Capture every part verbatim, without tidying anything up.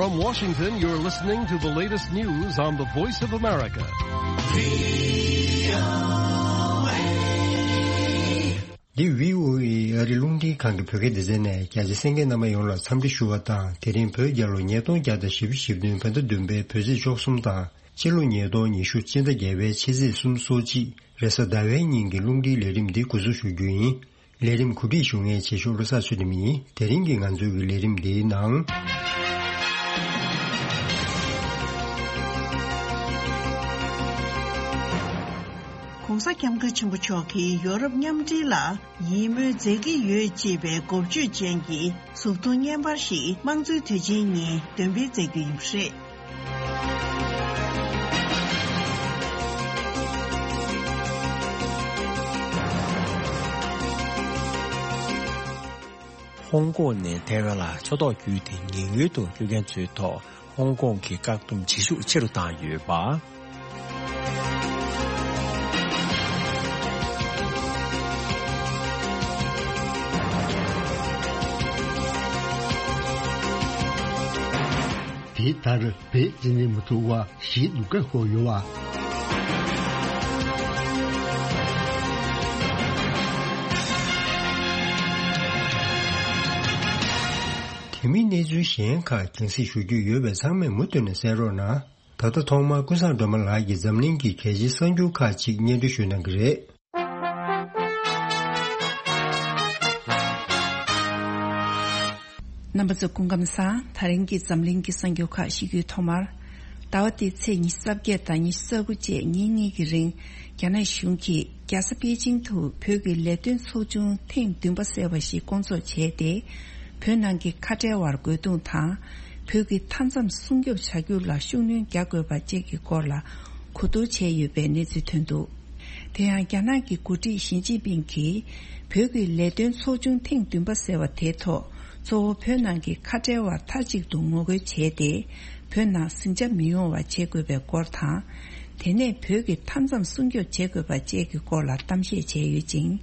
From Washington, you're listening to the latest news on the Voice of America. འདི་བྷི་ཨོ་ཨེ་ཨ་རི་རླུང་འཕྲིན་ཁང་གི་བོད་སྐད་སྡེ་ཚན་ནས། རྒྱ་ཆེ་གསན་མཁན་རྣམ་པ་ཡོངས་ལ་འཚམས་འདྲི་ཞུ་བ་དང་། དེ་རིང་བོད་རྒྱལ་ལོ་ཉིས་སྟོང་བརྒྱ་དང་བཞི་བཅུ་ཞེ་བདུན། བོད་ཟླ་བདུན་པའི་བོད་ཚེས་བཅུ་གསུམ་དང་། ཕྱི་ལོ་ཉིས་སྟོང་ཉི་ཤུ་སྤྱི་ཟླ་བརྒྱད་པའི་ཕྱི་ཚེས་སོ་གཅིག་རེས་གཟའ་ཟླ་བའི་ཉིན་གྱི་རླུང་འཕྲིན་ལས་རིམ་འདི་འགོ་འཛུགས་ཞུ་རྒྱུ་ཡིན། ལས་རིམ་གོ་སྒྲིག་ཞུ་མཁན་ཆེ་ཤོས་བློ་བཟང་ཚུལ་ཁྲིམས་ཡིན། དེ་རིང་གི་ང་ཚོའི་གི་ལས་རིམ་འདིའི་ནང་། ྋགོང་ས་ྋསྐྱབས་མགོན་ཆེན་པོ་མཆོག་གིས་ཡོ་རོབ་མཉམ་འབྲེལ་ལ་ཡིད་སྨོན་མཛད་ཀྱི་ཡོད་ཅེས་པའི་འགོ་བརྗོད་ཅན་གྱི་མཛུབ་ཐུང་བརྙན་པར་ཞིག་དམངས་གཙོའི་དུས་ཆེན་ཉིན་འདོན་སྤེལ་མཛད་རྒྱུ་ཡིན་པ་རེད། ཧོང་ཀོང་ནས་ཐའེ་ཝན་ལ་ཕྱོགས་གཏོགས་བརྒྱུད་དེ་ཉེན་གཡོལ་དུ་སྐྱོད་མཁན་ཚོའི་ཐོག་ཧོང་ཀོང་གི་བཀག་སྡོམ་བྱེད་ཤུགས་ཆེ་རུ་བཏང་ཡོད་པ། དེ་ལྟར་བོད་འཛིན་གྲྭ་མི་ཐུབ་པ་ཞིག་ཏུ་བཀག་ཡོད་པ། དེ་མིན་གནས་ཚུལ་གཞན་ཁག་རྒྱང་སྲིང་ཞུ་རྒྱུ་ཡོད་པས་ཚང་མས་མུ་མཐུད་ནས་གསན་རོགས་གནང་། ད་ལྟ་ཐོག་མར་ཀུན་བཟང་སྒྲོལ་མ་ལགས་ཀྱིས་འཛམ་གླིང་གི་གལ་ཆེའི་གསར་འགྱུར་ཁག་ཅིག་སྙན་སྒྲོན་ཞུ་གནང་གི་རེད། རྣམ་པ་ཚོ་སྐུ་ཁམས་བཟང་། ད་རིང་གི་འཛམ་གླིང་གི་གསར་འགྱུར་ཁག་ཞུ་རྒྱུའི་ཐོག་མར། ཟླ་བ་འདིའི་ཚེས་ཉི་ཤུ་རྩ་བརྒྱད་དང་ཉི་ཤུ་རྩ་དགུ་བཅས་ཉིན་གཉིས་ཀྱི་རིང་། རྒྱ་ནག་གཞུང་གིས་རྒྱལ་ས་པེ་ཅིང་དུ་བོད་ཀྱི་ལས་དོན་ཚོགས་ཆུང་ཐེངས་བདུན་པ་ཟེར་བ་ཞིག་བསྐོང་ཚོགས་བྱས་ཏེ། བོད་ནང་གི་ཁ་བྲལ་བར་རྒོལ་རྡུང་དང་། བོད་ཀྱི་མཐའ་མཚམས་སྲུང་སྐྱོབ་བྱ་རྒྱུ་ལ་ཤུགས་སྣོན་རྒྱག་དགོས་པ་བཅས་ཀྱི་སྐོར་ལ་གོ་བསྡུར་བྱས་ཡོད་པའི་གནས་ཚུལ་ཐོན་འདུག། དེ་ཡང་རྒྱ་ནག་གི་འགོ་ཁྲིད་ཞི་ཅིན་ཕིང་གིས་བོད་ཀྱི་ལས་དོན་ཚོགས་ཆུང་ཐེངས་བདུན་པ་ཟེར་བ་དེའི་ཐོག་གཙོ་བོ་བོད་ནང་གི་ཁ་བྲལ་བར་མཐའ་གཅིག་ཏུ་ངོ་རྒོལ་བྱས་ཏེ། བོད་ནང་ཟིང་ཆ་མི་ཡོང་བ་བྱེད་དགོས་པའི་སྐོར་དང་། དེ་ནས་བོད་ཀྱི་མཐའ་མཚམས་སྲུང་སྐྱོབ་བྱེད་དགོས་པ་བཅས་ཀྱི་སྐོར་ལ་གཏམ་བཤད་བྱས་ཡོད་ཅིང་།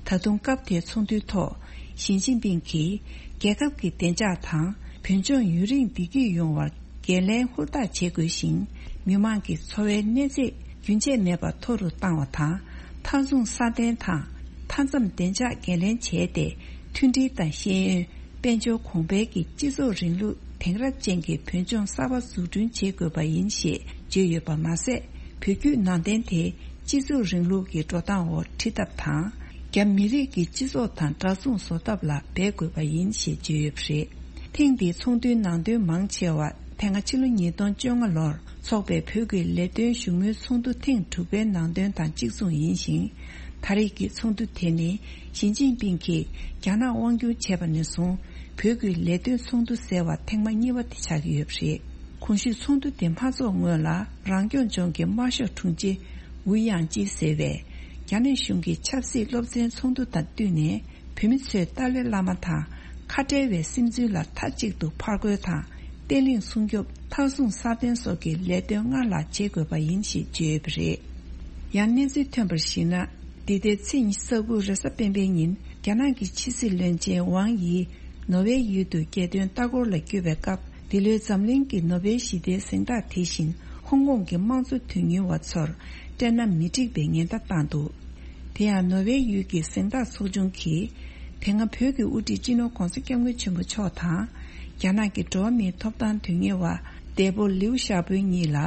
ད་དུང་སྐབས་དེའི་ཚོགས་འདུའི་ཐོག་ཞི་ཅིན་ཕིང་གིས་རྒྱལ་ཁབ་ཀྱི་བདེ་འཇགས་དང་བོད་ལྗོངས་ཡུན་རིང་བདེ་སྐྱིད་ཡོང་བར་འགན་ལེན་ཧུར་ཐག་བྱེད་དགོས་ཤིང་། མི་དམངས་ཀྱི་འཚོ་བའི་གནས་ཚད་རྒྱུན་ཆད་མེད་པར་མཐོ་རུ་བཏང་བ་དང་། མཐའ་སྲུང་སྲ་བརྟན་དང་མཐའ་མཚམས་བདེ་འཇགས་འགན་ལེན་བྱས་ཏེ། མཐུན་སྒྲིལ་དང་ཤེས་ཡོན། དཔལ་འབྱོར་གོང་འཕེལ་གྱི་སྤྱི་ཚོགས་རིང་ལུགས་དེང་རབས་ཅན་གྱི་བོད་ལྗོངས་གསར་པ་འཛུགས་སྐྲུན་བྱེད་དགོས་པ་ཡིན་ཞེས་བརྗོད་ཡོད་པ་མ་ཟད། བོད་བརྒྱུད་ནང་བསྟན་དེ་སྤྱི་ཚོགས་རིང་ལུགས་ཀྱི་འགྲོ་སྟངས་འོག་ཁྲིད་ཐབས་དང་། རྒྱ་མི་རིགས་ཀྱི་སྤྱི་ཚོགས་དང་འདྲ་མཚུངས་བཟོ་ཐབས་ལ་འབད་དགོས་པ་ཡིན་ཞེས་བརྗོད་ཡོད་པ་རེད། ཐེངས་འདིའི་ཚོགས་འདུའི་ནང་དོན་མང་ཆེ་བ་དེ་སྔ་ཕྱི་ལོ་ཉིས་སྟོང་བཅོ་ལྔ་ལོར་འཚོགས་པའི་བོད་ཀྱི་ལས་དོན་བཞུགས་མོལ་ཚོགས་འདུ་ཐེངས་དྲུག་པའི་ནང་དོན་དང་གཅིག་མཚུངས་ཡིན་ཞིང་། ད་རེས་ཀྱི་ཚོགས་འདུ་དེ་ནི་ཞི་ཅིན་ཕིང་གིས་རྒྱ་ནག་དབང་སྒྱུར་བྱས་པ་ནས་བཟུང་བོད་ཀྱི་ལས་དོན་ཚོགས་འདུ་ཟེར་བ་ཐེངས་མ་གཉིས་པ་དེ་ཆགས་ཀྱི་ཡོད་པ་རེད། གོང་ཞུས་ཚོགས་འདུ་དེ་མ་འཚོགས་སྔོན་ལ་རང་སྐྱོང་ལྗོངས་ཀྱི་དམར་ཤོག་དྲུང་ཆེ་ཝུའུ་དབྱང་ཅེ་ཟེར་བས། རྒྱ་ནག་གཞུང་གི་ཆབ་སྲིད་སློབ་ཚན་ཚོགས་འདུ་དང་བསྟུན་ནས། བོད་མི་ཚོས་ཏཱ་ལའི་བླ་མ་དང་ཁ་བྲལ་བའི་སིམ་འཛུལ་ལ་མཐའ་གཅིག་ཏུ་ཕར་རྒོལ་དང་བརྟན་ལྷིང་སྲུང་སྐྱོབ། མཐའ་སྲུང་སྲ་བརྟན་སོགས་ཀྱི་ལས་དོན་སྔར་ལྷག་བྱེད་དགོས་པ་ཡིན་ཞེས་བརྗོད་ཡོད་པ་རེད། ཡང་གནས་ཚུལ་ཐོན་པར་གཞིགས་ན། འདི་ཟླའི་ཚེས་ཉི་ཤུ་རྩ་དགུ་རེས་གཟའ་སྤེན་པའི་ཉིན་རྒྱ་ནག་གི་ཕྱི་སྲིད་བློན་ཆེན་ཝང་ཡི་ནོར་ཝེ་ཡུལ་དུ་རྒྱལ་དོན་ལྟ་སྐོར་ལ་བསྐྱོད་པའི་སྐབས། འདི་ལོའི་འཛམ་གླིང་གི་ནོ་བེལ་ཞི་བདེའི་གཟེངས་རྟགས་དེ་བཞིན་ཧོང་ཀོང་གི་དམངས་གཙོ་དོན་གཉེར་བ་ཚོར་སྤྲད་ན་མི་འགྲིག་པའི་ཉེན་བརྡ་བཏང་འདུག། དེ་ཡང་ནོར་ཝེ་ཡུལ་གྱི་གཟེངས་རྟགས་ཚོགས་ཆུང་གིས། དེ་སྔ་བོད་ཀྱི་དབུ་ཁྲིད་སྤྱི་ནོར་༧གོང་ས་༧སྐྱབས་མགོན་ཆེན་པོ་མཆོག་དང་། རྒྱ་ནག་གི་འགྲོ་བ་མིའི་ཐོབ་ཐང་དོན་གཉེར་བ་འདས་པོ་ལིའུ་ཞའོ་པོ་གཉིས་ལ།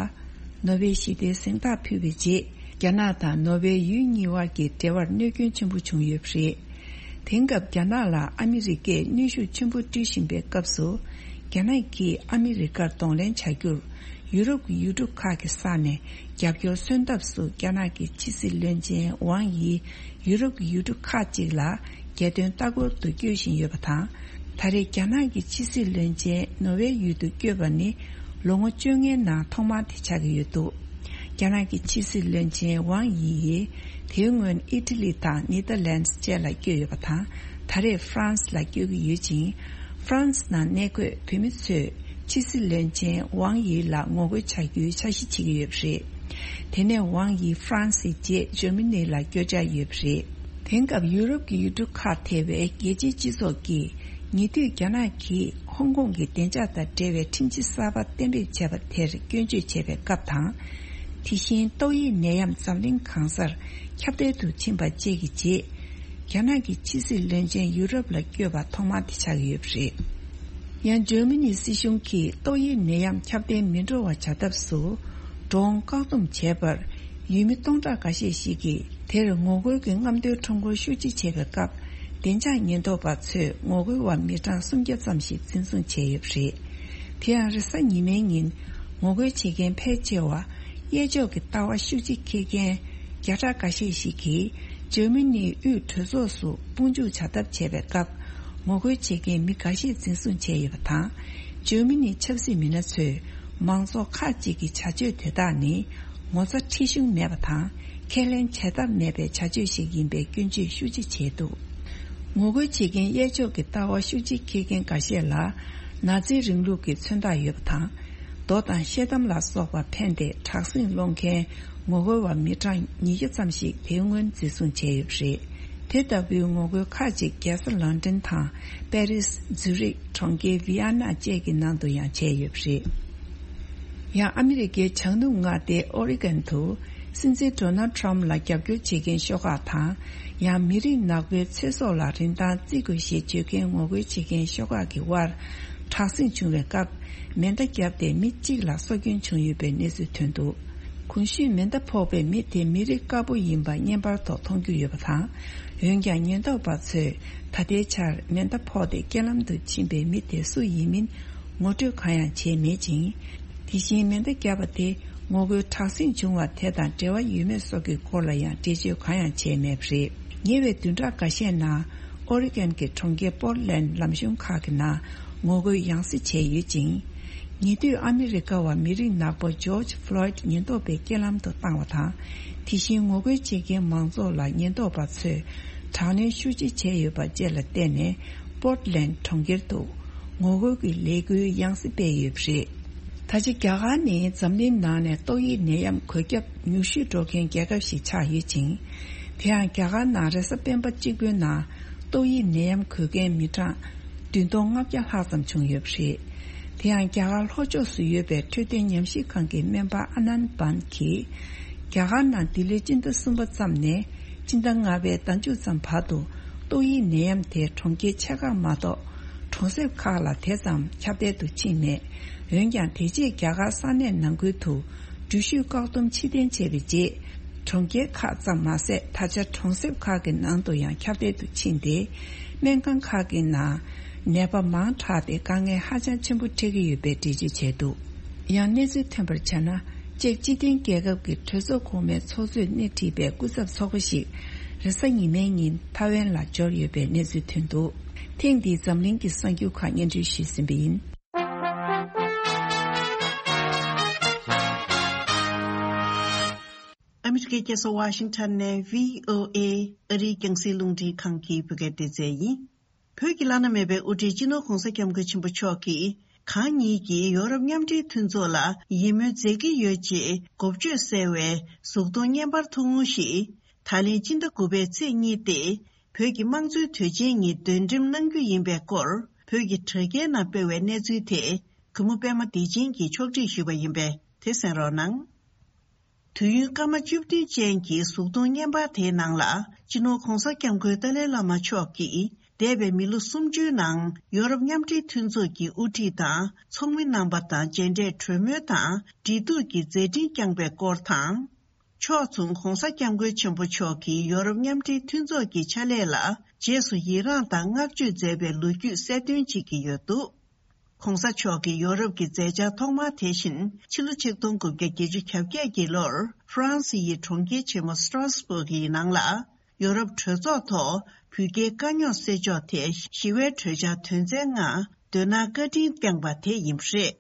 ནོ་བེལ་ཞི་བདེའི་གཟེངས་རྟགས་ཕུལ་བའི་རྗེས། རྒྱ་ནག་དང་ནོར་ཝེ་ཡུལ་གཉིས་དབར་གྱི་འབྲེལ་བར་གནོད་སྐྱོན་ཆེན་པོ་བྱུང་ཡོད་པ་རེད། དེང་སྐབས་རྒྱ་ནག་ལ་ཨ་མི་རི་ཀས་གནོན་ཤུགས་ཆེན་པོ་སྤྲོད་བཞིན་པའི་སྐབས་སུ། རྒྱ་ནག་གིས་ཨ་མི་རི་ཀར་གདོང་ལེན་བྱ་རྒྱུར། ཡུ་རོབ་ཀྱི་ཡུལ་གྲུ་ཁག་གི་ས་ནས་རྒྱབ་སྐྱོར་སོན་ཐབས་སུ་རྒྱ་ནག་གི་ཕྱི་སྲིད་བློན་ཆེན་ཝང་ཡི་ཡུ་རོབ་ཀྱི་ཡུལ་གྲུ་ཁག་ཅིག་ལ་རྒྱལ་དོན་ལྟ་སྐོར་དུ་བསྐྱོད་བཞིན་ཡོད་པ་དང་། ད་རེས་རྒྱ་ནག་གི་ཕྱི་སྲིད་བློན་ཆེན་ནོར་ཝེ་ཡུལ་དུ་བསྐྱོད་པ་ནི་ལོ་ངོ་བཅོ་ལྔའི་ནང་ཐོག་མ་དེ་ཆགས་ཀྱི་ཡོད་འདུག། རྒྱ་ནག་གི་ཕྱི་སྲིད་བློན་ཆེན་ཝང་ཡི་ཡིས་དེའི་སྔོན་ཨི་ཊ་ལི་དང་ནེ་ཐར་ལན་སི་བཅས་ལ་བསྐྱོད་ཡོད་པ་དང་། ད་རེས་ཧྥ་རན་སི་ལ་བསྐྱོད་ཀྱི་ཡོད་ཅིང་། ཧྥ་རན་སི་ནང་གནས་འཁོད་བོད་མི་ཚོས་ཕྱི་སྲིད་བློན་ཆེན་ཝང་ཡི་ལ་ངོ་རྒོལ་བྱ་རྒྱུའི་འཆར་གཞི་བྱེད་ཀྱི་ཡོད་པ་རེད། དེ་ནས་ཝང་ཡི་ཧྥ་རན་སིའི་རྗེས་འཇར་མ་ནི་ལ་བསྐྱོད་འཆར་ཡོད་པ་རེད། དེང་སྐབས་ཡུ་རོབ་ཀྱི་ཡུལ་གྲུ་ཁག་ཐེ་བའི་རྒྱལ་སྤྱིའི་སྤྱི་ཚོགས་ཀྱིས་ ཉེ་དུས་རྒྱ་ནག་གིས་ཧོང་ཀོང་གི་བདེ་འཇགས་དང་འབྲེལ་བའི་ཁྲིམས་གཞི་གསར་པ་གཏན་འབེབས་བྱས་པ་དེར་སྐྱོན་བརྗོད་བྱས་པའི་སྐབས་དང་། དེ་བཞིན་ཏོག་དབྱིབས་ནད་ཡམས་འཛམ་གླིང་གང་སར་ཁྱབ་གདལ་དུ་ཕྱིན་པ་བཅས་ཀྱི་རྗེས། རྒྱ་ནག་གི་ཕྱི་སྲིད་བློན་ཆེན་ཡུ་རོབ་ལ་བསྐྱོད་པ་ཐོག་མ་དེ་ཆགས་ཡོད་པ་རེད། ཡང་འཇར་མ་ནིའི་སྲིད་གཞུང་གིས་ཏོག་དབྱིབས་ནད་ཡམས་ཁྱབ་གདལ་མི་འགྲོ་བ་བྱ་ཐབས་སུ། འགྲོ་འོང་བཀག་སྡོམ་བྱས་པར། ཡུལ་མི་སྟོང་ཕྲག་འགའ་ཤས་ཤིག་གིས་དེར་ངོ་རྒོལ་གྱི་རྔམ་སྟོན་ཁྲོམ་སྐོར་ཤུགས་ཆེ་བྱས་པའི་སྐབས། བདེ་འཇགས་ཉེན་རྟོག་པ་ཚོས་ངོ་རྒོལ་བ་མི་གྲངས་སུམ་བརྒྱ་ཙམ་ཞིག་འཛིན་བཟུང་བྱས་ཡོད་པ་རེད། དེ་ཡང་རེས་གཟའ་ཉི་མའི་ཉིན། ངོ་རྒོལ་བྱེད་མཁན་ཕལ་ཆེ་བ། གཡས་ཕྱོགས་ཀྱི་ལྟ་བ་ཤུགས་ཆེ་འཁྱེར་མཁན། བརྒྱ་ཕྲག་འགའ་ཤས་ཤིག་གིས། འཇར་མ་ནིའི་དབུས་གྲོས་ཚོགས་སུ་དཔུང་འཇུག་བྱ་ཐབས་བྱས་པའི་སྐབས། ངོ་རྒོལ་བྱེད་མཁན་མི་འགའ་ཤས་འཛིན་བཟུང་བྱས་ཡོད་པ་དང་། འཇར་མ་ནིའི་ཆབ་སྲིད་མི་སྣ་ཚོས། མང་ཚོགས་ཁག་ཅིག་གི་བྱ་སྤྱོད་དེ་དག་ནི། ངོ་ཚ་ཁྲེལ་གཞུང་མེད་པ་དང་། ཁས་ལེན་བྱེད་ཐབས་མེད་པའི་བྱ་སྤྱོད་ཞིག་ཡིན་པའི་སྐྱོན་བརྗོད་ཤུགས་ཆེ་བྱས་འདུག་ངོ་རྒོལ་བྱེད་མཁན་གཡས་ཕྱོགས་ཀྱི་ལྟ་བ་ཤུགས་ཆེ་འཁྱེར་མཁན་འགའ་ཤས་ལ། ནཱ་ཛི་རིང་ལུགས་ཀྱི་མཚོན་རྟགས་ཡོད་པ་དང་། རྡོ་དང་ཤེལ་དམ་ལ་སོགས་པ་འཕེན་ཏེ་དྲག་ཟིང་སློང་མཁན་ངོ་རྒོལ་བ་མི་གྲངས་ཉིས་བརྒྱ་ཙམ་ཞིག་དེ་སྔོན་འཛིན་བཟུང་བྱས་ཡོད་པ་རེད། དེ་ལྟ་བུའི་ངོ་རྒོལ་ཁག་ཅིག་རྒྱལ་ས་ལོན་ཌོན་དང་། པེ་རིས། ཛུ་རིག་གྲོང་ཁྱེར་ཝི་ཡ་ན་བཅས་ཀྱི་ནང་དུ་ཡང་བྱས་ཡོད་པ་རེད། ཡང་ཨ་མི་རི་ཀའི་བྱང་ནུབ་མངའ་སྡེ་ཨོ་རི་གན་དུ། སྲིད་འཛིན་ཌོ་ནལ་ཊམ་ལ་རྒྱབ་སྐྱོར་བྱེད་མཁན་ཤོག་ཁག་དང་། ཡང་མི་རིགས་ནག་པོའི་ཚེ་སྲོག་ལ་རིན་ཐང་བརྩི་དགོས་ཞེས་བརྗོད་མཁན་ངོ་རྒོལ་བྱེད་མཁན་ཤོག་ཁག་གི་དབར། དྲག་ཟིང་བྱུང་བའི་སྐབས། མེ་མདའ་བརྒྱབ་སྟེ་མི་གཅིག་ལ་སྲོག་སྐྱོན་བྱུང་ཡོད་པའི་གནས་ཚུལ་ཐོན་འདུག་གོང་ཞུས་མེ་མདའ་ཕོག་པའི་མི་དེ་མི་རིགས་དཀར་པོ་ཡིན་པ་བརྙན་པར་ཐོག་མཐོང་རྒྱུ་ཡོད་པ་དང་། འོན་ཀྱང་ཉེན་རྟོག་པ་ཚོས་ད་ལྟའི་ཆར་མེ་མདའ་ཕོག་སྟེ་རྐྱེན་ལམ་དུ་ཕྱིན་པའི་མི་དེ་སུ་ཡིན་མིན་ངོ་སྤྲོད་གང་ཡང་བྱས་མེད་ཅིང་། དེ་བཞིན་མེ་མདའ་བརྒྱབ་པ་དེ་ངོ་རྒོལ་དྲག་ཟིང་བྱུང་བ་དེ་དང་འབྲེལ་བ་ཡོད་མེད་སོགས་ཀྱི་སྐོར་ལ་ཡང་འགྲེལ་བརྗོད་གང་ཡང་བྱས་མེད་པ་རེད། ཉེ་བའི་བདུན་ཕྲག་འགའ་ཤས་ནང་ཨོ་རི་གན་གྱི་གྲོང་ཁྱེར་པོར་ལན་ལམ་གཞུང་ཁག་གི་ནང་ངོ་རྒོལ་ཡང་སེ་བྱས་ཡོད་ཅིང་། ཉེ་དུས་ཨ་མི་རི་ཀ་བ་མི་རིགས་ནག་པོ་ཇོརྗ་ཕློའིད་ཉེན་རྟོག་པས་རྐྱེན་ལམ་དུ་བཏང་བ་དང་། དེ་བཞིན་ངོ་རྒོལ་བྱེད་མཁན་མང་ཚོགས་ལ་ཉེན་རྟོག་པ་ཚོས་དྲག་གནོན་ཤུགས་ཆེ་བྱས་ཡོད་པ་བཅས་ལ་བརྟེན་ནས་པོར་ཊ་ལན་ཌི་གྲོང་ཁྱེར་དུ་ངོ་རྒོལ་གྱི་ལས་འགུལ་ཡང་སེ་སྤེལ་ཡོད་པ་རེད། ད་ཆ་རྒྱ་གར་ནི་འཛམ་གླིང་ནང་ནས་ཏོག་དབྱིབས་ནད་ཡམས་འགོས་ཁྱབ་ཉུང་ཤོས་འགྲོ་མཁན་རྒྱལ་ཁབ་ཞིག་ཆགས་ཡོད་ཅིང་། དེ་ཡང་རྒྱ་གར་ནང་རེས་གཟའ་སྤེན་པ་གཅིག་པུའི་ནང་ཏོག་དབྱིབས་ནད་ཡམས་འགོས་མཁན་མི་གྲངས་བདུན་སྟོང་ལྔ་བརྒྱ་ལྷག་ཙམ་བྱུང་ཡོད་པ་རེད། དེ་ཡང་རྒྱ་གར་ལྷོ་ཕྱོགས་སུ་ཡོད་པའི་འཕྲོད་བསྟེན་ཉམས་ཞིབ་ཁང་གི་སྨན་པ་ཨ་ནན་པན་གྱིས། རྒྱ་གར་ནང་འདི་ལོའི་སྤྱི་ཟླ་གསུམ་པ་ཙམ་ནས་སྤྱི་ཟླ་ལྔ་པའི་ཟླ་མཇུག་ཙམ་བར་དུ་ཏོག་དབྱིབས་ནད་ཡམས་དེ་གྲོང་ཁྱེར་ཆེ་ཁག་མ་གཏོགས་གྲོང་གསེབ་ཁག་ལ་དེ་ཙམ་ཁྱབ་གདལ་དུ་ཕྱིན་མེད། འོན་ཀྱང་དེ་རྗེས་རྒྱ་གར་ས་གནས་ནང་ཁུལ་དུ་འགྲུལ་བཞུད་བཀག་སྡོམ་ཕྱིར་འཐེན་བྱས་པའི་རྗེས། གྲོང་ཁྱེར་ཁག་ཙམ་མ་ཟད་ད་ཆ་གྲོང་གསེབ་ཁག་གི་ནང་དུ་ཡང་ཁྱབ་གདལ་དུ་ཕྱིན་ཏེ། སྨན་ཁང་ཁག་གི་ནང་ནད་པ་མང་དྲགས་ཏེ་དཀའ་ངལ་ཧ་ཅང་ཆེན་པོ་འཕྲད་ཀྱི་ཡོད་པའི་འགྲེལ་བརྗོད་བྱས་འདུག་ཡང་གནས་ཚུལ་ཐོན་པར་བྱས་ན། ཅེཀ་སྤྱི་མཐུན་རྒྱལ་ཁབ་ཀྱི་གྲོས་ཚོགས་གོང་མའི་ཚོགས་གཙོས་སྣེ་ཁྲིད་པའི་སྐུ་ཚབ་ཚོགས་པ་ཞིག་རེས་གཟའ་ཉི་མའི་ཉིན་ཐའེ་ཝན་ལ་འབྱོར་ཡོད་པའི་གནས་ཚུལ་ཐོན་འདུག་ཐེངས་འདིའི་འཛམ་གླིང་གི་གསར་འགྱུར་ཁག་སྙན་སྒྲོན་ཞུས་ཟིན་པ་ཡིན། ཨ་མི་རི་ཀའི་རྒྱལ་ས་ཝ་ཤིང་ཊོན་ནས་བྷི་ཨོ་ཨེ་ཨ་རིའི་རྒྱང་སྲིང་རླུང་འཕྲིན་ཁང་གི་བོད་སྐད་སྡེ་ཚན་ཡིན། བོད་ཀྱི་བླ་ན་མེད་པའི་དབུ་ཁྲིད་སྤྱི་ནོར་༧གོང་ས་༧སྐྱབས་མགོན་ཆེན་པོ་མཆོག་གིས་གང་ཉིད་ཀྱིས་ཡོ་རོབ་མཉམ་འབྲེལ་མཐུན་ཚོགས་ལ་ཡིད་སྨོན་མཛད་ཀྱི་ཡོད་ཅེས་འགོ་བརྗོད་གསལ་བའི་གཟུགས་མཐོང་བརྙན་པར་ཐུང་ངུ་ཞིག་ད་ལན་སྤྱི་ཟླ་དགུ་པའི་ཚེས་གཉིས་ཏེ། བོད་ཀྱི་དམངས་གཙོའི་དུས་ཆེན་ཉིན་འདོན་འགྲེམས་གནང་རྒྱུ་ཡིན་པའི་སྐོར་བོད་ཀྱི་དྲ་རྒྱའི་ནང་སྤེལ་བའི་གནས་ཚུལ་དེ་གུས་མོ་པད་མ་བདེ་ཆེན་གྱིས་ཕྱོགས་སྒྲིག་ཞུས་པ་ཡིན་པས་དེ་གསན་རོགས་གནང་། དུས་ཡུན་སྐར་མ་བཅུ་བདུན་ཅན་གྱི་གཟུགས་མཐོང་བརྙན་པར་དེའི་ནང་ལ་སྤྱི་ནོར་༧གོང་ས་༧སྐྱབས་མགོན་ཏཱ་ལའི་བླ་མ་མཆོག་གིས་འདས་པའི་མི་ལོ་སུམ་ཅུའི་ནང་ཡོ་རོབ་མཉམ་འབྲེལ་མཐུན་ཚོགས་ཀྱི་དབུ་ཁྲིད་དང་ཚོགས་མི་རྣམ་པ་དང་མཇལ་འཕྲད་གྲོས་མོལ་དང་འབྲེལ་གཏུག་གི་མཛད་འཕྲིན་བསྐྱངས་པའི་སྐོར་དང་། ཕྱོགས་མཚུངས་༧གོང་ས་༧སྐྱབས་མགོན་ཆེན་པོ་མཆོག་གིས་ཡོ་རོབ་མཉམ་འབྲེལ་མཐུན་ཚོགས་ཀྱི་ཕྱག་ལས་ལ་རྗེས་སུ་ཡི་རངས་དང་བསྔགས་བརྗོད་མཛད་པའི་ལོ་རྒྱུས་གསལ་སྟོན་བྱེད་ཀྱི་ཡོད་འདུག ༧གོང་ས་མཆོག་གིས་ཡོ་རོབ་ཀྱི་མཛད་འཆར་ཐོག་མར་དེ་བཞིན་ཕྱི་ལོ་ཆིག་སྟོང་དགུ་བརྒྱ་བརྒྱད་ཅུ་གྱ་བརྒྱད་ཀྱི་ལོར་ཧྥ་རན་སི་ཡི་གྲོང་ཁྱེར་ཆེན་མོ་སི་ཏྲ་སྦུག་གི་ནང་ལ་ཡོ་རོབ་གྲོས་ཚོགས་ཐོག་བུ་སྐྱེས་དཀའ་རྙོག་སེལ་ཕྱོགས་ཐད་ཞི་བའི་གྲོས་འཆར་དོན་ཚན་ལྔ་དོན་ལྔ་བཀའ་འདྲི་བསྐྱངས་པ་དེ་ཡིན་པ་རེད།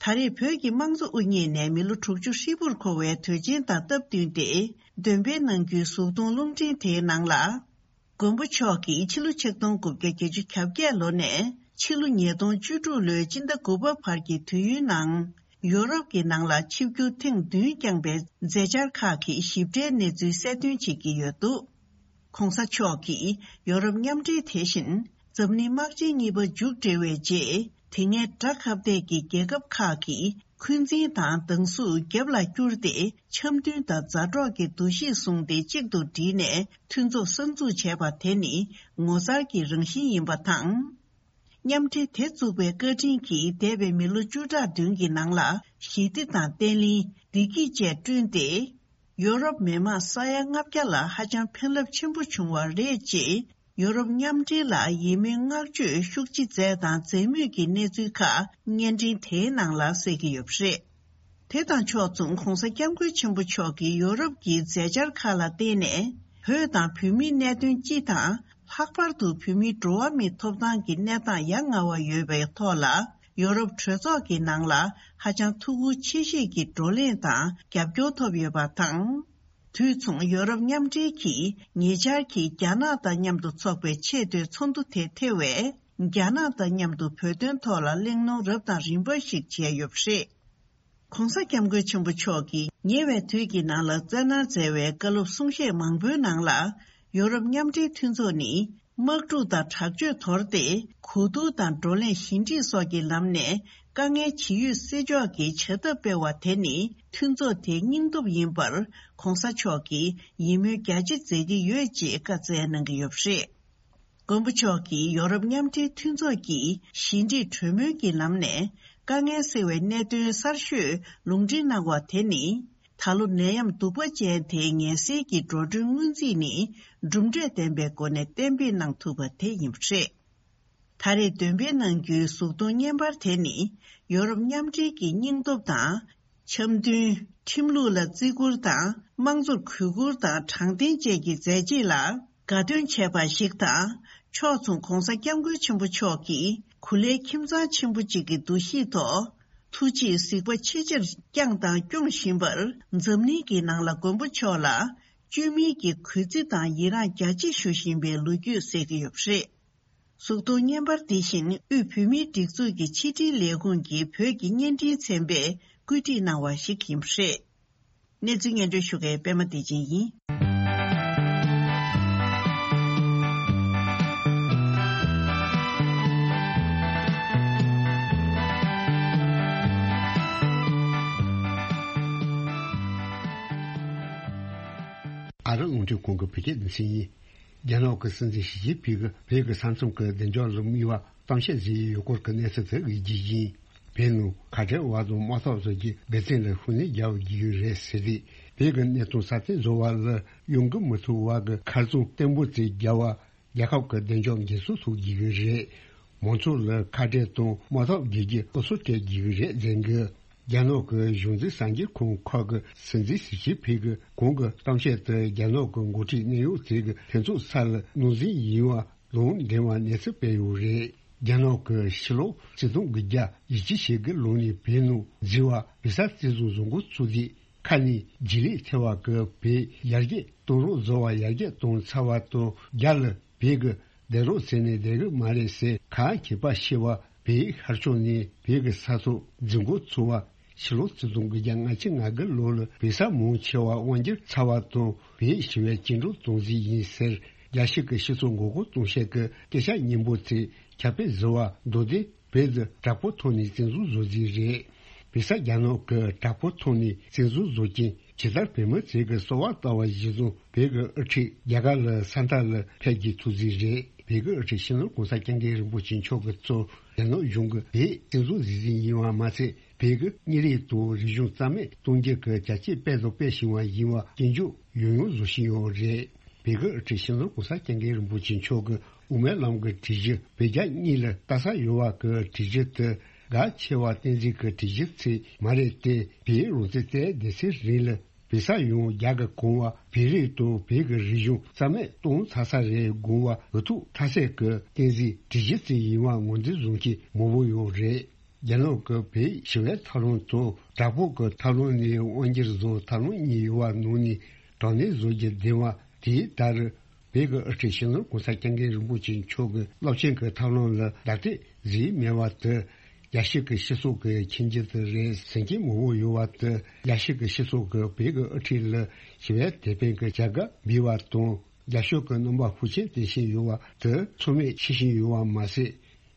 ད་རེས་བོད་ཀྱི་དམངས་གཙོ་དབུ་བརྙེས་ནས་མི་ལོ་དྲུག་ཅུ་ཧྲིལ་པོར་འཁོར་བའི་དུས་ཆེན་དང་སྟབས་བསྟུན་ཏེ་འདོན་སྤེལ་གནང་རྒྱུའི་གཟུགས་མཐོང་རླུང་འཕྲིན་དེའི་ནང་ལ། མགོན་པོ་མཆོག་གིས་ཕྱི་ལོ་ཆིག་སྟོང་དགུ་བརྒྱ་བརྒྱད་ཅུ་གྱ་བརྒྱད་ལོ་ནས་ཕྱི་ལོ་ཉིས་སྟོང་བཅུ་དྲུག་ལོའི་སྤྱི་ཟླ་དགུ་པ་བར་གྱི་དུས་ཡུན་ནང་ཡོ་རོབ་ཀྱི་ནང་ལ་ཆིབས་བསྒྱུར་ཐེངས་བདུན་བསྐྱངས་པའི་མཛད་འཆར་ཁག་གི་ཞིབ་ཕྲའི་གནས་ཚུལ་གསལ་སྟོན་བྱེད་ཀྱི་ཡོད་འདུག ༧གོང་ས་མཆོག་གིས་ཡོ་རོབ་མཉམ་འབྲེལ་དེ་བཞིན་ འཛམ་གླིང་དམག་ཆེན་གཉིས་པ་མཇུག་བསྒྲིལ་བའི་རྗེས། དེ་སྔའི་དགྲ་ཁ་གཏད་ཀྱི་རྒྱལ་ཁབ་ཁག་གིས་འཁོན་འཛིན་དང་སྡང་ཟུག་རྒྱབ་ལ་བསྐྱུར་ཏེ། འཆམ་མཐུན་དང་མཛའ་གྲོགས་ཀྱི་འདུ་ཤེས་བཟུང་སྟེ་གཅིག་ཏུ་བསྒྲིལ་ནས་མཐུན་ཚོགས་གསར་འཛུགས་བྱས་པ་དེ་ནི་ངོ་མཚར་གྱི་རང་བཞིན་ཡིན་པ་དང་། མཉམ་འབྲེལ་དེ་བཙུགས་པའི་བཀའ་དྲིན་གྱིས་འདས་པའི་མི་ལོ་བཅུ་ཕྲག་བདུན་གྱི་ནང་ལ་ཞི་བདེ་དང་བརྟན་ལྷིང་། བདེ་སྐྱིད་བཅས་བསྐྲུན་ཏེ། ཡོ་རོབ་མི་དམངས་ས་ཡ་ལྔ་བརྒྱ་ལ་ཧ་ཅང་ཕན་རླབས་ཆེན་པོ་བྱུང་བ་རེད་ཅེས། ཡོ་རོབ་མཉམ་འབྲེལ་ལ་ཡིད་སྨོན་བསྔགས་བརྗོད་ཤུགས་ཆེ་མཛད་དང་མཛད་མུས་ཀྱི་གནས་ཚུལ་ཁག་བརྙན་འཕྲིན་དེའི་ནང་ལ་གསལ་གྱི་ཡོད་པ་རེད། དེ་དང་ཕྱོགས་མཚུངས་༧གོང་ས་༧སྐྱབས་མགོན་ཆེན་པོ་མཆོག་གིས་ཡོ་རོབ་ཀྱི་མཛད་འཆར་ཁག་ལ་བརྟེན་ནས། བོད་དང་བོད་མིའི་གནད་དོན་སྤྱི་དང་། ལྷག་པར་དུ་བོད་མིའི་འགྲོ་བ་མིའི་ཐོབ་ཐང་གི་གནས་སྟངས་ཡ་ང་བ་ཡོད་པའི་ཐོག་ལ། ཡོ་རོབ་གྲོས་ཚོགས་ཀྱི་ནང་ལ་ཧ་ཅང་ཐུགས་ཁུར་ཆེ་བཞེས་ཀྱི་བགྲོ་གླེང་དང་རྒྱབ་སྐྱོར་ཐོབ་ཡོད་པ་དང་། དུས་མཚུངས་ཡོ་རོབ་མཉམ་འབྲེལ་གྱིས་ཉེ་ཆར་གྱི་རྒྱ་ནག་དང་མཉམ་དུ་འཚོགས་པའི་ཆེས་མཐོའི་ཚོགས་འདུ་དེ་ཐེ་བས། རྒྱ་ནག་དང་མཉམ་དུ་བོད་དོན་ཐོག་ལ་གླེང་སློང་རབ་དང་རིམ་པ་ཞིག་བྱས་ཡོད་པ་རེད། ྋགོང་ས་ྋསྐྱབས་མགོན་ཆེན་པོ་མཆོག་གིས་ཉེ་བའི་དུས་ཀྱི་ནང་ལ་བཙན་གནང་མཛད་པའི་བཀའ་སློབ་གསུང་བཤད་མང་པོའི་ནང་ལ། ཡོ་རོབ་མཉམ་འབྲེལ་མཐུན་ཚོགས་ནི། དམག་འཁྲུག་དང་དྲག་སྤྱོད་དོར་ཏེ། གོ་བསྡུར་དང་བགྲོ་གླེང་ཞི་འགྲིག་སོགས་ཀྱི་ལམ་ནས་དཀའ་ངལ་ཇི་ཡོད་སེལ་ཕྱོགས་ཀྱི་བྱ་ཐབས་སྤེལ་བ་དེ་ནི་མཐུན་ཚོགས་དེའི་སྙིང་སྟོབས་ཡིན་པར་ྋགོང་ས་མཆོག་གིས་ཡིད་སྨོན་རྒྱ་ཆེ་མཛད་ཀྱི་ཡོད་ཅེས་བཀའ་སྩལ་གནང་གི་ཡོད་པ་རེད། མགོན་པོ་མཆོག་གིས་ཡོ་རོབ་མཉམ་འབྲེལ་མཐུན་ཚོགས་ཀྱིས་ཞི་འགྲིག་གྲོས་མོལ་གྱི་ལམ་ནས་དཀའ་ངལ་སེལ་བའི་གནད་དོན་གསར་ཤོས་ལུང་འདྲེན་གནང་བ་དེ་ནི། ད་ལོ་ནད་ཡམས་གདུག་པ་ཅན་དེའི་ངལ་སེལ་གྱི་འགྲོ་གྲོན་སྔོན་རྩིས་ནི་གྲུབ་འབྲས་ལྡན་པའི་སྒོ་ནས་གཏན་འབེབས་གནང་ཐུབ་པ་དེ་ཡིན་པ་རེད། ད་རེས་འདོན་སྤེལ་གནང་རྒྱུའི་གཟུགས་མཐོང་བརྙན་པར་དེ་ནི་ཡོ་རོབ་མཉམ་འབྲེལ་གྱི་སྙིང་སྟོབས་དང་། འཆམ་མཐུན། ཁྲིམས་ལུགས་ལ་བརྩི་བཀུར་དང་། དམངས་གཙོར་གུས་བཀུར་དང་དྲང་བདེན་བཅས་ཀྱི་མཛད་རྗེས་ལ་དགའ་སྟོན་བྱས་པ་ཞིག་དང་། ཕྱོགས་མཚུངས་ྋགོང་ས་ྋསྐྱབས་མགོན་ཆེན་པོ་མཆོག་གིས་གུ་ལའི་ཁྱིམ་ཚང་ཆེན་པོ་གཅིག་གི་འདུ་ཤེས་ཐོག་ཐུགས་རྗེས་གཟིགས་པ་ཆེ་ཆེར་བསྐྱངས་དང་སྐྱོང་བཞིན་པར། འཛམ་གླིང་གི་ནང་ལ་མགོན་པོ་མཆོག་ལ་བཅོས་མིན་གྱི་གུས་བརྩི་དང་ཡི་རངས་རྒྱ་ཆེ་ཞུ་བཞིན་པའི་ལོ་རྒྱུས་གསལ་གྱི་ཡོད་པ་རེད། གཟུགས་མཐོང་བརྙན་པར་འདི་བཞིན་དབུས་བོད་མིའི་སྒྲིག་འཛུགས་ཀྱི་ཕྱི་དྲིལ་ལས་ཁུངས་ཀྱི་བོད་ཀྱི་བརྙན་འཕྲིན་ཚན་པས་བཀོད་སྒྲིག་གནང་བ་ཞིག་ཡིན་པ་རེད། གནས་ཚུལ་སྙན་སྒྲོན་ཞུ་མཁན་པད་མ་བདེ་ཆེན་ཡིན། ཨ་རི་རླུང་འཕྲིན་ཁང་གི་བོད་སྐད་སྡེ་ཚན་ཡིན། རྒྱ་ནག་གི་སྲིད་འཛིན་ཞི་ཅིན་ཕིང་གིས་བོད་ཀྱི་ས་མཚམས་ཀྱི་བདེ་འཇགས་ལ་དམིགས་པ་གཏམ་བཤད་བྱས་ཡོད་སྐོར་གྱི་གནས་ཚུལ་དེ་དབྱེ་རྒྱུ་ཡིན། བོད་ནང་ཁ་བྲལ་བ་དང་དམག་འཐབ་བཟོ་རྒྱུའི་འགག་རྩ་ལ་ཤུགས་སྣོན་རྒྱག་དགོས་ཀྱི་རེད་ཟེར་ཏེ། བོད་ཀྱི་གནད་དོན་སྲ་བརྟན་བཟོ་བ་ལ་གཡོ་འགུལ་མི་ཐེབས་པ་གི་མཁར་རྫོང་བརྟན་པོ་བརྩིགས་རྒྱག་པ། རྒྱལ་ཁབ་ཀྱི་བདེ་འཇགས་འགན་སྲུང་ཐུབ་དགོས་ཀྱི་རེད། མང་ཚོགས་ལ་ཁ་བྲལ་དང་དམག་འཐབ་བརྒྱུད་རྒྱུའི་སློབ་གསོ་སྤྲད་དགོས་ཀྱི་རེད་ཟེར་གི། རྒྱ་ནག་གི་གཞུང་འཛིན་གསར་འགྱུར་ཁང་ཁག་གི་སྲིད་འཛིན་ཞི་ཅིན་ཕིང་གི་གོང་གི་གཏམ་བཤད་དེ་རྒྱ་ནག་གི་འགོ་ཁྲིད་གནད་ཡོད་ཅིག་གི་ལྷན་ཚོགས་ས་ལ་ནང་འཛུལ་ཡིན་པ་ལུང་འདྲེན་པ་གནས་ཚུལ་སྤེལ་ཡོད་རེད། རྒྱ་ནག་གི་ཕྱི་ལོ་ཆིག་སྟོང་དགུ་བརྒྱ་བཞི་བཅུ་ཞེ་དགུ་ལོ་ནས་བོད་ནང་འཛུལ་བ་བོད་ས་བཙན་བཟུང་བཟོ་འགོ་ཚུགས་དུས། ཁ་ནས་རྗེས་ལུས་ཐེབས་པ་གི་བོད་ཡར་རྒྱས་གཏོང་རོགས་བཟོ་བ་ཡར་རྒྱས་གཏོང་ཚར་བ་དང་རྒྱ་ལ་བོད་གི་བསྡད་རོགས་ཟེར་ནས་བསྡད་གི་མ་རེད་ཟེར་ག་ཁྱད་པར་ཤེས་པ་བོད་ཤར་ཕྱོགས་ནས་བོད་གི་ས་ཐོག་འཛུལ་འགོ་ཚུགས་པ་ཕྱི་ལོ་ཆིག་སྟོང་དགུ་བརྒྱ་ལྔ་བཅུ་ང་དགུ་ལོ་ལ་བོད་ས་མང་ཆེ་བ་དབང་སྒྱུར་ཚར་བ་དང་བོད་ཞི་བའི་སྐྱིན་འགྲོལ་གཏོང་རྩིས་ཡིན་ཟེར་རྒྱལ་སྤྱི་གི་སྤྱི་ཚོགས་མགོ་སྐོར་གཏོང་བྱེད་ཀྱི་སྐད་ཆ་སྙན་པོ་ཚིག་ཁྱབ་སྤེལ་བཟོ་བ་མདོ་སྡེ། བོད་དུ་དྲག་པོ་ཐོག་ནས་བཙན་བཟུང་བཟོ་རྩིས་རེད། བོད་ས་རྒྱ་ནག་གི་དྲག་པོ་ཐོག་ནས་བཙན་བཟུང་བཟོ་རྐྱེན་ཇི་ལྟར་བོད་མི་ཚོས་ཀྱི་གསོལ་བ་བཏབ་པ་གཞིར་བཟུང་བོད་ཀྱི་དབུ་ཁྲིད་རྒྱ་གར་ལ་ས་མཐའ་ལ་ཕེབས་རྒྱུ་ཐུགས་རྩིས་རེད། བོད་ཀྱི་དབུ་ཁྲིད་སྤྱི་ནོར་གོང་ས་སྐྱབས་མགོན་རིན་པོ་ཆེ་མཆོག་གིས་གཙོས་རྒྱ་ནག་གཞུང་གིས་བོད་བཙན་བཟུང་བཟོ་རྩིས་ཡིན་པ་མ་ཚད་བོད་ཀྱི་མི་རིགས་དང་རིག་གཞུང་རྩ་མེད་གཏོང་རྒྱུ་གི་བྱ་སྤྱོད་སྤེལ་དང་སྤེལ་བཞིན་པ་ཡིན་པ་སྐྱོན་བརྗོད་ཡང་ཡང་བཟོ་བཞིན་ཡོད་རེད། བོད་ཀྱི་དབུ་ཁྲིད་སྤྱི་ནོར་གོང་ས་སྐྱབས་མགོན་རིན་པོ་ཆེ་མཆོག་གི་དབུ་མའི་ལམ་གྱི་སྒྲིག་གཞི་བོད་རྒྱ་གཉིས་ལ་ལྟ་ས་ཡོད་པ་གི་སྒྲིག་གཞི་དེ་གལ་ཆེ་བ་བསྟན་འཛིན་གྱི་སྒྲིག་གཞི་ཚིག་མ་རེད་དེ། བོད་རང་བཙན་བཙལ་བསྡད་ཚེ་རིང་ལ་བོད་ས་ཡང་རྒྱ་གི་གོང་བ་བོད་རིགས་དང་བོད་ཀྱི་རིག་གཞུང་རྩ་མེད་གཏོང་ཚར་ས་རེད་དགོངས་པ་འུ་ཐུག་མཐའ་གསལ་གྱི་བསྟན་འཛིན་སྒྲིག་གཞི་ཚིག་ཡིན་པ་ངོས་འཛིན་བཟུང་མཁན་མང་པོ་ཡོད་རེད། རྒྱ་ནག་གི་བོད་ཞི་བའི་ཐབས་ལམ་དང་དྲག་པོ་གི་ཐབས་ལམ་ནས་དབང་སྒྱུར་བཟོ་ཐབས་ལམ་གཉིས་ཡོད་པ་ནང་ནས་དྲང་བདེན་བཟོ་རྒྱུ་བདེན་པ་དེའི་ལྟར། བོད་ཀྱི་དབུ་ཁྲིད་སྤྱི་ནོར་གོང་ས་སྐྱབས་མགོན་རིན་པོ་ཆེ་མཆོག་གི་རླབས་ཆེན་གྱི་ཐབས་ལམ་ལ་ལྡབ་གཏད་བཟོས་མེད་པ་དེ། རྒྱལ་སྤྱི་གི་སྤྱི་ཚོགས་ཀྱི་མཁྱེན་རྒྱུ་དེ་རེད་ཟེར་མཁན་མང་པོ་ཡོད་པ་དེ། རྒྱལ་སྤྱི་གི་སྤྱི་ཚོགས་ཀྱིས་བོད་ཀྱི་དབུ་ཁྲིད་ལ་ཞི་བའི་དེད་དཔོན་གྱི་བྱ་དགའ་འབུལ་བ་དང་། རྒྱབ་སྐྱོར་གྱི་རྣམ་པ་ཤུགས་ཆེན་བསྟན་བཞིན་ཡོད་པ་དེ་ཚང་མས་ཤེས་བཞིན་ཡོད་པ་མ་ཟད།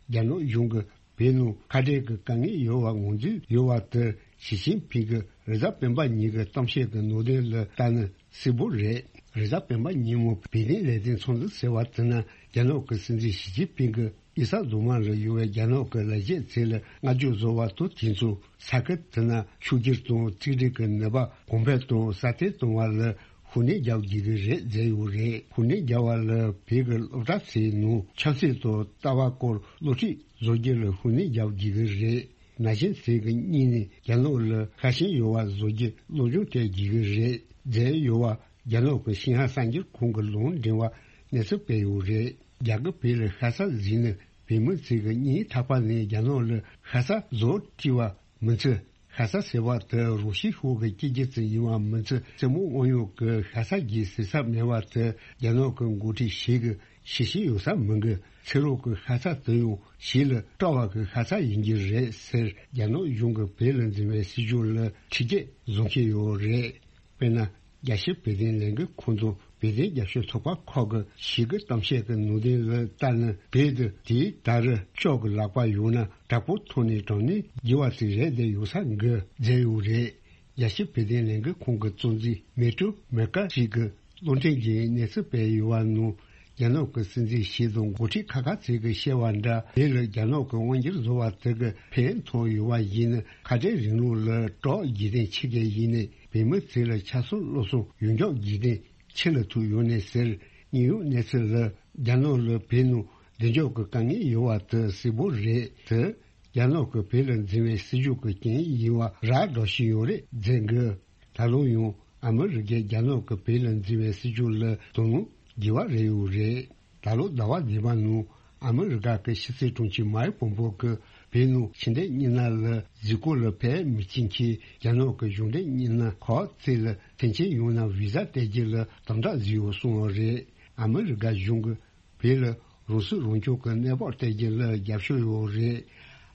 རྒྱ་ནག་གཞུང་གིས་བོད་ནང་ཁ་བྲལ་གྱི་དཀའ་ངལ་ཡོད་པ་ངོས་འཛིན་ཡོད་པ་དེ་ཞི་ཅིན་ཕིང་གིས་རེས་གཟའ་སྤེན་པ་ཉིན་གྱི་གཏམ་བཤད་ཀྱི་ནང་དོན་ལ་ལྟ་ན་གསལ་པོ་རེད། རེས་གཟའ་སྤེན་པ་ཉིན་མོ་བོད་དོན་ལས་དོན་ཚོགས་འདུ་ཟེར་བ་དེ་ནི་རྒྱ་ནག་གི་སྲིད་འཛིན་ཞི་ཅིན་ཕིང་གིས་དབྱི་ས་རྫོང་མ་ལ་ཡོད་པའི་རྒྱ་ནག་གི་ལས་བྱེད་ཚོ་ལ་བསྔགས་བརྗོད་བཟོ་བ་དང་དུས་མཚུངས། ས་ཁུལ་དེ་ན་ཕྱུག་འགྱུར་དང་གཅིག་སྒྲིལ་གྱི་ནུས་པ་གོང་འཕེལ་དང་སྲ་བརྟན་གཏོང་བ་ལ་ཤུགས་སྣོན་རྒྱག་དགོས་ཀྱི་རེད་བརྗོད་ཡོད་རེད། ཤུགས་སྣོན་རྒྱག་པ་ལ་བོད་ཀྱི་སློབ་གྲྭ་ཚོའི་ནང་ཆབ་སྲིད་དང་ལྟ་བ་སྐོར་སློབ་ཁྲིད་བཟོ་རྒྱུ་ལ་ཤུགས་སྣོན་རྒྱག་དགོས་ཀྱི་རེད། ན་གཞོན་ཚོ་གི་སྙིང་ནས་རྒྱ་ནག་ལ་ཁ་ཞེ་ཡོད་པ་བཟོ་རྒྱུ་སློབ་སྦྱོང་སྤྲད་དགོས་ཀྱི་རེད་བརྗོད་ཡོད་པ། རྒྱ་ནག་གི་ཤིན་ཧྭ་གསར་འགྱུར་ཁང་གི་ལུང་འདྲེན་པ་གནས་ཚུལ་སྤེལ་ཡོད་རེད། རྒྱ་གར་བོད་ལ་ཤ་ཚ་བཟོས་ནས་བོད་མི་ཚོ་གི་སྙིང་ཐག་པ་ནས་རྒྱ་ནག་ལ་ཤ་ཚ་བཟོ་བྲིས་པ་མི་ཚོས། ཤ་ཚ་ཟེར་བ་དེ་རུ་ཤི་ཤོག་གི་སྐྱེ་རྒྱུ་ཙམ་ཡིན་པ་མི་ཚོས། རྩེད་མོ་དབང་ཡོད་ཀྱི་ཤ་ཚ་གི་ཟེར་ས་མེད་པ་དེ་རྒྱ་ནག་གི་འགོ་ཁྲིད་ཞིག་གིས་ཤེས་ཤེས་ཡོད་ས་མི་འགི། ཚེ་རོགས་ཀྱི་ཤ་ཚ་དེ་ཡང་ཞིག་ལ་སྤྲ་བ་གི་ཤ་ཚ་ཡིན་གྱི་རེད་ཟེར། རྒྱ་ནག་གཞུང་གིས་བོད་ལ་འཛིན་པའི་སྲིད་ཇུས་ལ་ཁྲིམས་ཆད་བཟོ་གི་ཡོད་རེད། དཔེར་ན། རྒྱལ་སྤྱིའི་བོད་དོན་ལས་འགུལ་ཁང་དང་བོད་དོན་རྒྱབ་སྐྱོར་ཚོགས་པ་ཁག་གི་ཞིག་གི་གཏམ་བཤད་ཀྱི་ནང་དོན་ལ་ལྟ་ན། བོད་དུ་དེའི་ད་རུ་ལྕགས་ཀྱི་ལག་པ་ཡོད་ན་དྲག་པོ་ཐོག་ནས་དྲངས་ནས་རྒྱུ་བ་ཚིག་རེད་བསྡད་ཡོད་ས་འགི་མཛད་ཡོད་རེད། རྒྱལ་སྤྱིའི་བོད་དོན་ལས་འགུལ་ཁང་གི་གཙོ་འཛིན་མེ་ཏྲོ་མེ་ཀ་ཞིག་གིས་གློག་འཕྲིན་གྱི་གནས་ཚུལ་སྤེལ་ཡོད་པ་ནང་། རྒྱ་ནག་གི་སྲིད་འཛིན་ཞིག་དང་འགོ་ཁྲིད་ཁ་ཁ་ཚིག་གིས་བཤད་པ་འདྲ། བོད་ལ་རྒྱ་ནག་གི་དབང་སྒྱུར་བཟོ་བ་དེ་གི་ཕན་ཐོགས་ཡོད་པ་ཡིན་ན་ཁ་བྲལ་རིང་ལུགས་ལ་གྲགས་རྒྱུ་དོན་ཆེ་གེ་ཡིན་ནས། བོད་མི་ཚོ་ལ་ཆ་སོང་བློ་སོང་ཡོང་འཇོག་རྒྱུ་དོན་ཆེ་ལ་ཐུག་ཡོད་ནས་ཟེར། དངོས་ཡོད་གནས་ཚུལ་ལ་རྒྱ་ནག་ལ་བོད་ནང་བདེ་འཇགས་ཀྱི་དཀའ་ངལ་ཡོད་པ་དེ་གསལ་པོ་རེད་དེ། རྒྱ་ནག་གི་བོད་ལ་འཛིན་པའི་སྲིད་ཇུས་ཀྱི་རྐྱེན་ཡིན་པ་ར་འགྲོ་བཞིན་ཡོད་རེད་ཟེར་གི། ད་ལོ་ཡང་ཨ་མི་རི་ཀས་རྒྱ་ནག་གི་བོད་ལ་འཛིན་པའི་སྲིད་ཇུས་ལ་དོ་སྣང་དགོས་པ་རེད་ཡོད་རེད། ད་ལོ་ཟླ་བ་བདུན་པ་ནང་ཨ་མི་རི་ཀ་གི་ཕྱི་སྲིད་དྲུང་ཆེ་མའེ་པོམ་པོ་གིས་བོད་ནང་ཕྱི་འབྲེལ་གཉིས་སྣ་ལ་གཟིགས་སྐོར་ལ་ཕེབས་མི་ཕྱིན་ཁྱེད་རྒྱ་ནག་གི་གཞུང་འབྲེལ་གཉིས་སྣ་ཁག་ཚོ་ལ་ཐེངས་གཅིག་ཡོང་ན་བི་ཟ་སྤྲད་རྒྱུ་ལ་དམ་དྲག་བཟོས་ཡོད་གསུངས་པ་རེད། ཨ་མི་རི་ཀ་གཞུང་གིས་བོད་ལ་རང་སྲིད་རང་སྐྱོང་གི་གནས་བབ་སྤྲད་རྒྱུ་ལ་རྒྱབ་སྐྱོར་ཡོད་རེད།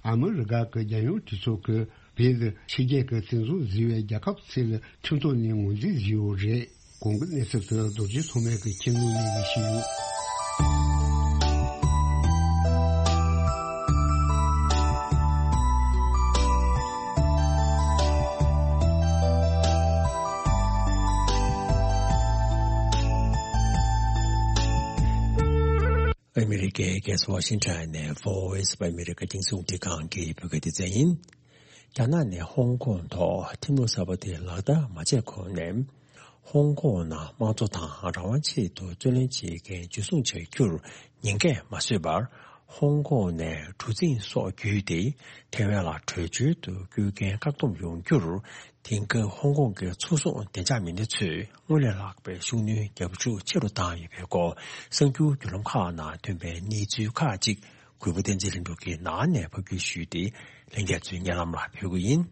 ཨ་མི་རི་ཀ་གི་རྒྱལ་ཡོངས་གྲོས་ཚོགས་ཀྱིས་བོད་དུ་ཕྱི་རྒྱལ་གྱི་བཙན་བཟུང་བཟོས་པའི་རྒྱལ་ཁབ་ཚོ་ལ་ཁྲིམས་ཐོག་ནས་ངོས་འཛིན་བཟོས་ཡོད་རེད། གོང་གི་གནས་ཚུལ་དེ་རྡོ་རྗེ་ཐོགས་མེད་ཀྱི་ཁྱིམ་ནང་ནས་ཡིན་ཞུས་ཡོད། ཨ་མི་རི་ཀའི་རྒྱལ་ས་ཝ་ཤིང་ཊོན་ནས་Voice of America རྒྱང་སྲིང་རླུང་འཕྲིན་ཁང་གི་བོད་སྐད་སྡེ་ཚན་ཡིན། རྒྱ་ནག་ནས་ཧོང་ཀོང་ཐོག་ཁྲིམས་ལུགས་གསར་པ་དེ་ལག་བསྟར་མ་བྱས་གོང་ནས། ཧོང་ཀོང་ནང་དམངས་གཙོ་དང་རང་དབང་ཆེད་དུ་རྩོད་ལེན་བྱེད་མཁན་འཇུ་བཟུང་བྱ་རྒྱུར་ཉེན་ཁ་མ་བཟོས་པར། ཧོང་ཀོང་ནས་གྲུ་གཟིངས་སོགས་བརྒྱུད་དེ་ཐེ་ཝན་ལ་བྲོས་བྱོལ་དུ་བསྐྱོད་མཁན་བཀག་སྡོམ་ཡོང་རྒྱུར། དེང་སྐབས་ཧོང་ཀོང་གི་ཚོགས་ཟུང་བདེ་འཇགས་མི་སྣ་ཚོས་སྔར་ལས་ལྷག་པའི་ཤུགས་སྣོན་རྒྱབ་ཤུགས་ཆེ་རུ་བཏང་ཡོད་པའི་སྐོར་གསར་འགྱུར་བརྒྱུད་ལམ་ཁག་ནང་ཐོན་པའི་གནས་ཚུལ་ཁག་ཅིག་གུས་པ་བསྟན་འཛིན་ལྷུན་གྲུབ་ཀྱིས་ནང་ནས་ཕབ་སྒྱུར་ཞུས་ཏེ་ལྷན་རྒྱས་ཚོའི་སྙན་ལམ་ལ་ཕུལ་གྱི་ཡིན།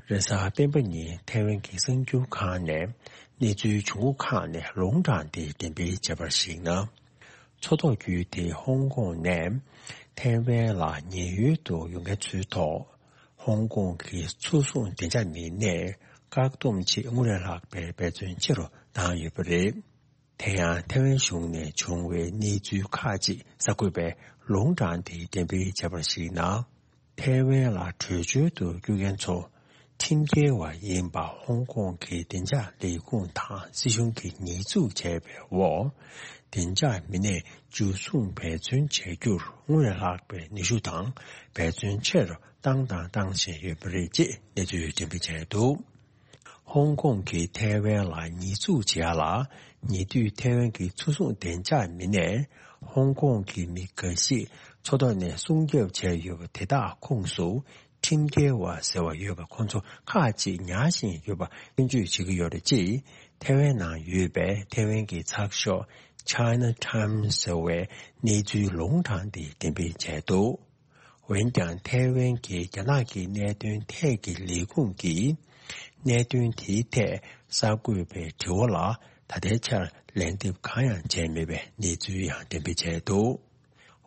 རེས་གཟའ་སྤེན་པ་ཉིན་ཐེ་ཝན་གྱི་གསར་འགྱུར་ཁང་ནས་གནས་ཚུལ་བྱུང་ཁུངས་ཁག་ནས་ལུང་དྲངས་ཏེ་འགྲེམས་སྤེལ་བྱས་པར་གཞིགས་ན། མཚོ་ཐོག་བརྒྱུད་དེ་ཧོང་ཀོང་ནས་ཐེ་ཝན་ལ་ཉེན་གཡོལ་དུ་ཡོང་མཁན་ཚོའི་ཐོག་ཧོང་ཀོང་གི་ཚོགས་ཟུང་བདེ་འཇགས་མི་སྣས་བཀག་སྡོམ་ཆེད་སྔར་ལས་ལྷག་པའི་འབད་བརྩོན་ཆེ་རུ་བཏང་ཡོད་པ་རེད། དེ་ཡང་ཐེ་ཝན་གཞུང་ནས་བྱུང་བའི་གནས་ཚུལ་ཁག་ཅིག་གསར་འགོད་པས་ལུང་དྲངས་ཏེ་འགྲེམས་སྤེལ་བྱས་པར་གཞིགས་ན། ཐེ་ཝན་ལ་བྲོས་བྱོལ་དུ་བསྐྱོད་མཁན་ཚོ་ཁྲིམས་འགལ་བ་ཡིན་པ་ཧོང་ཀོང་གི་བདེ་འཇགས་ལས་ཁུངས་དང་སྲིད་གཞུང་གིས་ཉེས་འཛུགས་བྱས་པའི་འོག་བདེ་འཇགས་མི་སྣས་འཇུ་བཟུང་འབད་བརྩོན་བྱ་རྒྱུར་སྔར་ལས་ལྷག་པའི་ནུས་ཤུགས་དང་འབད་བརྩོན་ཆེ་རུ་བཏང་དང་བཏང་བཞིན་ཡོད་པ་རེད་ཅེས་གནས་ཚུལ་འགྲེམས་སྤེལ་བྱས་འདུག་ཧོང་ཀོང་གིས་ཐའེ་ཝན་ལ་ཉེས་འཛུགས་བྱེད་ཡ་ལ། ཉེ་དུས་ཐའེ་ཝན་གྱི་མཚོ་སྲུང་བདེ་འཇགས་མི་སྣས་ཧོང་ཀོང་གི་མི་འགའ་ཞིག་མཚོ་ཐོག་ནས་སྲུང་སྐྱོབ་བྱས་ཡོད་པ་དེ་དག་ཁོངས་སུ་ཁྲིམས་འགལ་བ་ཟེར་བ་ཡོད་པ་ཁོ་ཚོ་ཁག་ཅིག་ཉར་བཞིན་ཡོད་པ་སྐྱོན་བརྗོད་བྱེད་ཀྱི་ཡོད་རེད་ཅེས་ཐའེ་ཝན་ནང་ཡོད་པའི་ཐའེ་ཝན་གྱི་ཚགས་ཤོག་China Times ཟེར་བའི་གནས་ཚུལ་ལུང་དྲངས་ཏེ་འགྲེམས་སྤེལ་བྱས་འདུག་འོན་ཀྱང་ཐའེ་ཝན་གྱི་རྒྱ་ནག་གི་གནད་དོན་ཐད་ཀྱི་ལས་ཁུངས་ཀྱིས་གནད་དོན་དེའི་ཐད་གསར་འགོད་པའི་དྲི་བ་ལ་ད་ལྟའི་ཆར་ལན་འདེབས་གང་ཡང་བྱས་མེད་པའི་གནས་ཚུལ་ཡང་འགྲེམས་སྤེལ་བྱས་འདུག་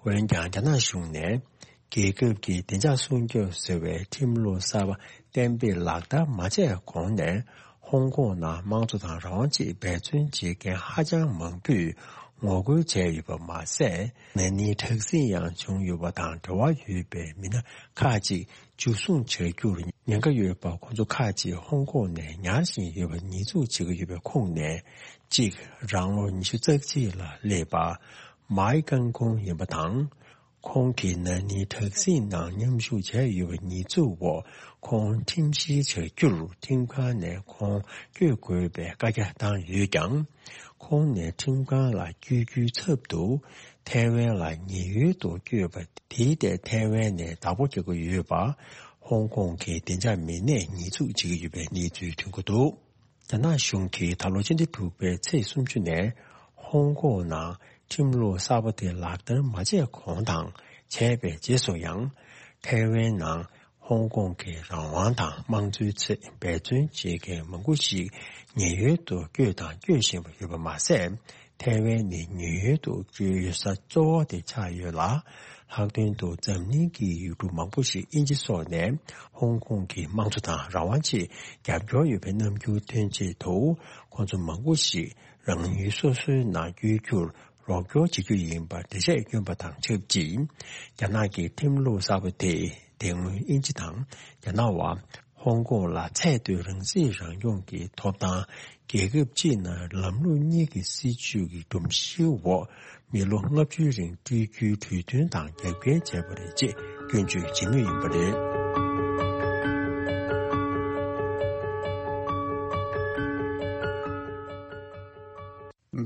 འོན་ཀྱང་རྒྱ་ནག་གཞུང་ནས་རྒྱལ་ཁབ་ཀྱི་བདེ་འཇགས་སྲུང་སྐྱོབ་ཟེར་བའི་ཁྲིམས་ལུགས་གསར་པ་གཏན་འབེབས་ལག་བསྟར་མ་བྱས་གོང་ནས་ ཧོང་ཀོང་ནང་དམངས་གཙོ་དང་རང་དབང་ཆེད་འབད་བརྩོན་བྱེད་མཁན་ཧ་ཅང་མང་པོས་ངོ་རྒོལ་བྱས་ཡོད་པ་མ་ཟད། ན་ནིང་དྲག་ཟིང་ཡང་བྱུང་ཡོད་པ་དང་འབྲེལ་བ་ཡོད་པའི་མི་སྣ་ཁག་ཅིག་འཇུ་བཟུང་བྱ་རྒྱུར་ཉེན་ཁ་ཡོད་པ། ཁོང་ཚོ་ཁག་ཅིག་ཧོང་ཀོང་ནས་ཉར་བཞིན་ཡོད་པ་ཉེས་འཛུགས་བྱེད་ཀྱི་ཡོད་པའི་ཁོངས་ནས་གཅིག་རང་ལོ་ཉི་ཤུ་རྩ་གཅིག་ལ་སླེབས་པ་མའི་ཀང་ཀུང་ཡིན་པ་དང་། ཁོང་གིས་ན་ནིང་དྲག་ཟིང་ནང་མཉམ་ཞུགས་བྱས་ཡོད་པའི་ཉེས་འཛུགས་འོག་ཁོང་ཁྲིམས་བཤེར་བྱ་རྒྱུར་ཁྲིམས་ཁང་ནས་ཁོང་བསྐྱོད་དགོས་པའི་བཀའ་རྒྱ་བཏང་ཡོད་ཀྱང་། ཁོང་ནས་ཁྲིམས་ཁང་ལ་བསྐྱོད་རྒྱུའི་ཚབ་ཏུ་ཐའེ་ཝན་ལ་ཉེན་གཡོལ་དུ་བསྐྱོད་པ་དེའི་ཐད་ཐའེ་ཝན་ནས་བདག་པོ་རྒྱག་གི་ཡོད་པ་ཧོང་ཀོང་གི་བདེ་འཇགས་མི་སྣས་ཉེས་འཛུགས་བྱེད་ཀྱི་ཡོད་པའི་གནས་ཚུལ་ཐོན་གྱི་འདུག་རྒྱ་ནག་གཞུང་གིས་ད་ལོ་ཕྱི་ཟླ་དྲུག་པའི་ཚེས་སུམ་ཅུ་ནས་ཧོང་ཀོང་ནང་ཁྲིམས་ལུགས་གསར་པ་དེ་ལག་བསྟར་མ་བྱས་གོང་དང་བྱས་པའི་རྗེས་སུ་ཡང་། ཐའེ་ཝན་ནང་ཧོང་ཀོང་གི་རང་དབང་དང་དམངས་གཙོའི་ཆེད་འབད་བརྩོན་བྱེད་མཁན་མང་པོ་ཞིག་ཉེན་གཡོལ་དུ་བསྐྱོད་དང་སྐྱོད་བཞིན་པ་ཡོད་པ་མ་ཟད། ཐའེ་ཝན་ནི་ཉེན་གཡོལ་དུ་བསྐྱོད་ས་གཙོ་བོ་དེ་ཆགས་ཡོད་ལ། ལྷག་དོན་དུ་འཛམ་གླིང་གི་ཡུལ་གྲུ་མང་པོ་ཞིག་དབྱིན་ཇི་སོགས་ནས་ཧོང་ཀོང་གི་དམངས་གཙོ་དང་རང་དབང་ཆེད་རྒྱབ་སྐྱོར་ཡོད་པའི་རྣམ་འགྱུར་སྟོན་ཆེད་དུ། ཁོང་ཚོ་མང་པོ་ཞིག་རང་ཡུལ་སོ་སོའི་ནང་བསྐྱོད་རྒྱུར་རོགས་སྐྱོར་བྱེད་རྒྱུ་ཡིན་པར་འགྲེལ་བཤད་བསྐྱོན་པ་དང་ཆབས་ཅིག་རྒྱ་ནག་གི་ཁྲིམས་ལུགས་གསར་པ་དེས་དེ་སྔོན་དབྱིན་ཇི་དང་རྒྱ་ནག་བར་ཧོང་ཀོང་ལ་ཚད་མཐོའི་རང་སྲིད་རང་སྐྱོང་གི་ཐོབ་ཐང་། རྒྱལ་ཁབ་གཅིག་ནང་ལམ་ལུགས་གཉིས་ཀྱི་སྲིད་བྱུས་ཀྱི་སྒྲོམ་གཞིའི་འོག་མི་ལོ་ལྔ་བཅུའི་རིང་སྤྲོད་རྒྱུའི་གྲོས་མཐུན་དང་རྒྱབ་འགལ་བྱས་པ་རེད་ཅེས་སྐྱོན་བརྗོད་བྱེད་མུས་ཡིན་པ་རེད།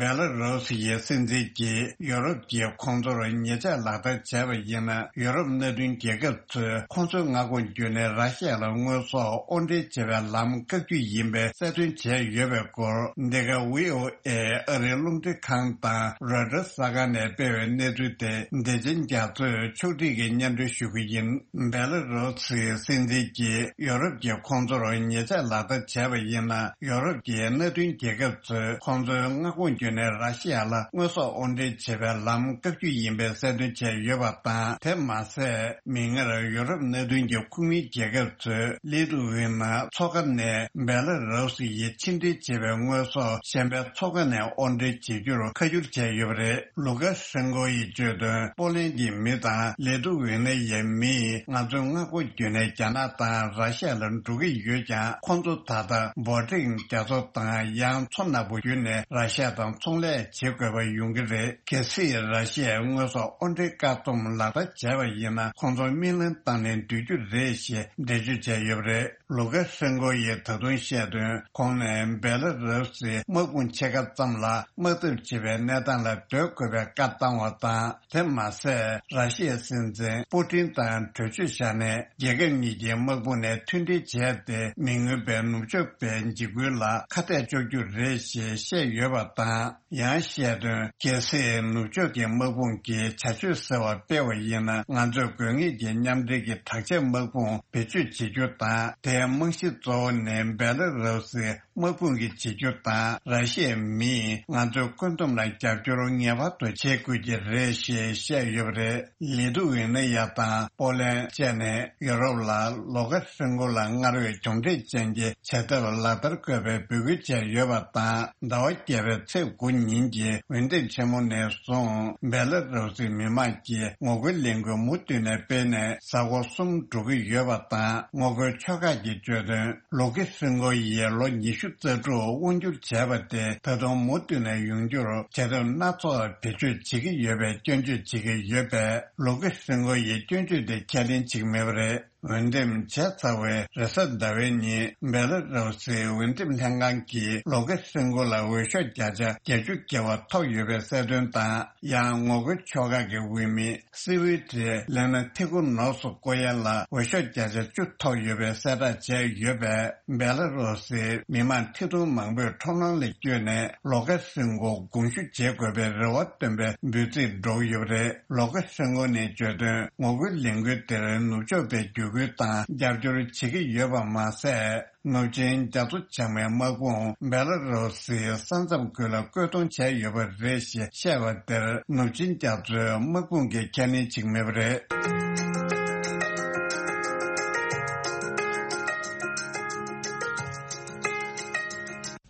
བེ་ལ་རུ་སི་ཡི་སྲིད་འཛིན་གྱིས་ཡོ་རོབ་ཀྱིས་ཁོང་ཚོར་ཉེས་ཆད་ལག་བསྟར་བྱས་པ་ཡིན་ན། ཡོ་རོབ་མནའ་མཐུན་རྒྱལ་ཁབ་ཚོས་ཁོང་ཚོའི་མངའ་ཁོངས་བརྒྱུད་ནས་ར་ཤི་ཡ་ལ་དངོས་ཟོག་དབོར་འདྲེན་བྱེད་པའི་ལམ་བཀག་རྒྱུ་ཡིན་པའི་གསལ་སྟོན་བྱས་ཡོད་པའི་སྐོར། འདི་ག་ཝི་ཨོ་ཨེ་ཨ་རིའི་རླུང་འཕྲིན་ཁང་དང་རོའི་ཊར་གསར་ཁང་ནས་སྤེལ་བའི་གནས་ཚུལ་དེ་བདེ་ཆེན་རྒྱ་མཚོས་ཕྱོགས་སྒྲིག་གིས་སྙན་སྒྲོན་ཞུ་གི་ཡིན། བེ་ལ་རུ་སིའི་སྲིད་འཛིན་གྱིས་ཡོ་རོབ་ཀྱིས་ཁོང་ཚོར་ཉེས་ཆད་ལག་བསྟར་བྱས་པ་ཡིན་ན། ཡོ་རོབ་ཀྱི་མནའ་མཐུན་རྒྱལ་ཁབ་ཚོས་ཁོང་ཚོའི་མངའ་ཁོངས་བརྒྱུད་ནས་ར་ཤི་ཡ་ལ་དངོས་ཟོག་དབོར་འདྲེན་བྱེད་པའི་ལམ་བཀག་རྒྱུ་ཡིན་པའི་གསལ་སྟོན་བྱས་ཡོད་པ་དང་། དེ་མ་ཟད། མིག་སྔར་ཡོ་རོབ་མནའ་མཐུན་གྱི་ཁོངས་མིའི་རྒྱལ་ཁབ་ཚོས་ལི་ཐུ་ཝེ་ན་མཚོ་ཁ་ནས་བེ་ལ་རུ་སི་ཡི་ཕྱིར་འདྲེན་བྱས་པའི་དངོས་ཟོག་གཞན་པའི་མཚོ་ཁ་ནས་དབོར་འདྲེན་བྱེད་རྒྱུར་ཁ་བསྒྱུར་བྱས་ཡོད་པ་རེད། ལུ་ཀ་ཤན་ཀོ་ཡིས་བརྗོད་དོན། པོ་ལན་གྱི་མི་དང་ལི་ཐུ་ཝེ་ན་ཡའི་མིས་ང་ཚོའི་མངའ་ཁོངས་བརྒྱུད་ནས་རྒྱ་ནག་དང་ར་ཤ་ཡ་ལ་འགྲོ་གི་ཡོད་ཀྱང་། ཁོང་ཚོ་ད་ལྟ་བོ་ཊིག་རྒྱ་མཚོ་དང་ཡང་མཚོ་ནག་པོ་བརྒྱུད་ནས་ར་ཤ་ཡ་དང་ཚོང་ལས་བྱེད་དགོས་པ་ཡོང་གི་རེད། གལ་སྲིད་ར་ཤ་ཡའི་དངོས་ཟོག་དབོར་འདྲེན་བཀག་སྡོམ་ལག་བསྟར་བྱས་པ་ཡིན་ན། ཁོང་ཚོ་རྨི་ལམ་བཏང་ནས་སྡོད་རྒྱུ་རེད་ཞེས་འགྲེལ་བརྗོད་བྱས་ཡོད་པ་རེད། ལུ་ཀ་ཤན་ཀོ་ཡིས་ད་དུང་བཤད་དོན། ཁོང་ནས་བེ་ལ་རུ་སིའི་དམག་དཔུང་ཕྱེད་ཀ་ཙམ་ལ་དམག་འཐབ་བྱེད་པའི་གནས་སྟངས་ལ་སྡོད་དགོས་པའི་བཀའ་བཏང་བ་དང་། དེ་མ་ཟད། ར་ཤི་ཡའི་སྲིད་འཛིན་པུ་ཏིན་དང་གྲོས་ཆོད་བཞག་ནས། རྒྱལ་ཁབ་གཉིས་ཀྱི་དམག་དཔུང་ནས་མཐུན་སྒྲིལ་བྱས་ཏེ། མི་མངོན་པའི་ནུབ་ཕྱོགས་པའི་འཇིགས་སྐུལ་ལ་ཁ་གཏད་གཅོག་རྒྱུ་རེད་ཞེས་བཤད་ཡོད་པ་དང་། ཡང་བཤད་དོན། གལ་སྲིད་ནུབ་ཕྱོགས་ཀྱི་དམག་དཔུང་གིས་བྱ་སྤྱོད་གསར་བ་སྤེལ་བ་ཡིན་ན། ང་ཚོས་དགོས་ངེས་ཀྱི་མཉམ་འབྲེལ་གྱི་དྲག་ཆས་དམག་དཔུང་བེད་སྤྱོད་བྱེད་རྒྱུ་དང་། དེའི་རྨང་གཞི་གཙོ་བོ་ནི་བེ་ལ་རུ་སིའི་དམག་དཔུང་གིས་བྱེད་རྒྱུ་དང་། ར་ཤི་ཡའི་མིས་ང་ཚོའི་བཀོད་འདོམས་ལ་རྒྱབ་སྐྱོར་ངེས་པར་དུ་བྱེད་དགོས་ཀྱི་རེད་ཞེས་བཤད་ཡོད་པ་རེད། ལི་ཐུ་ཝེ་ན་ཡ་དང་པོ་ལན་བཅས་ནས་ཡོ་རོབ་ལ་ལུ་ཀ་ཤན་ཀོ་ལ་སྔར་བས་གྱོང་མཁྲེགས་ཅན་གྱི་བྱ་ཐབས་ལག་བསྟར་དགོས་པའི་འབོད་སྐུལ་བྱས་ཡོད་པ་དང་། ཟླ་བ་བརྒྱད་པའི་ཚེས་དགུ་ཉིན་གྱི་འོས་འདེམས་ཆེན་མོ་ནས་བཟུང་། བེ་ལ་རུ་སིའི་མི་མང་གིས་ངོ་རྒོལ་ལས་འགུལ་མུ་མཐུད་ནས་སྤེལ་ནས་གཟའ་འཁོར་གསུམ་འགྲོ་གི་ཡོད་པ་དང་། ངོ་རྒོལ་ཕྱོགས་ཁག་གིས་བརྗོད་དོན། ལུ་ཀ་ཤན་ཀོ་ཡིས་ལོ་ཉི་ཤུ་རྩ་དྲུག་དབང་སྒྱུར་བྱས་པ་དེ་ད་དུང་མུ་མཐུད་ནས་ཡོང་རྒྱུར་བྱ་ཐབས་སྣ་ཚོགས་བེད་སྤྱོད་བྱེད་ཀྱི་ཡོད་པའི་སྐྱོན་བརྗོད་བྱེད་ཀྱི་ཡོད་པས། ལུ་ཀ་ཤན་ཀོ་ཡིས་སྐྱོན་བརྗོད་དེ་ཁས་ལེན་བྱེད་ཀྱི་མེད་པ་རེད། འོས་འདེམས་བྱས་ཚར་བའི་རེས་གཟའ་ཟླ་བའི་ཉིན། བེ་ལ་རུ་སིའི་འོས་འདེམས་ལྷན་ཁང་གིས་ལུ་ཀ་ཤན་ཀོ་ལ་འོས་ཤོག་བརྒྱ་ཆ་བརྒྱད་ཅུ་བརྒལ་བ་ཐོབ་ཡོད་པའི་གསལ་སྟོན་དང་། ཡང་ངོ་རྒོལ་ཕྱོགས་ཁག་གི་འོས་མི་སི་ཝི་ཏི་ལེ་ན་ཐི་ཀུ་ནོ་སུ་ཀོ་ཡན་ལ་འོས་ཤོག་བརྒྱ་ཆ་བཅུ་ཐོབ་ཡོད་པའི་གསལ་བསྒྲགས་བྱས་ཡོད་པས། བེ་ལ་རུ་སིའི་མི་མང་ཁྲི་སྟོང་མང་པོས་ཁྲོམ་ལམ་ལ་བསྐྱོད་ནས་ལུ་ཀ་ཤན་ཀོ་དགོངས་ཞུ་བྱེད་དགོས་པའི་རེ་བ་བཏོན་པའི་འབོད་ཚིག་སྒྲོག་ཡོད་པ་རེད། ལུ་ཀ་ཤན་ཀོ་ནས་བརྗོད་དོན། ངོ་རྒོལ་ལས་འགུལ་དེར་ནུབ་ཕྱོགས་པའི་བརྒྱུད་སྐུལ་དང་རྒྱབ་སྐྱོར་བྱེད་ཀྱི་ཡོད་པ་མ་ཟད། ནུབ་ཆིངས་རྒྱ་མཚོ་བྱང་མའི་དམག་དཔུང་བེ་ལ་རུ་སིའི་ས་མཚམས་ཁུལ་ལ་བཀོད་གཏོང་བྱས་ཡོད་པ་རེད་ཞེས་བཤད་པ་དེར། ནུབ་ཆིངས་རྒྱ་མཚོའི་དམག་དཔུང་གིས་ཁས་ལེན་བྱེད་ཀྱི་མེད་པ་རེད།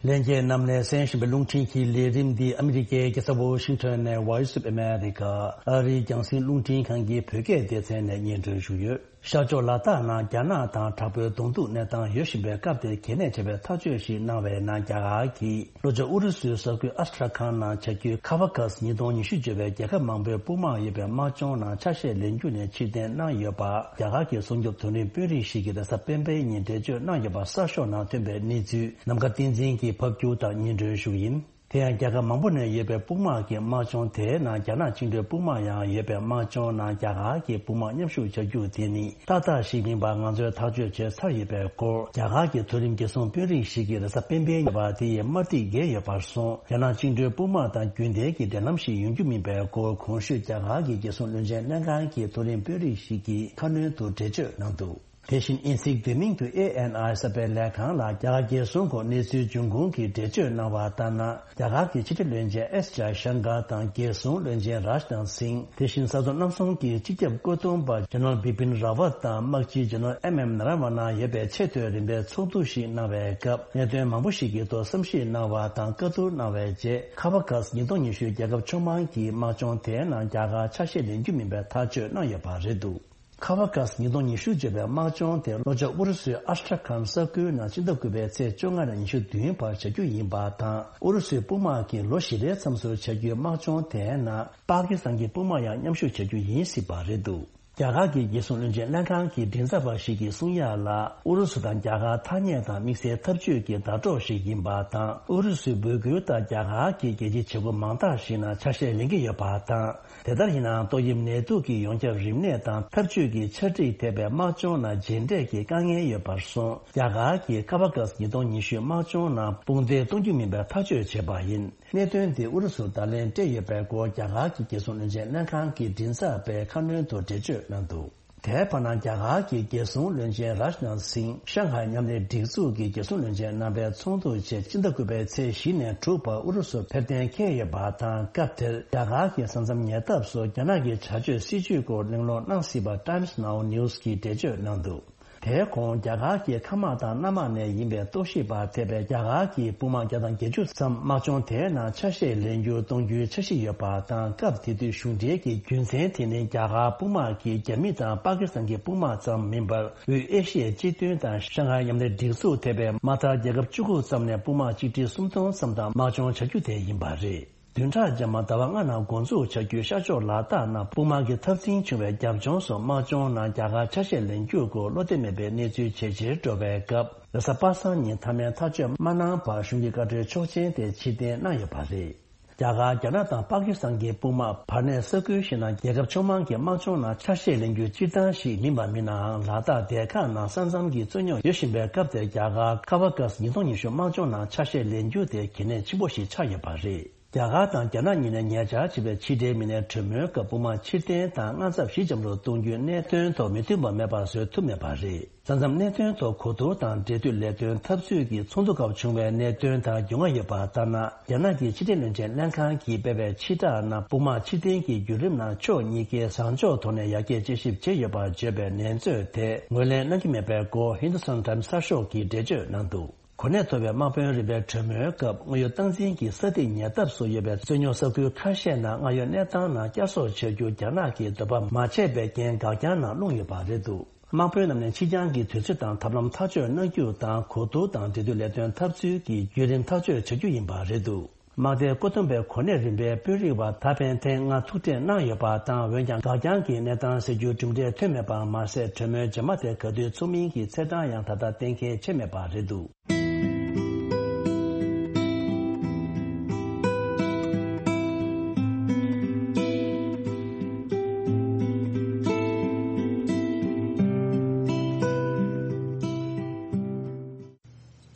ལྷན་རྒྱས་རྣམས་ལ་གསན་བཞིན་པའི་རླུང་འཕྲིན་གྱི་ལས་རིམ་འདི་ཨ་མི་རི་ཀའི་རྒྱལ་ས་ཝོ་ཤིང་ཊོན་ནས་Voice of America ཨ་རིའི་རྒྱང་སྲིང་རླུང་འཕྲིན་ཁང་གི་བོད་སྐད་སྡེ་ཚན་ནས་སྙན་སྒྲོན་ཞུས་ཡོད། ཤར་ཕྱོགས་ལ་དྭགས་ནང་རྒྱ་ནག་དང་དྲག་པོའི་གདོང་ཐུག་གནས་སྟངས་ཡོད་བཞིན་པའི་སྐབས་དེར་གལ་གནད་ཆེ་བའི་ཐག་གཅོད་ཞིག་གནང་བའི་ནང་རྒྱ་གར་གྱིས་ལྷོ་ཕྱོགས་ཨུ་རུ་སུའི་ས་ཁུལ་ཨ་སི་ཁྲ་ཁཱན་ནང་བྱ་རྒྱུའི་ཁ་བ་ཁ་སི་ཉིས་སྟོང་ཉི་ཤུ་ཅེས་པའི་རྒྱལ་ཁབ་མང་པོའི་དཔུང་དམག་ཡོད་པའི་དམག་སྦྱོང་ནང་ཆ་ཤས་ལེན་རྒྱུ་ནས་ཕྱིར་འཐེན་གནང་ཡོད་པ་རྒྱ་གར་གྱི་སྲུང་སྐྱོབ་མཐོ་རིམ་དཔོན་རིགས་ཤིག་གིས་རེས་གཟའ་སྤེན་པའི་ཉིན་འགྲེལ་བརྗོད་གནང་ཡོད་པ་གསར་ཤོག་ནང་ཐོན་པའི་གནས་ཚུལ་ནམ་མཁའ་བསྟན་འཛིན་གྱིས་ཕབ་སྒྱུར་དང་སྙན་སྒྲོན་ཞུ་གི་ཡིན། དེ་ཡང་རྒྱལ་ཁབ་མང་པོ་ནས་ཡོད་པའི་དཔུང་དམག་གི་དམག་སྦྱོང་དེའི་ནང་རྒྱ་ནག་བཅིངས་འགྲོལ་དཔུང་དམག་ཡང་ཡོད་པའི་དམག་སྦྱོང་ནང་རྒྱ་གར་གྱི་དཔུང་དམག་མཉམ་ཞུགས་བྱ་རྒྱུ་དེ་ནི་ཏག་ཏག་ཞིག་མིན་པར་ང་ཚོས་ཐག་གཅོད་བྱས་ཚར་ཡོད་པའི་སྐོར་རྒྱ་གར་གྱི་མཐོ་རིམ་རྒྱལ་སྲུང་དཔོན་རིགས་ཤིག་གིས་རེས་གཟའ་སྤེན་པའི་ཉིན་པར་དེ་ཡི་དམར་ཐིག་འགེལ་ཡོད་པར་སོང་། རྒྱ་ནག་བཅིངས་འགྲོལ་དཔུང་དམག་དང་རྒྱུན་ལྡན་གྱི་འབྲེལ་ལམ་ཞིག་ཡོང་རྒྱུ་མིན་པའི་སྐོར་གོང་ཞུས་རྒྱ་གར་གྱི་རྒྱལ་སྲུང་བློན་ཆེན་ལྷན་ཁང་གི་མཐོ་རིམ་དཔོན་རིགས་ཤིག་གིས་ཁ་སྣོན་དུ་འགྲེལ་བརྗོད་གནང་འདུག་དེ་བཞིན་ཨིན་སིག་དེ་མིང་དུ་ཨེ་ཨེན་ཨའི་གསར་སྤེལ་ལས་ཁང་ལ་རྒྱ་གར་རྒྱལ་སྲུང་སྐོར་གནས་ཚུལ་འབྱུང་ཁུངས་ཀྱིས་འགྲེལ་བརྗོད་གནང་བ་ལྟར་ན། རྒྱ་གར་གྱི་ཕྱི་དྲིལ་བློན་ཆེན་ཨེས་ཇའི་ཤང་ཀར་དང་རྒྱལ་སྲུང་བློན་ཆེན་རཱཇ་ནཱཐ་སིང་། དེ་བཞིན་ས་མཚམས་གནམ་གསུམ་གྱི་སྤྱི་ཁྱབ་བཀོད་འདོམས་པ་ཇེ་ནེ་རལ་བི་པིན་རཱ་ཝཏ་དང་དམག་སྤྱི་ཇེ་ནེ་རལ་ཨེམ་ཨེམ་ནཱ་ར་ཝ་ན་ཡོད་པའི་ཆེས་མཐོའི་རིམ་པའི་ཚོགས་འདུ་ཞིག་གནང་བའི་སྐབས་གནད་དོན་མང་པོ་ཞིག་གི་ཐོག་བསམ་གཞིག་གནང་བ་དང་བཀའ་བསྡུར་གནང་བའི་རྗེས་ཁ་བ་ཁ་སི་ཉིས་སྟོང་ཉི་ཤུ་རྒྱལ་ཁབ་ཕྱོགས་མང་གི་དམག་སྦྱོང་དེའི་ནང་རྒྱ་གར་ཆ་ཤས་ལེན་རྒྱུ་མིན་པའི་ཐག་གཅོད་གནང་ཡོད་པ་རེད་འདུག་ཁ་བ་ཁ་སི་ཉིས་སྟོང་ཉི་ཤུ་བརྗོད་པའི་དམག་སྦྱོང་དེ་ལྷོ་ཕྱོགས་ཨུ་རུ་སུའི་ཨ་སི་ཁྲ་ཁཱན་ས་ཁུལ་ནང་ཕྱི་ཟླ་དགུ་པའི་ཚེས་བཅོ་ལྔ་ནས་ཉི་ཤུ་བདུན་བར་བྱ་རྒྱུ་ཡིན་པ་དང་ཨུ་རུ་སུའི་དཔུང་དམག་གིས་ལོ་བཞི་པའི་མཚམས་སུ་བྱ་རྒྱུའི་དམག་སྦྱོང་དེའི་ནང་པ་ཀི་སི་ཐན་གྱི་དཔུང་དམག་ཡང་མཉམ་ཞུགས་བྱ་རྒྱུ་ཡིན་སྲིད་པ་རེད་འདུག་རྒྱ་གར་གྱི་རྒྱལ་སྲུང་བློན་ཆེན་ལྷན་ཁང་གི་མགྲིན་ཚབ་པ་ཞིག་གིས་གསུང་ཡག་ལ་ཨུ་རུ་སུ་དང་རྒྱ་གར་ཐ་སྙད་དང་དམིགས་བསལ་འཐབ་ཇུས་ཀྱི་ཟླ་གྲོགས་ཤིག་ཡིན་པ་དང་ཨུ་རུ་སུའི་འབོད་སྐུལ་ལྟར་རྒྱ་གར་གྱི་རྒྱལ་སྤྱིའི་བྱེད་སྒོ་མང་དག་ཞིག་ནང་ཆ་ཤས་ལེན་གྱི་ཡོད་པ་དང་། དེ་ལྟར་ཡིན་ནའང་ཏོག་དབྱིབས་ནད་དུག་གི་ཡོངས་ཁྱབ་རིམས་ནད་དང་འཐབ་ཇུས་ཀྱི་ཆ་སྒྲིག་ཐེབས་པའི་དམག་སྦྱོང་ནང་རྗེས་འབྲས་ཀྱི་དཀའ་ངལ་ཡོད་པར་སོང་། རྒྱ་གར་གྱི་ཁ་བ་ཁ་སི་ཉིས་སྟོང་ཉི་ཤུ་དམག་སྦྱོང་ནང་དཔུང་འདེགས་གཏོང་རྒྱུ་མིན་པའི་ཐག་གཅོད་བྱས་པ་ཡིན། གནད་དོན་འདི་ཨུ་རུ་སུར་བརྡ་ལན་སྤྲད་ཡོད་པའི་སྐོར་རྒྱ་གར་གྱི་རྒྱལ་སྲུང་བློན་ཆེན་ལྷན་ཁང་གི་མགྲིན་ཚབ་པས་ཁ་སྣོན་དུ་འགྲེལ་བརྗོད་གནང་འདུག་དེའི་བར་ན་རྒྱ་གར་གྱི་རྒྱལ་སྲུང་བློན་ཆེན་རཱཇ་ནཱཐ་སིང་ཤང་ཧའེ་མཉམ་ལས་སྒྲིག་འཛུགས་ཀྱི་རྒྱལ་སྲུང་བློན་ཆེན་རྣམ་པའི་ཚོགས་འདུ་ཆེད་ཕྱི་ཟླ་དགུ་པའི་ཚེས་བཞི་ནས་དྲུག་བར་ཨུ་རུ་སུར་ཕེབས་གཏན་འཁེལ་ཡོད་པ་དང་སྐབས་དེར་རྒྱ་གར་གྱི་ས་མཚམས་ཉེ་འདབས་སུ་རྒྱ་ནག་གི་བྱ་སྤྱོད་སྲིད་ཇུས་སྐོར་གླེང་སློང་གནང་སྲིད་པ་Times Now News གིས་འགྲེལ་བརྗོད་གནང་འདུག་དེའི་གོང་རྒྱ་གར་གྱི་མཁའ་དམག་དང་གནམ་དམག་ནས་ཡིན་པའི་རྟོག་ཞིབ་པ་ཐེ་བའི་རྒྱ་གར་གྱི་དཔུང་དམག་བརྒྱ་དང་བརྒྱད་ཅུ་ཙམ་དམག་སྦྱོང་དེའི་ནང་ཆ་ཤས་ལེན་རྒྱུ་གཏོང་རྒྱུའི་འཆར་གཞི་ཡོད་པ་དང་སྐབས་དེ་དུས་གཞུང་འབྲེལ་གྱི་རྒྱུ་མཚན་དེ་ནི་རྒྱ་གར་དཔུང་དམག་གིས་རྒྱ་མི་དང་པ་ཀི་སི་ཐན་གྱི་དཔུང་དམག་ཙམ་མིན་པར་དབུས་ཨེ་ཤི་ཡའི་སྤྱི་མཐུན་དང་ཤང་ཧའེ་མཉམ་ལས་སྒྲིག་འཛུགས་ཐེ་བའི་མ་མཐའ་རྒྱལ་ཁབ་བཅུ་དགུ་ཙམ་ནས་དཔུང་དམག་ཆིག་ཁྲི་སུམ་སྟོང་ཙམ་དང་དམག་སྦྱོང་བྱ་རྒྱུ་དེ་ཡིན་པ་རེད། བདུན་ཕྲག་རྗེས་མ་ཟླ་བ་ལྔ་ནང་འགོ་འཛུགས་བྱ་རྒྱུའི་ཤར་ཕྱོགས་ལ་དྭགས་ནང་དཔུང་དམག་གི་འཐབ་འཛིང་བྱུང་བའི་རྒྱབ་ལྗོངས་སུ་དམག་སྦྱོང་ནང་རྒྱ་གར་ཆ་ཤས་ལེན་རྒྱུ་སྐོར་བློ་བདེ་མེད་པའི་གནས་ཚུལ་ཇེ་ཆེར་འགྲོ་བའི་སྐབས་རེས་གཟའ་པ་སངས་ཉིན་མཐའ་མའི་ཐག་གཅོད་མ་གནང་བར་གཞུང་གི་བཀའ་འཁྲོལ་ཆོག་མཆན་དེ་ཕྱིར་འཐེན་གནང་ཡོད་པ་རེད། རྒྱ་གར་རྒྱ་ནག་དང་པ་ཀི་སི་ཐན་གྱི་དཔུང་དམག་བར་གནས་ས་ཁུལ་ཞིག་ནང་རྒྱལ་ཁབ་ཕྱོགས་མང་གི་དམག་སྦྱོང་ནང་ཆ་ཤས་ལེན་རྒྱུ་སྤྱིར་བཏང་ཞིག་མིན་པ་མིན་ནའང་ལ་དྭགས་སྡེ་ཁག་ནང་ས་མཚམས་ཀྱི་རྩོད་རྙོག་ཡོད་བཞིན་པའི་སྐབས་དེར་རྒྱ་གར་ཁ་བ་ཀ་སི་ཉིས་སྟོང་ཉི་ཤུ་དམག་སྦྱོང་ནང་ཆ་ཤས་ལེན་རྒྱུ་དེ་གལ་གནད་ཆེན་པོ་ཞིག་ཆགས་ཡོད་པ་རེད། རྒྱ་གར་དང་རྒྱ་ནག་གཉིས་ནས་ཉེ་ཆར་བྱས་པའི་ཕྱི་འབྲེལ་མི་སྣའི་གྲོས་མོལ་སྐབས་དཔུང་དམག་ཕྱིར་འཐེན་དང་དངངས་འཚབ་ཞི་འཇམ་རུ་གཏོང་རྒྱུའི་གནད་དོན་ཐོག་མི་མཐུན་པ་མེད་པ་བཟོ་ཐུབ་མེད་པ་རེད། ས་མཚམས་གནད་དོན་ཐོག་གོ་བསྡུར་དང་འབྲེལ་མཐུད་ལས་དོན་འཐབ་རྩོད་ཀྱི་ཚོགས་འདུ་སྐབས་བྱུང་བའི་གནད་དོན་དང་རྒྱུས་མངའ་ཡོད་པ་ལྟར་ན། རྒྱ་ནག་གི་ཕྱི་དྲིལ་བློན་ཆེན་ལྷན་ཁང་གིས་སྤེལ་བའི་ཕྱིར་བསྒྲགས་ནང་དཔུང་དམག་ཕྱིར་འཐེན་གྱི་བརྒྱུད་རིམ་ནང་ཕྱོགས་གཉིས་ཀས་བཟང་ཕྱོགས་ཐོག་ནས་ཡར་རྒྱས་དཔྱད་ཞིབ་བྱས་ཡོད་པར་བརྗོད་པའི་ནན་རྩོད་དེ་ངོས་ལེན་གནང་གི་མེད་པའི་སྐོར་ཧིན་དུ་སྟན་ཊའིམ་སི་གསར་ཤོག་གིས་འགྲེལ་བརྗོད་གནང་འདུག་གོ་གནས་མཐོ་བའི་དམག་དཔོན་རིམ་པའི་གྲོས་མོལ་སྐབས་སྔར་ཡོད་སྟངས་འཛིན་གྱི་ས་ཐིག་ཉེ་འདབས་སུ་ཡོད་པའི་རྩོད་རྙོག་ས་ཁུལ་ཁ་ཤས་ནང་སྔར་ཡོད་གནས་སྟངས་ནང་བསྐྱར་གསོ་བྱ་རྒྱུ་རྒྱ་ནག་གིས་འདོད་པ་མ་བྱས་པའི་རྐྱེན་འགག་རྐྱང་ནང་ལྷུང་ཡོད་པ་རེད་འདུག་དམག་དཔོན་རྣམས་ནས་ཕྱི་འགྱངས་ཀྱི་དུས་ཚོད་དང་ཐབས་ལམ་ཐག་གཅོད་གནང་རྒྱུ་དང་གོ་བསྡུར་དང་འབྲེལ་མཐུད་ལས་དོན་འཐབ་རྩོད་ཀྱི་བརྒྱུད་རིམ་ཐག་གཅོད་བྱ་རྒྱུ་ཡིན་པ་རེད་འདུག་དམག་སྡེའི་བཀོད་འདོམས་པའི་གོ་གནས་རིམ་པའི་དཔོན་རིགས་པ་ད་ཕན་ཐེངས་ལྔ་ཐུག་འཕྲད་གནང་ཡོད་པ་དང་འོན་ཀྱང་འགག་རྐྱང་གི་གནས་སྟངས་སེལ་རྒྱུའི་གྲུབ་འབྲས་ཐོན་མེད་པ་མ་ཟད་གྲོས་མོལ་རྗེས་མ་དེ་ག་དུས་ཚོགས་མིན་གྱི་ཚེས་གྲངས་ཡང་ད་ལྟ་གཏན་འཁེལ་བྱས་མེད་པ་རེད་འདུག་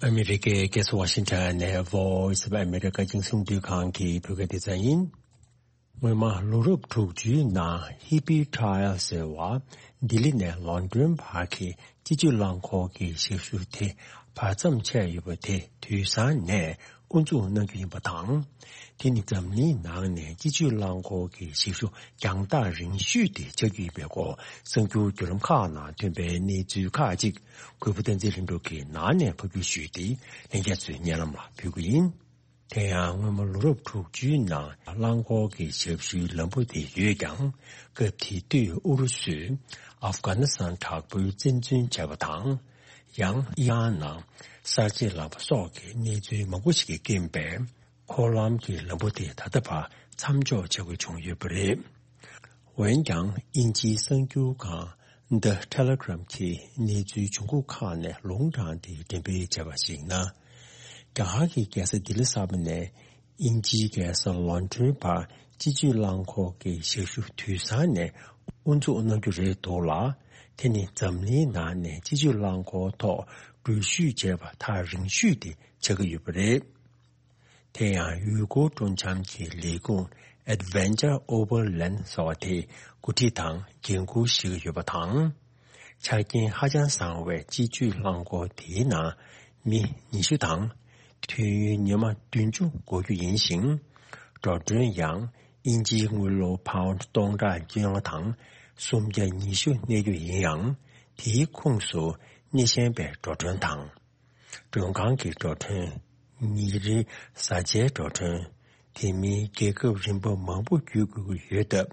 ཨ་མི་རི་ཀའི་རྒྱལ་ས་ཝ་ཤིང་ཊོན་ནས་Voice of America རྒྱང་སྲིང་རླུང་འཕྲིན་ཁང་གི་བོད་སྐད་སྡེ་ཚན་ཡིན། སྔོན་མ་ལོ་རབས་དྲུག་ཅུའི་ནང་ཧི་པི་ཁྲ་ཡལ་ཟེར་བ་ལྡི་ལི་ནས་ལོན་ཌོན་བར་གྱི་སྤྱི་སྤྱོད་རླངས་འཁོར་གྱི་ཞབས་ཞུ་དེ་བར་མཚམས་ཆད་ཡོད་པ་དེ་དུས་སང་ནས་ དབུ་འཛུགས་གནང་རྒྱུ་ཡིན་པ་དང་། དེ་ནི་འཛམ་གླིང་ནང་ནས་སྤྱི་སྤྱོད་རླངས་འཁོར་གྱི་ཞབས་ཞུ་རྒྱང་ཐག་རིང་ཤོས་དེ་ཆགས་རྒྱུ་ཡིན་པའི་སྐོར་གསར་འགྱུར་བརྒྱུད་ལམ་ཁག་ནང་ཐོན་པའི་གནས་ཚུལ་ཁག་ཅིག་གུས་པ་བསྟན་འཛིན་ལྷུན་གྲུབ་ཀྱིས་ནང་ནས་ཕབ་སྒྱུར་ཞུས་ཏེ་ལྷན་རྒྱས་ཚོའི་སྙན་ལམ་ལ་ཕུལ་གྱི་ཡིན། དེ་ཡང་སྔོན་མ་ལོ་རབས་དྲུག་ཅུའི་ནང་རླངས་འཁོར་གྱི་ཞབས་ཞུའི་ལམ་བུ་དེ་ཡོད་ཀྱང་། སྐབས་དེ་དུས་ཨུ་རུ་སུས་ཨབ་གྷ་ནི་སི་ཐན་དྲག་པོའི་བཙན་འཛུལ་བྱས་པ་དང་། ཡང་ཨི་རན་ནང་གསར་བརྗེ་ལངས་པ་སོགས་ཀྱི་གནས་ཚུལ་མང་པོ་ཞིག་གི་རྐྱེན་པས། འཁོར་ལམ་གྱི་ལམ་བུ་དེ་ད་ལྟ་བར་མཚམས་འཇོག་བྱ་དགོས་བྱུང་ཡོད་པ་རེད། འོན་ཀྱང་། དབྱིན་ཇིའི་གསར་འགྱུར་ཁང་The Telegraph་གིས་གནས་ཚུལ་བྱུང་ཁུངས་ཁག་ནས་ལུང་དྲངས་ཏེ་འགྲེམས་སྤེལ་བྱས་པར་གཞིགས་ན། རྒྱ་གར་གྱི་རྒྱལ་ས་ལྡི་ལི་གསར་པ་ནས་དབྱིན་ཇིའི་རྒྱལ་ས་ལོན་ཌོན་བར་སྤྱི་སྤྱོད་རླངས་འཁོར་གྱི་ཞབས་ཞུ་དུས་སང་ནས་དབུ་འཛུགས་གནང་རྒྱུ་རེད་འདུག་ལ། དེ་ནི་འཛམ་གླིང་ནང་ནས་སྤྱི་སྤྱོད་རླངས་འཁོར་ཐོག་འགྲུལ་བཞུད་བྱས་པ་ཐག་རིང་ཤོས་དེ་ཆགས་ཀྱི་ཡོད་པ་རེད། དེ་ཡང་ཡུལ་སྐོར་སྤྲོ་འཆམ་གྱི་ལས་ཁུངས་Adventure Overland་ཟེར་བ་དེས་འགོ་ཁྲིད་དང་འགན་འཁུར་བཞེས་ཀྱི་ཡོད་པ་དང་། ཆ་རྐྱེན་ཧ་ཅང་བཟང་བའི་སྤྱི་སྤྱོད་རླངས་འཁོར་དེའི་ནང་མི་ཉི་ཤུ་དང་། དུས་ཡུན་ཉི་མ་བདུན་ཅུ་འགོར་རྒྱུ་ཡིན་ཞིང་། འགྲོ་གྲོན་ཡང་དབྱིན་ཇིའི་དངུལ་ལོར་པའུན་སྟོང་ཕྲག་བཅོ་ལྔ་དང་སུམ་བརྒྱ་ཉི་ཤུ་གནས་རྒྱུ་ཡིན་ཡང་། དེའི་ཁོངས་སུ་སྣེ་ཤན་པའི་འགྲོ་གྲོན་དང་། མགྲོན་ཁང་གི་འགྲོ་གྲོན། ཉིན་རེའི་བཟའ་བཅའི་འགྲོ་གྲོན། དེ་མིན་རྒྱལ་ཁབ་རིམ་པ་མང་པོ་བརྒྱུད་དགོས་ཀྱི་ཡོད་སྟབས།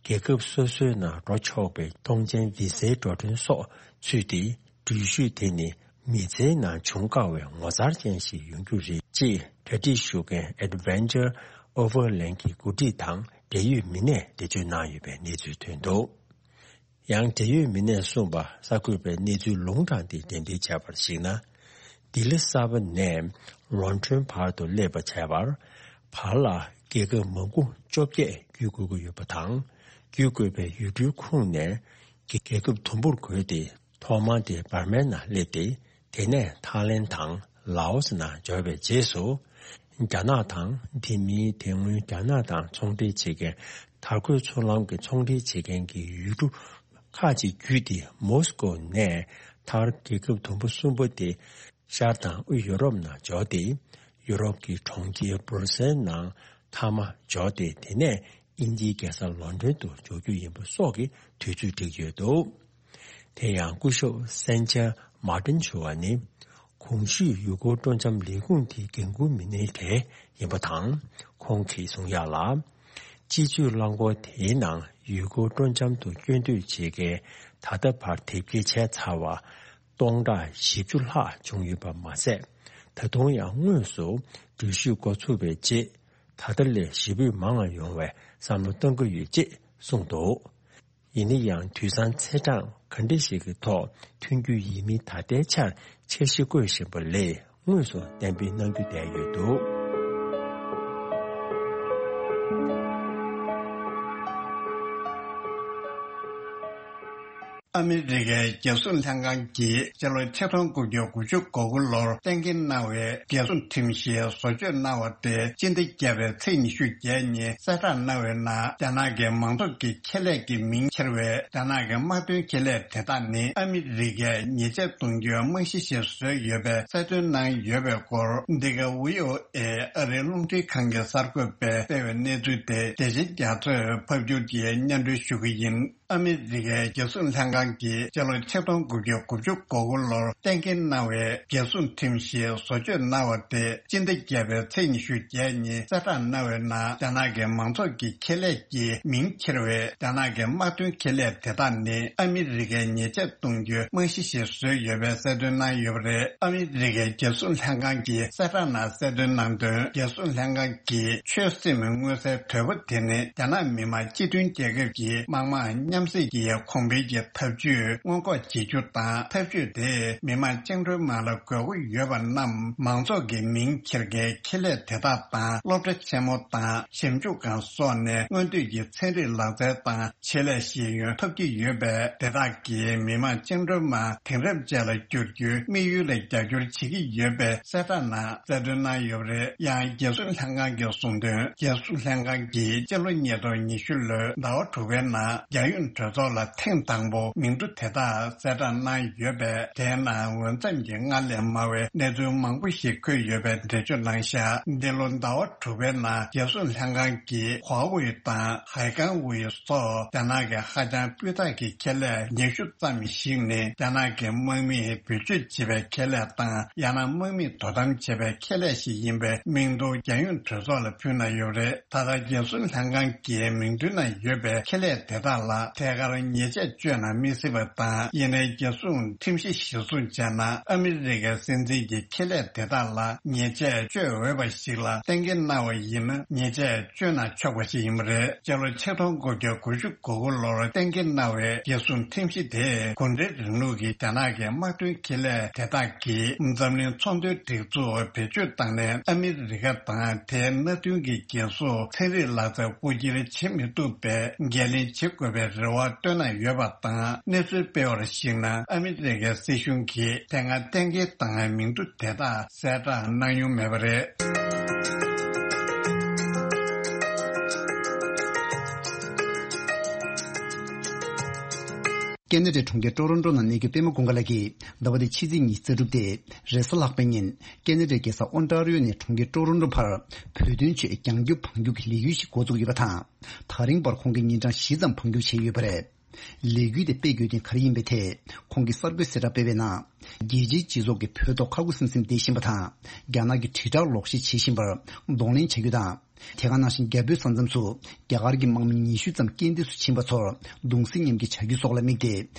རྒྱལ་ཁབ་སོ་སོའི་ནང་འགྲོ་ཆོག་པའི་ཐོངས་མཆན་བི་ཟའི་འགྲོ་གྲོན་སོགས་ཚུད་དེ། འགྲུལ་བཞུད་དེ་ནི་མི་ཚེའི་ནང་བྱུང་དཀའ་བའི་ངོ་མཚར་ཅན་ཞིག་ཡོང་རྒྱུ་རེད་ཅེས་གྲ་སྒྲིག་ཞུ་མཁན་Adventure Overland་གྱི་འགོ་ཁྲིད་དང་འབྲེལ་ཡོད་མི་སྣས་འགྲེལ་བརྗོད་གནང་ཡོད་པའི་གནས་ཚུལ་ཐོན་འདུག་ཡང་འབྲེལ་ཡོད་མི་སྣས་གསུངས་པ་གསར་འགོད་པས་གནས་ཚུལ་ལུང་དྲངས་ཏེ་འགྲེམས་སྤེལ་བྱས་པར་གཞིགས་ན། ལྡི་ལི་གསར་པ་ནས་ལོན་ཌོན་བར་དུ་སླེབས་པ་བྱས་པར། བར་ལ་རྒྱལ་ཁབ་མང་པོ་བཅོ་བརྒྱད་བརྒྱུད་དགོས་ཀྱི་ཡོད་པ་དང་། བརྒྱུད་དགོས་པའི་ཡུལ་གྲུའི་ཁོངས་ནས་རྒྱལ་ཁབ་དུམ་བུར་བགོས་ཏེ། ཐོག་མར་དེ་འབར་མའི་ནང་སླེབས་ཏེ། དེ་ནས་ཐའི་ལེན་དང་ལའོ་སི་ནང་འབྱོར་བའི་རྗེས་སུ། རྒྱ་ནག་དང་། དེ་མིན་དེ་སྔོན་རྒྱ་ནག་དང་ཚོང་འབྲེལ་བྱེད་མཁན་དར་གོས་མཚོ་ལམ་གྱི་ཚོང་འབྲེལ་བྱེད་མཁན་གྱི་ཡུལ་གྲུ་ཁག་ཅིག་བརྒྱུད་དེ། མོ་སི་ཀོ་ནས་མཐར་རྒྱལ་ཁབ་དུམ་བུ་གསུམ་པོ་དེ་ཤར་དང་དབུས་ཡོ་རོབ་ནང་འབྱོར་ཏེ། ཡོ་རོབ་ཀྱི་གྲོང་ཁྱེར་སྦུར་སེལ་ནང་མཐའ་མ་འབྱོར་ཏེ། དེ་ནས་དབྱིན་ཇིའི་རྒྱལ་ས་ལོན་ཌོན་དུ་འབྱོར་རྒྱུ་ཡིན་པ་སོགས་ཀྱི་དུས་ཚོད་བསྒྲིགས་ཡོད་འདུག་དེ་ཡང་སྐུ་ཞབས་སན་ཅར་མཱ་ཏིན་ཞུ་བ་ནི། གོང་ཞུས་ཡུལ་སྐོར་སྤྲོ་འཆམ་ལས་ཁུངས་དེའི་འགན་འཁུར་མི་སྣའི་གྲས་ཡིན་པ་དང་། ཁོང་གིས་གསུང་ཡག་ལ། སྤྱི་སྤྱོད་རླངས་འཁོར་དེའི་ནང་ཡུལ་སྐོར་སྤྲོ་འཆམ་དུ་སྐྱོད་འདོད་བྱེད་མཁན་ད་ལྟ་བར་དེབ་སྐྱེལ་བྱས་ཚར་བ་སྟོང་ཕྲག་བཞི་བཅུ་ལྷག་བྱུང་ཡོད་པ་མ་ཟད། ད་དུང་ཡང་དངོས་སུ་འགྲུལ་བཞུད་འགོ་ཚུགས་པའི་རྗེས། ད་ལྟ་ལས་ཞེ་པོ་མང་བ་ཡོང་བའི་བསམ་བློ་གཏང་གི་ཡོད་ཅེས་གསུངས་འདུག་ཡིན་ན་ཡང་དུས་སང་ཚེས་གྲངས་ག་འདྲ་ཞིག་གི་ཐོག་ཐོན་རྒྱུ་ཡིན་མིན་ད་ལྟའི་ཆར་འཆར་གཞི་བཀོད་བཞིན་པ་ལས། དངོས་སུ་གཏན་འབེབས་གནང་རྒྱུ་བསྡད་ཡོད་འདུག་ཨ་མི་རི་ཀའི་རྒྱལ་སྲུང་ལྷན་ཁང་གིས་སྤྱི་ལོ་ཆིག་སྟོང་དགུ་བརྒྱ་དགུ་བཅུ་གོ་དགུ་ལོར་གཏན་འཁེལ་གནང་བའི་རྒྱལ་སྲུང་ཁྲིམས་གཞི་བཟོ་བཅོས་གནང་བ་དེ་སྤྱི་ཟླ་བརྒྱད་པའི་ཚེས་ཉི་ཤུ་བརྒྱད་ཉིན་གསལ་བསྒྲགས་གནང་བའི་ནང་། རྒྱ་ནག་གི་མང་ཚོགས་ཀྱི་ཁེ་ལས་ཀྱི་མིང་འཁྱེར་བའི་རྒྱ་ནག་གི་དམག་དོན་ཁེ་ལས་དེ་དག་ནི་ཨ་མི་རི་ཀས་ཉེས་ཆད་གཏོང་རྒྱུའི་རྨང་གཞི་ཞིག་བཟོས་ཡོད་པའི་གསལ་སྟོན་གནང་ཡོད་པའི་སྐོར། འདི་ག་བྷི་ཨོ་ཨེ་ཨ་རིའི་རླུང་འཕྲིན་ཁང་གི་གསར་འགོད་པས་སྤེལ་བའི་གནས་ཚུལ་དེ་བདེ་ཆེན་རྒྱ་མཚོས་ཕབ་སྒྱུར་གྱིས་སྙན་སྒྲོན་ཞུ་གི་ཡིན། ཨ་མི་རི་ཀའི་རྒྱལ་སྲུང་ལྷན་ཁང་གིས་སྤྱི་ལོ་ཆིག་སྟོང་དགུ་བརྒྱ་དགུ་བཅུ་གོ་དགུ་ལོར་གཏན་འཁེལ་གནང་བའི་རྒྱལ་སྲུང་ཁྲིམས་གཞི་བཟོ་བཅོས་གནང་བ་དེ་སྤྱི་ཟླ་བརྒྱད་པའི་ཚེས་ཉི་ཤུ་བརྒྱད་ཉིན་གསལ་བསྒྲགས་གནང་བའི་ནང་། རྒྱ་ནག་གི་མང་ཚོགས་ཀྱི་ཁེ་ལས་ཀྱི་མིང་འཁྱེར་བའི་རྒྱ་ནག་གི་དམག་དོན་ཁེ་ལས་དེ་དག་ནི་ཨ་མི་རི་ཀའི་ཉེས་ཆད་གཏོང་རྒྱུའི་རྨང་གཞི་ཞིག་བཟོས་ཡོད་པའི་གསལ་སྟོན་གནང་ཡོད་པ་རེད། ཨ་མི་རི་ཀའི་རྒྱལ་སྲུང་ལྷན་ཁང་གིས་གསལ་བསྒྲགས་ནང་གསལ་སྟོན་གནང་དོན། རྒྱལ་སྲུང་ལྷན་ཁང་གིས་ཆོད་སེམས་མངོན་གསལ་དོད་པོ་དེ་ནི་རྒྱ་ནག་མི་དམངས་སྤྱི་མཐུན་རྒྱལ་ཁབ་ཀྱི་དམག་དམངས་མཉམ་བསྲེས་ཀྱི་གོང་འཕེལ་གྱི་འཐབ་ཇུས་སྔོན་འགོག་བྱེད་རྒྱུ་དང་། འཐབ་ཇུས་དེས་མི་དམངས་བཅིངས་འགྲོལ་དམག་ལ་དགོས་མཁོ་ཡོད་པ་རྣམས་མང་ཚོགས་ཀྱི་མིང་འཁྱེར་མཁན་ཁེ་ལས་དེ་དག་དང་། སློབ་གྲྭ་ཆེན་མོ་དང་ཞིབ་འཇུག་ཁང་སོགས་ནས་སྔོན་ཐོན་གྱི་ཚན་རིག་ལག་རྩལ་དང་ཆེད་ལས་ཤེས་ཡོན་ཐོབ་ཀྱི་ཡོད་པས། དེ་དག་གིས་མི་དམངས་བཅིངས་འགྲོལ་དམག་དེང་རབས་ཅན་ལ་བསྒྱུར་རྒྱུའི་དམིགས་ཡུལ་ལ་རྒྱབ་སྐྱོར་བྱེད་ཀྱི་ཡོད་པའི་གསལ་བསྒྲགས་ནང་གསལ་སྟོན་གནང་ཡོད་པ་རེད། ཡང་རྒྱལ་སྲུང་ལྷན་ཁང་གིས་གསུངས་དོན། རྒྱལ་སྲུང་ལྷན་ཁང་གིས་སྤྱི་ལོ་ཉིས་སྟོང་ཉི་ཤུ་ལོའི་ཟླ་བ་དྲུག་པའི་ནང་རྒྱལ་ཡོངས་ གྲོས་ཚོགས་ལ་ཐེངས་དང་པོ་མིང་འབྲུ་དེ་དག་གསལ་བསྒྲགས་གནང་ཡོད་པས། དེའི་ནང་འོས་འཚམ་གྱི་སྔར་ལས་མང་བའི་གནས་ཚུལ་མང་པོ་ཞིག་འཁོད་ཡོད་པའི་འགྲེལ་བརྗོད་གནང་བཞག་འདི་ལོ་ཟླ་བ་དྲུག་པའི་ནང་རྒྱལ་སྲུང་ལྷན་ཁང་གིས་ཧྭ་ཝེ་དང་ཧའེ་ཀང་ཝེ་སོགས་རྒྱ་ནག་གི་ཧ་ཅང་སྤུས་དག་གི་ཁེ་ལས་ཉི་ཤུ་ཙམ་ཞིག་ནི་རྒྱ་ནག་གི་དམག་མིས་བེད་སྤྱོད་བྱེད་པའི་ཁེ་ལས་དང་། ཡང་ན་དམག་མིས་དོ་དམ་བྱེད་པའི་ཁེ་ལས་ཤིག་ཡིན་པའི་མིང་ཐོ་རྒྱལ་ཡོངས་གྲོས་ཚོགས་ལ་ཕུལ་གནང་ཡོད་པ་རེད། ད་ལྟ་རྒྱལ་སྲུང་ལྷན་ཁང་གི་མིང་ཐོའི་ནང་ཡོད་པའི་ཁེ་ལས་དེ་དག་ལ་ཐད་ཀར་ཉེས་ཆད་གཅོད་ན་མི་སྲིད་པ་དང་། ཡིན་ནའི་རྒྱལ་སྲུང་ཁྲིམས་གཞི་གཞིར་བཟུང་བྱས་ན་ཨ་མི་རི་ཀའི་སྲིད་འཛིན་གྱི་ཁེ་ལས་དེ་དག་ལ་ཉེས་ཆད་གཅོད་འོས་པ་ཞིག་ལ་གཏན་འཁེལ་གནང་བ་ཡིན་ན་ཉེས་ཆད་གཅོད་ན་ཆོག་པ་ཞིག་ཡིན་པ་རེད། སྤྱི་ལོ་ཆིག་སྟོང་དགུ་བརྒྱ་དགུ་བཅུ་གོ་དགུ་ལོར་གཏན་འཁེལ་གནང་བའི་རྒྱལ་སྲུང་ཁྲིམས་གཞི་དེས་གུང་ཁྲན་རིང་ལུགས་ཀྱི་རྒྱ་ནག་གི་དམག་དོན་ཁེ་ལས་དེ་དག་གིས་འཛམ་གླིང་ཚོང་དོན་སྒྲིག་འཛུགས་བེད་སྤྱོད་བཏང་ནས་ཨ་མི་རི་ཀ་དང་དེའི་མནའ་མཐུན་གྱི་རྒྱལ་སུ་ཚན་རིག་ལག་རྩལ་རྐུ་འཁྱེར་བྱེད་མི་ཐུབ་པའི་འགན་ལེན་བྱེད་དགོས་པའི་རེ་བ་བཏོན་གནང་ཡོད་པ་དང་། གནས་ཚུལ་སྤེལ་བར་གཞིགས་ན་ཨ་མི་རི་ཀའི་སྲིད་གཞུང་གིས་དེ་སྔ་གཏན་འཁེལ་བཏང་བའི་མིང་ཐོ་དེ་དག་གསལ་བསྒྲགས་གནང་མྱོང་མེད་པ་རེད། ཀེ་ན་ཌའི་གྲོང་ཁྱེར་ཀྲོ་རོན་ཀྲོ་ནང་གནས་རྒྱུ་པད་མ་ཀུན་དགའ་ལགས་ཀྱིས་ཟླ་བ་འདིའི་ཕྱི་ཚེས་ཉི་ཤུ་རྩ་དྲུག་སྟེ་རེས་གཟའ་ལྷག་པའི་ཉིན་ཀེ་ན་ཌའི་རྒྱལ་ས་ཨོན་ཊ་རི་ཡོ་ནས་གྲོང་ཁྱེར་ཀྲོ་རོན་ཀྲོ་བར་བོད་དོན་ཆེད་རྒྱང་རྒྱུག་འཕང་རྒྱུག་གི་ལས་འགུལ་ཞིག་འགོ་བཙུགས་ཡོད་པ་དང་། ད་རིང་བར་ཁོང་གིས་ཉིན་གྲངས་བཞི་ཙམ་འཕང་རྒྱུག་བྱས་ཡོད་པ་རེད། ལས་འགུལ་དེ་སྤེལ་དགོས་དོན་ག་རེ་ཡིན་པའི་ཐད་ཁོང་གིས་གསར་འགོད་གསལ་བསྒྲགས་སྤེལ་བའི་ནང་། རྒྱལ་སྤྱིའི་སྤྱི་ཚོགས་ཀྱིས་བོད་ཐོག་ཁ་ཁུ་སིམ་སིམ་བསྡད་བཞིན་པ་དང་། རྒྱ་ནག་གི་དྲིལ་བསྒྲགས་ལོག་བཤད་བྱེད་བཞིན་པར་གདོང་ལེན་བྱ་རྒྱུ་དང་། དེ་ག་ནང་བཞིན་རྒྱ་བོད་ས་མཚམས་སུ་རྒྱ་གར་གྱི་དམག་མི་ཉི་ཤུ་ཙམ་རྐྱེན་འདས་སུ་ཕྱིན་པ་ཚོར་གདུང་སེམས་མཉམ་སྐྱེད་བྱ་རྒྱུ་སོགས་ལ་དམིགས་ཏེ་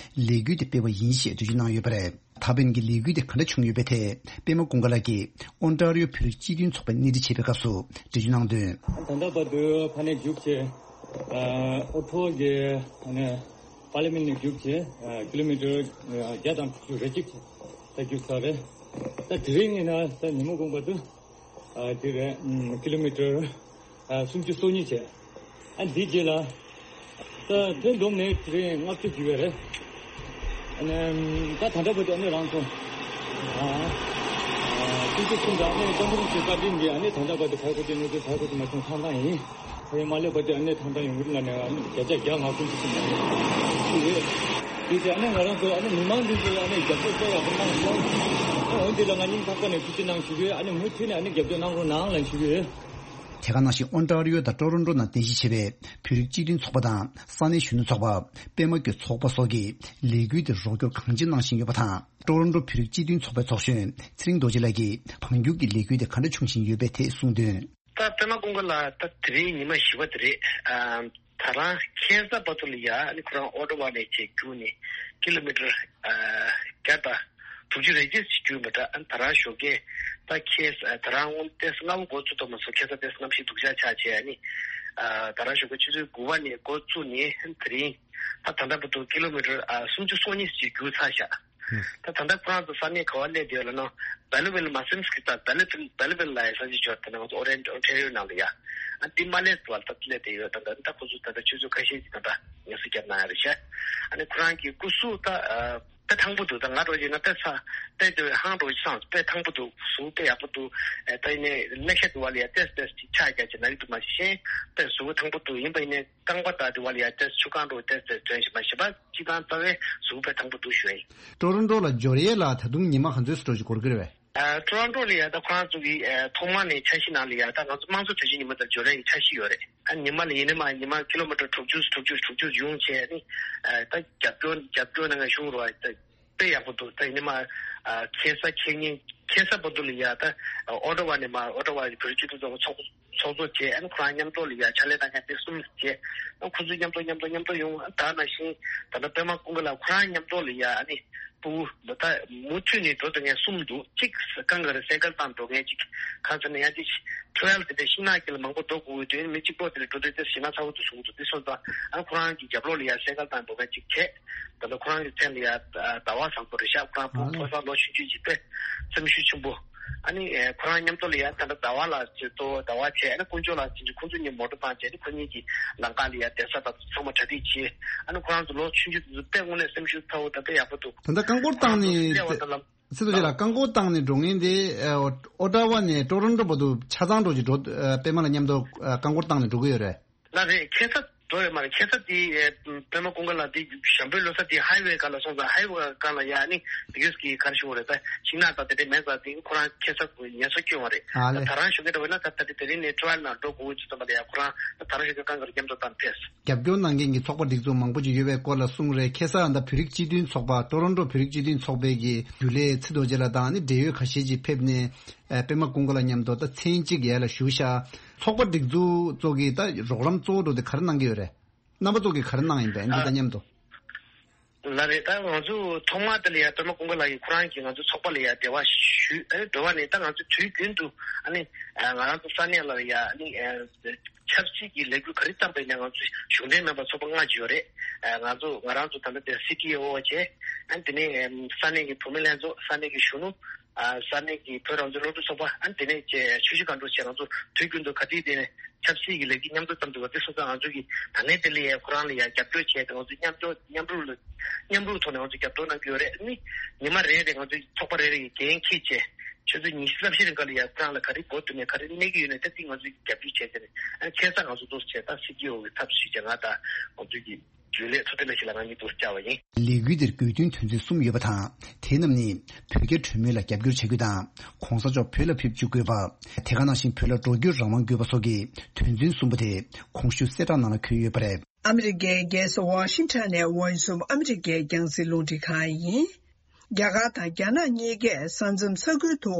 ལས་འགུལ་དེ་སྤེལ་བ་ཡིན་ཞེས་འགྲེལ་བརྗོད་གནང་ཡོད་པ་རེད། ད་ཕན་གྱི་ལས་འགུལ་དེ་ག་འདྲ་བྱུང་ཡོད་པའི་ཐད་པད་མ་ཀུན་དགའ་ལགས་ཀྱིས་ཨོན་ཊ་རི་ཡོ་བོད་རིགས་སྤྱི་མཐུན་ཚོགས་པས་སྣེ་ཁྲིད་བྱས་པའི་སྐབས་སུ་འགྲེལ་བརྗོད་གནང་དོན། ད་ལྟ་བར་དུ་ཕ་ནས་རྒྱུགས་བྱས། ཨོ་ཐོ་གི་ཨ་ནི་པར་ལི་མེན་ནས་རྒྱུགས་བྱས། ཀི་ལོ་མི་ཊར་བརྒྱ་དང་དྲུག་ཅུ་རེ་གཅིག་ད་རྒྱུགས་ཚར་རེད། ད་དེ་རིང་ཡིན་ན་ད་ཉིན་མོ་དགོངས་པ་དུ། ཨ་དེ་རེད། ཨམ་ཀི་ལོ་མི་ཊར་ཨ་སུམ་ཅུ་སོ་གཉིས་བྱས། ཨ་འདི་རྗེས་ལ་ད་ཐོན་བསྡོམས་ནས་དེ་རིང་ལྔ་བཅུ་བརྒྱུད་པ་རེད། ཨ་ནི་ད་ད་ལྟ་བར་དུ་ཨ་ནི་རང་སོང་། ཨ་ཨ་སུམ་ཅུ་གསུམ་དང་ཨ་ནི་ཀོང་ཀྲོང་གི་བཀའ་དྲིན་གྱིས་ཨ་ནི་ད་ལྟ་བར་དུ་ག་གོ་དེ་ནས་དེ་ག་གོ་དེ་མ་སོང་ཐང་ཐང་ཡིན། ཁོ་རང་མ་སླེབས་བར་དུ་ཨ་ནི་ཐང་ཐང་ཡོང་གི་རེད་ལབ་ནས་ཨ་ནི་བརྒྱ་ཆ་བརྒྱ་ང་ཀུན་གྱི་སེམས་ནང་ཞུ་ཡོད། དེ་ཚེ་ཨ་ནི་ང་རང་ཚོ་ཨ་ནི་མི་མང་འདི་ཚོ་ཨ་ནི་རྒྱབ་སྐྱོར་དཔེ་ཡག་པོ་གནང་སོང་། ཨ་འོན་ཏེ་ལ་ང་སྙིང་ཐག་པ་ནས་ཐུགས་རྗེ་གནང་ཞུ་གི་ཡོད། ཨ་ནི་མུ་མཐུད་ནས་ཨ་ནི་རྒྱབ་སྐྱོར་གནང་རོགས་གནང་ལབ་ཞུ་གི་ཡོད། དེ་ག་ནང་བཞིན་ཨོན་ཊ་རི་ཡོ་དང་ཀྲོ་རོན་ཀྲོ་ནང་རྟེན་གཞི་བྱས་པའི་བོད་རིགས་སྤྱི་མཐུན་ཚོགས་པ་དང་ས་གནས་གཞོན་ནུ་ཚོགས་པ། པད་མ་བཀོད་ཚོགས་པ་སོགས་ཀྱིས་ལས་འགུལ་དེར་རོགས་སྐྱོར་གང་ཅི་གནང་བཞིན་ཡོད་པ་དང་། ཀྲོ་རོན་ཀྲོ་བོད་རིགས་སྤྱི་མཐུན་ཚོགས་པའི་ཚོགས་གཞོན་ཚེ་རིང་རྡོ་རྗེ་ལགས་ཀྱིས་འཕང་རྒྱུག་གི་ལས་འགུལ་དེ་ག་འདྲ་བྱུང་བཞིན་ཡོད་པའི་ཐད་གསུངས་དོན། ད་པད་མ་ཀུན་དགའ་ལགས་ད་དེ་རིང་ཉི་མ་བཞི་པ་དེ་རེད། ཨ་ད་རང་ཁ་སང་བར་དུ་ལ་ཡ་ཨ་ནི་ཁོ་རང་ཨོ་ཊ་ཝ་ནས་བྱས་རྒྱུགས་ནས་ཀི་ལོ་མི་ཊར་ཨ་བརྒྱ་དང་དྲུག་ཅུ་རེ་གཅིག་ཅིག་རྒྱུགས་མི་འདྲ། ཨ་ནི་ད་རང་ཞོགས་ཀས་ད་ཁ་སང་ད་རང་དངོས་ཏོག་ཙམ་སྔ་པོ་འགོ་བཙུགས་ཐུབ་མ་སོང་། ཁ་སང་ཏོག་ཙམ་གནམ་གཤིས་སྡུག་ཅག་ཆགས་བྱས། ཨ་ནི་ཨ་ད་རང་ཞོགས་ཀས་ཆུ་ཚོད་དགུ་པ་ནས་འགོ་བཙུགས་ནས་ཨ་ནི་དེ་རིང་ད་ད་ལྟ་བར་དུ་ཀི་ལོ་མི་ཊར་ཨ་སུམ་ཅུ་སོ་གཉིས་ཅིག་རྒྱུགས་ཚར་བཞག་ད་ད་ལྟ་ཁོ་རང་ཚོ་ས་གནས་ག་བ་སླེབས་བསྡད་ཡོད་ལབ་ན། བེ་ལི་ཝིལ་མ་སེམས་སྐྱིད་ད་བེ་ལི་ཝིལ་བེ་ལི་ཝིལ་ལ་ཡ་ས་ཆ་ཅིག་ཡོད། ད་ནང་ང་ཚོ་ཨོ་རེན་ཨོན་ཊ་རི་ཡོ་ནང་ལ་ཡ། ཨ་འདི་མ་སླེབས་བར་ད་སླེབས་བསྡད་ཡོད། ད་ད་ད་ཁོ་ཚོ་ད་ལྟ་ཆུ་ཚོད་ཁ་ཤས་ཅིག་ད་ལྟ་ངལ་གསོ་བརྒྱབ་གནང་ཡ་རེད་ཤག་ཨ་ནི་ཁོ་རང་གི་སྐུ་གཟུགས་ད་ཨ་དཔེ་ཐང་པོ་འདུག་ད་ང་འདྲ་བོ་ཅིག་ན་དཔེ་ཚ་དཔེ་དེ་ཧང་འདྲ་བོ་ཅིག་སངས་དཔེ་ཐང་པོ་འདུག་གཟུགས་དཔེ་ཡག་པོ་འདུག་ཨ་ད་ཡིན་ནའི་ལེགས་ཤ་དུ་བ་ལ་ཡ་ཏེས་ཏེས་ཅིག་ཆག་རྒྱག་ཅིག་ན་ཡི་འདུག་མ་གཞི་གཞན་དཔེ་གཟུགས་ཐང་པོ་འདུག་ཡིན་པ་ཡིན་ནའི། རྐང་པ་དང་དེ་བ་ལ་ཡ་ཏེས་ཆུ་རྐང་འགྲོ་ཏེས་ཏེས་ཐོན་ཞིག་མ་ཞིག་པ་ཅི་དང་རྩ་བའི་གཟུགས་པོ་ཐང་པོ་འདུག་ཞུ་ཡ་ཡིན། ཀྲོ་རོན་ཀྲོ་ལ་འབྱོར་ཡས་ལ་ད་དུང་ཉི་མ་ག་ཚོད་ཙམ་འགྲོ་ཞིག་འགོར་གྱི་རེད་པས། ཨ་ཀྲོ་རོན་ཀྲོ་ལ་ཡ་ད་ཁོ་རང་ཚོ་གི་ཨ་ཐོག་མ་ནས་འཆར་གཞི་ནང་ལ་ཡ་ད་ང་ཚོ་དམངས་གཙོ་དོན་གཅོད་ཉི་མ་དང་འབྱོར་ཡས་ཀྱི་འཆར་གཞི་ཡོད་རེད། ཨ་ཉི་མ་ལ་ཡིན་ནའི་མ་ཉི་མ་ཀི་ལོ་མི་ཊར་དྲུག་ཅུ་དྲུག་ཅུ་དྲུག་ཅུ་ཡོང་བྱས་ནི་ཨ་ད་རྒྱབ་སྐྱོར་རྒྱབ་སྐྱོར་གནང་མཁན་གཞུང་རུ་བ་ད། དཔེ་ཡག་པོ་འདུག་ད་ཡིན་ནའི་མ་ཨ་ཁ་སང་ཁེ་ཉིན་ཁ་སང་བར་དུ་ལ་ཡ་ད་ཨོ་ཊ་ཝ་ནས་མ་ཨོ་ཊ་ཝ་བོད་རིགས་སྤྱི་མཐུན་ཚོགས་པ་ཚོགས་ཚོགས་གཙོ་བྱས། ཨ་ནི་ཁོ་རང་མཉམ་དུ་ལ་ཡ་ཕྱག་ལས་གནང་མཁན་དེ་གསུམ་བྱས། ཨ་ཁོ་ཚོ་མཉམ་དུ་མཉམ་དུ་མཉམ་དུ་ཡོང་། ཨ་ད་ནང་བཞིན་ད་ལྟ་པད་མ་ཀུན་དགའ་ལགས་ཁོ་རང་མཉམ་དུ་ལ་ཡ་ཨ་ནི་སྤུ་གུ་ད་མུ་མཐུད་ནས་འགྲོ་ཐུབ་མཁན་གསུམ་འདུག་གཅིག་གང་ག་རེ་སེ་ཀལ་བཏང་འགྲོ་མཁན་གཅིག་གང་ཟེར་ན་ཡང་གཅིག་ཊེ་རེལ་དེ་འདྲ་ཤིང་ནགས་དཀྱིལ་ལ་མང་པོ་འགྲོ་དགོས་དུས་མི་གཅིག་པོ་དེ་ལ་འགྲོ་དུས་དེ་ཞེད་སྣང་ཚ་བོ་དེ་བྱུང་འདུག་དེ་སོང་ཙང་ཨ་ཁོ་རང་གི་རྒྱབ་ལོགས་ལ་ཡ་སེ་ཀལ་བཏང་འགྲོ་མཁན་གཅིག་བྱས། ད་ལྟ་ཁོ་རང་གི་མཚན་ལ་ཡ་ཟླ་བ་བཟང་པོ་རེད་ཤག་ཁོ་རང་ཕོ་ཕོ་གསར་ལོ་ཆུང་ཆུང་ཅིག་སྟེ་སེམས་ཤུགས་ཆེན་པོ། ཨ་ནི་ཁོ་རང་མཉམ་དུ་ལ་ཡ་ད་ལྟ་ཟླ་བ་ལགས་ཀྱི་གཙོ་བོ་ཟླ་བ་བྱས། ཨ་ནི་དཀོན་མཆོག་ལགས་ཚུན་ཆད་ཁོང་ཚོ་གཉིས་མོ་ཊ་བཏང་བྱས་ནི་ཁོ་གཉིས་ཀྱི་ལམ་ཁ་ལ་ཡ་བསྡད་ས་དང་ཚང་མ་གྲ་སྒྲིག་བྱས། ཨ་ནི་ཁོ་རང་ཚོ་ལོ་ཆུང་ཆུང་དེ་ཚོ་དཔེ་དངོས་གནས་སེམས་ཤུགས་ཚ་བོ་དང་དཔེ་ཡག་པོ་འདུག་ད་ལྟ་རྐང་འཁོར་བཏང་ནས་སླེབས་པ་དང་ལམ། སྲིད་དོན་ཆེ་ལགས་རྐང་འཁོར་བཏང་ནས་འགྲོ་མཁན་དེ་ཨོ་ཊ་ཝ་ནས་ཀྲོ་རོན་ཀྲོ་བར་དུ་ཆ་ཚང་འགྲོ་གི་འགྲོ། པད་མ་ལགས་མཉམ་དུ་རྐང་འཁོར་བཏང་ནས་འགྲོ་གི་ཡོད་རེད། ལགས་རེད། ཁ་སང་ འགྲོ་ཡོད་མ་རེད། ཁ་སང་དེ་ཨེ་པད་མ་ཀུན་དགའ་ལགས་དེ་ཞམ་པོའི་ལོ་གསར་དེ་ཧའི་ཝེ་སྒང་ལ་སོང་ཙང་། ཧའི་ཝེ་སྒང་ལ་ཡ་ནི་དེ་གས་ཀྱི་ག་རེ་ཞུ་དགོས་རེད། ད་ཤིང་ནགས་དང་དེ་འདྲ་མེད་ཙང་དེ་ཁོ་རང་ཁ་སང་ཉལ་ས་བསྐྱོན་པ་རེད། ཨ་ལེ། ད་རང་ཞུ་མཁན་འདྲ་བོ་ཡིན་ན་ད་ད་དེ་དེ་རིང་ནས་ཊི་ཝེལ་ནང་འགྲོ་དགོས་ཀྱི་ཙམ་པ་ལ་ཡ་ཁོ་རང་ད་རང་ཞུ་མཁན་གང་ག་རེ་མཉམ་དུ་བཏང་ཕེབས། རྒྱབ་སྐྱོར་གནང་མཁན་གྱི་ཚོགས་པ་སྒྲིག་འཛུགས་མང་པོ་ཅིག་ཡོད་པའི་སྐོར་ལ་གསུངས་རེད། ཁ་སང་ད་བོད་རིགས་སྤྱི་མཐུན་ཚོགས་པ་ཊོ་རོན་ཊོ་བོད་རིགས་སྤྱི་མཐུན་ཚོགས་པའི་གི་རྒྱུན་ལས་ཚེ་རྡོ་རྗེ་ལགས་དང་ནི་འབྲེལ་ཡོད་ཁ་ཤས་ཅིག་ཕེབས་ནས། ཨ། པད་མ་ཀུན་དགའ་ལགས་མཉམ་དུ་ད་མཚན་གཅིག་ཡར་ལ་བཞུགས་ཤག་ཚོགས་པ་སྒྲིག་འཛུགས་ཚོ་གིས་ད་རོགས་རམ་གཙོ་བོ་འགྲོ་དེ་ག་རེ་གནང་གི་ཡོད་རེད། རྣམ་པ་ཚོ་གིས་ག་རེ་གནང་ཡིན་པས་འདི་དང་མཉམ་དུ། ལགས་རེད། ད་ང་ཚོ་ཐོག་མར་དེ་ལ་ཡ་པད་མ་ཀུན་དགའ་ལགས་ཀྱིས་ཁོ་རང་གིས་ང་ཚོ་ཚོགས་པ་ལ་ཡ་འབྲེལ་བ་ཞུས། ཨ་ནི་འབྲེལ་བ་ནས་ད་ང་ཚོ་དུས་རྒྱུན་དུ་ཨ་ནི་ང་རང་ཚོ་ས་གནས་ལ་ཡ་ཨ་ནི་ཆབ་སྲིད་ཀྱི་ལས་འགུལ་ག་རེ་བརྩམས་པ་ཡིན་ན་ང་ཚོ་གཞུང་འབྲེལ་མིན་པ་ཚོགས་པ་ལྔ་ཅིག་ཡོད་རེད། ང་ཚོ་ང་རང་ཚོ་ད་ལྟ་དེ་སི་ཊི་ཨོ་བྱས། ཨ་ནི་དེ་ནས་ས་གནས་ཀྱི་བུད་མེད་ལྷན་ཚོགས། ས་གནས་ཀྱི་གཞོན་ནུ། ཨ། ས་གནས་ཀྱི་བོད་རང་བཙན་སློབ་ཕྲུག་ཚོགས་པ། ཨ་ནི་དེ་ནས་ཆེ་ཆུ་བཞི་སྒང་དྲུག་བཅས་ང་ཚོ་དུས་རྒྱུན་དུ་ག་དུས་དེ་ནས་ཆབ་སྲིད་ཀྱི་ལས་འགུལ་མཉམ་དུ་བརྩམས་འདུག་པ་དེ་སོང་ཙང་། ང་ཚོ་གིས་ད་ལན་དེ་ལ་ཡ་ཁོ་རང་ལ་ཡ་རྒྱབ་སྐྱོར་བྱས་ཏེ་ང་ཚོ་མཉམ་སྐྱོར་མཉམ་རུབ་ལ་མཉམ་རུབ་ཐོག་ནས་ང་ཚོ་རྒྱབ་སྐྱོར་གནང་གི་ཡོད་རེད། ཨ་ནི་ཉི་མ་རེ་རེ་ང་ཚོ་ཚོགས་པ་རེ་རེ་ཡི་འགན་འཁྱེར་བྱས། ཆུ་ཚོད་ཉི་ཤུ་རྩ་བཞི་རིང་ག་ལ་ཡ་ཁོ་རང་ལ་ག་རེ་མགོ་ཐོན་ནས་ག་རེ་གནས་ཀྱི་ཡོད་ནས་ད་ཐེངས་ང་ཚོ་རྒྱབ་སྐྱོར་བྱས་ཏེ་ནས། ཨ་ནི་ཁ་སང་ང་ཚོ་འདུག་སེ་བྱས། ད་སི་ཊི་ཨོ་གི་ཚབ་ཞུས་བྱས་ང་དང་ང་ཚོ་གི་རྒྱུན་ལས་ཚོ་དེ་ལ་ཞིག་ལ་ང་གཉིས་འདུག་སེ་བཅར་བ་ཡིན། ལས་འགུལ་འདིར་དགོས་འདུན་དོན་ཚན་གསུམ་ཡོད་པ་དང་། དེ་རྣམས་ནི་བོད་རྒྱ་གྲོས་མོལ་ལ་རྒྱབ་སྐྱོར་བྱ་རྒྱུ་དང་། གོང་ས་མཆོག་བོད་ལ་ཕེབས་བཅུག་དགོས་པ། དེ་ག་ནང་བཞིན་བོད་ལ་འགྲོ་སྐྱོད་རང་དབང་དགོས་པ་སོགས་ཀྱི་དོན་ཚན་གསུམ་པོ་དེ་གོང་ཞུས་གསལ་བསྒྲགས་ནང་ལ་འཁོད་ཡོད་པ་རེད། ཨ་མི་རི་ཀའི་རྒྱལ་ས་ཝ་ཤིང་ཊོན་ནས་Voice of America རྒྱང་སྲིང་རླུང་འཕྲིན་ཁང་ཡིན། རྒྱ་གར་དང་རྒྱ་ནག་གཉིས་ཀས་ས་མཚམས་ས་ཁུལ་དུ་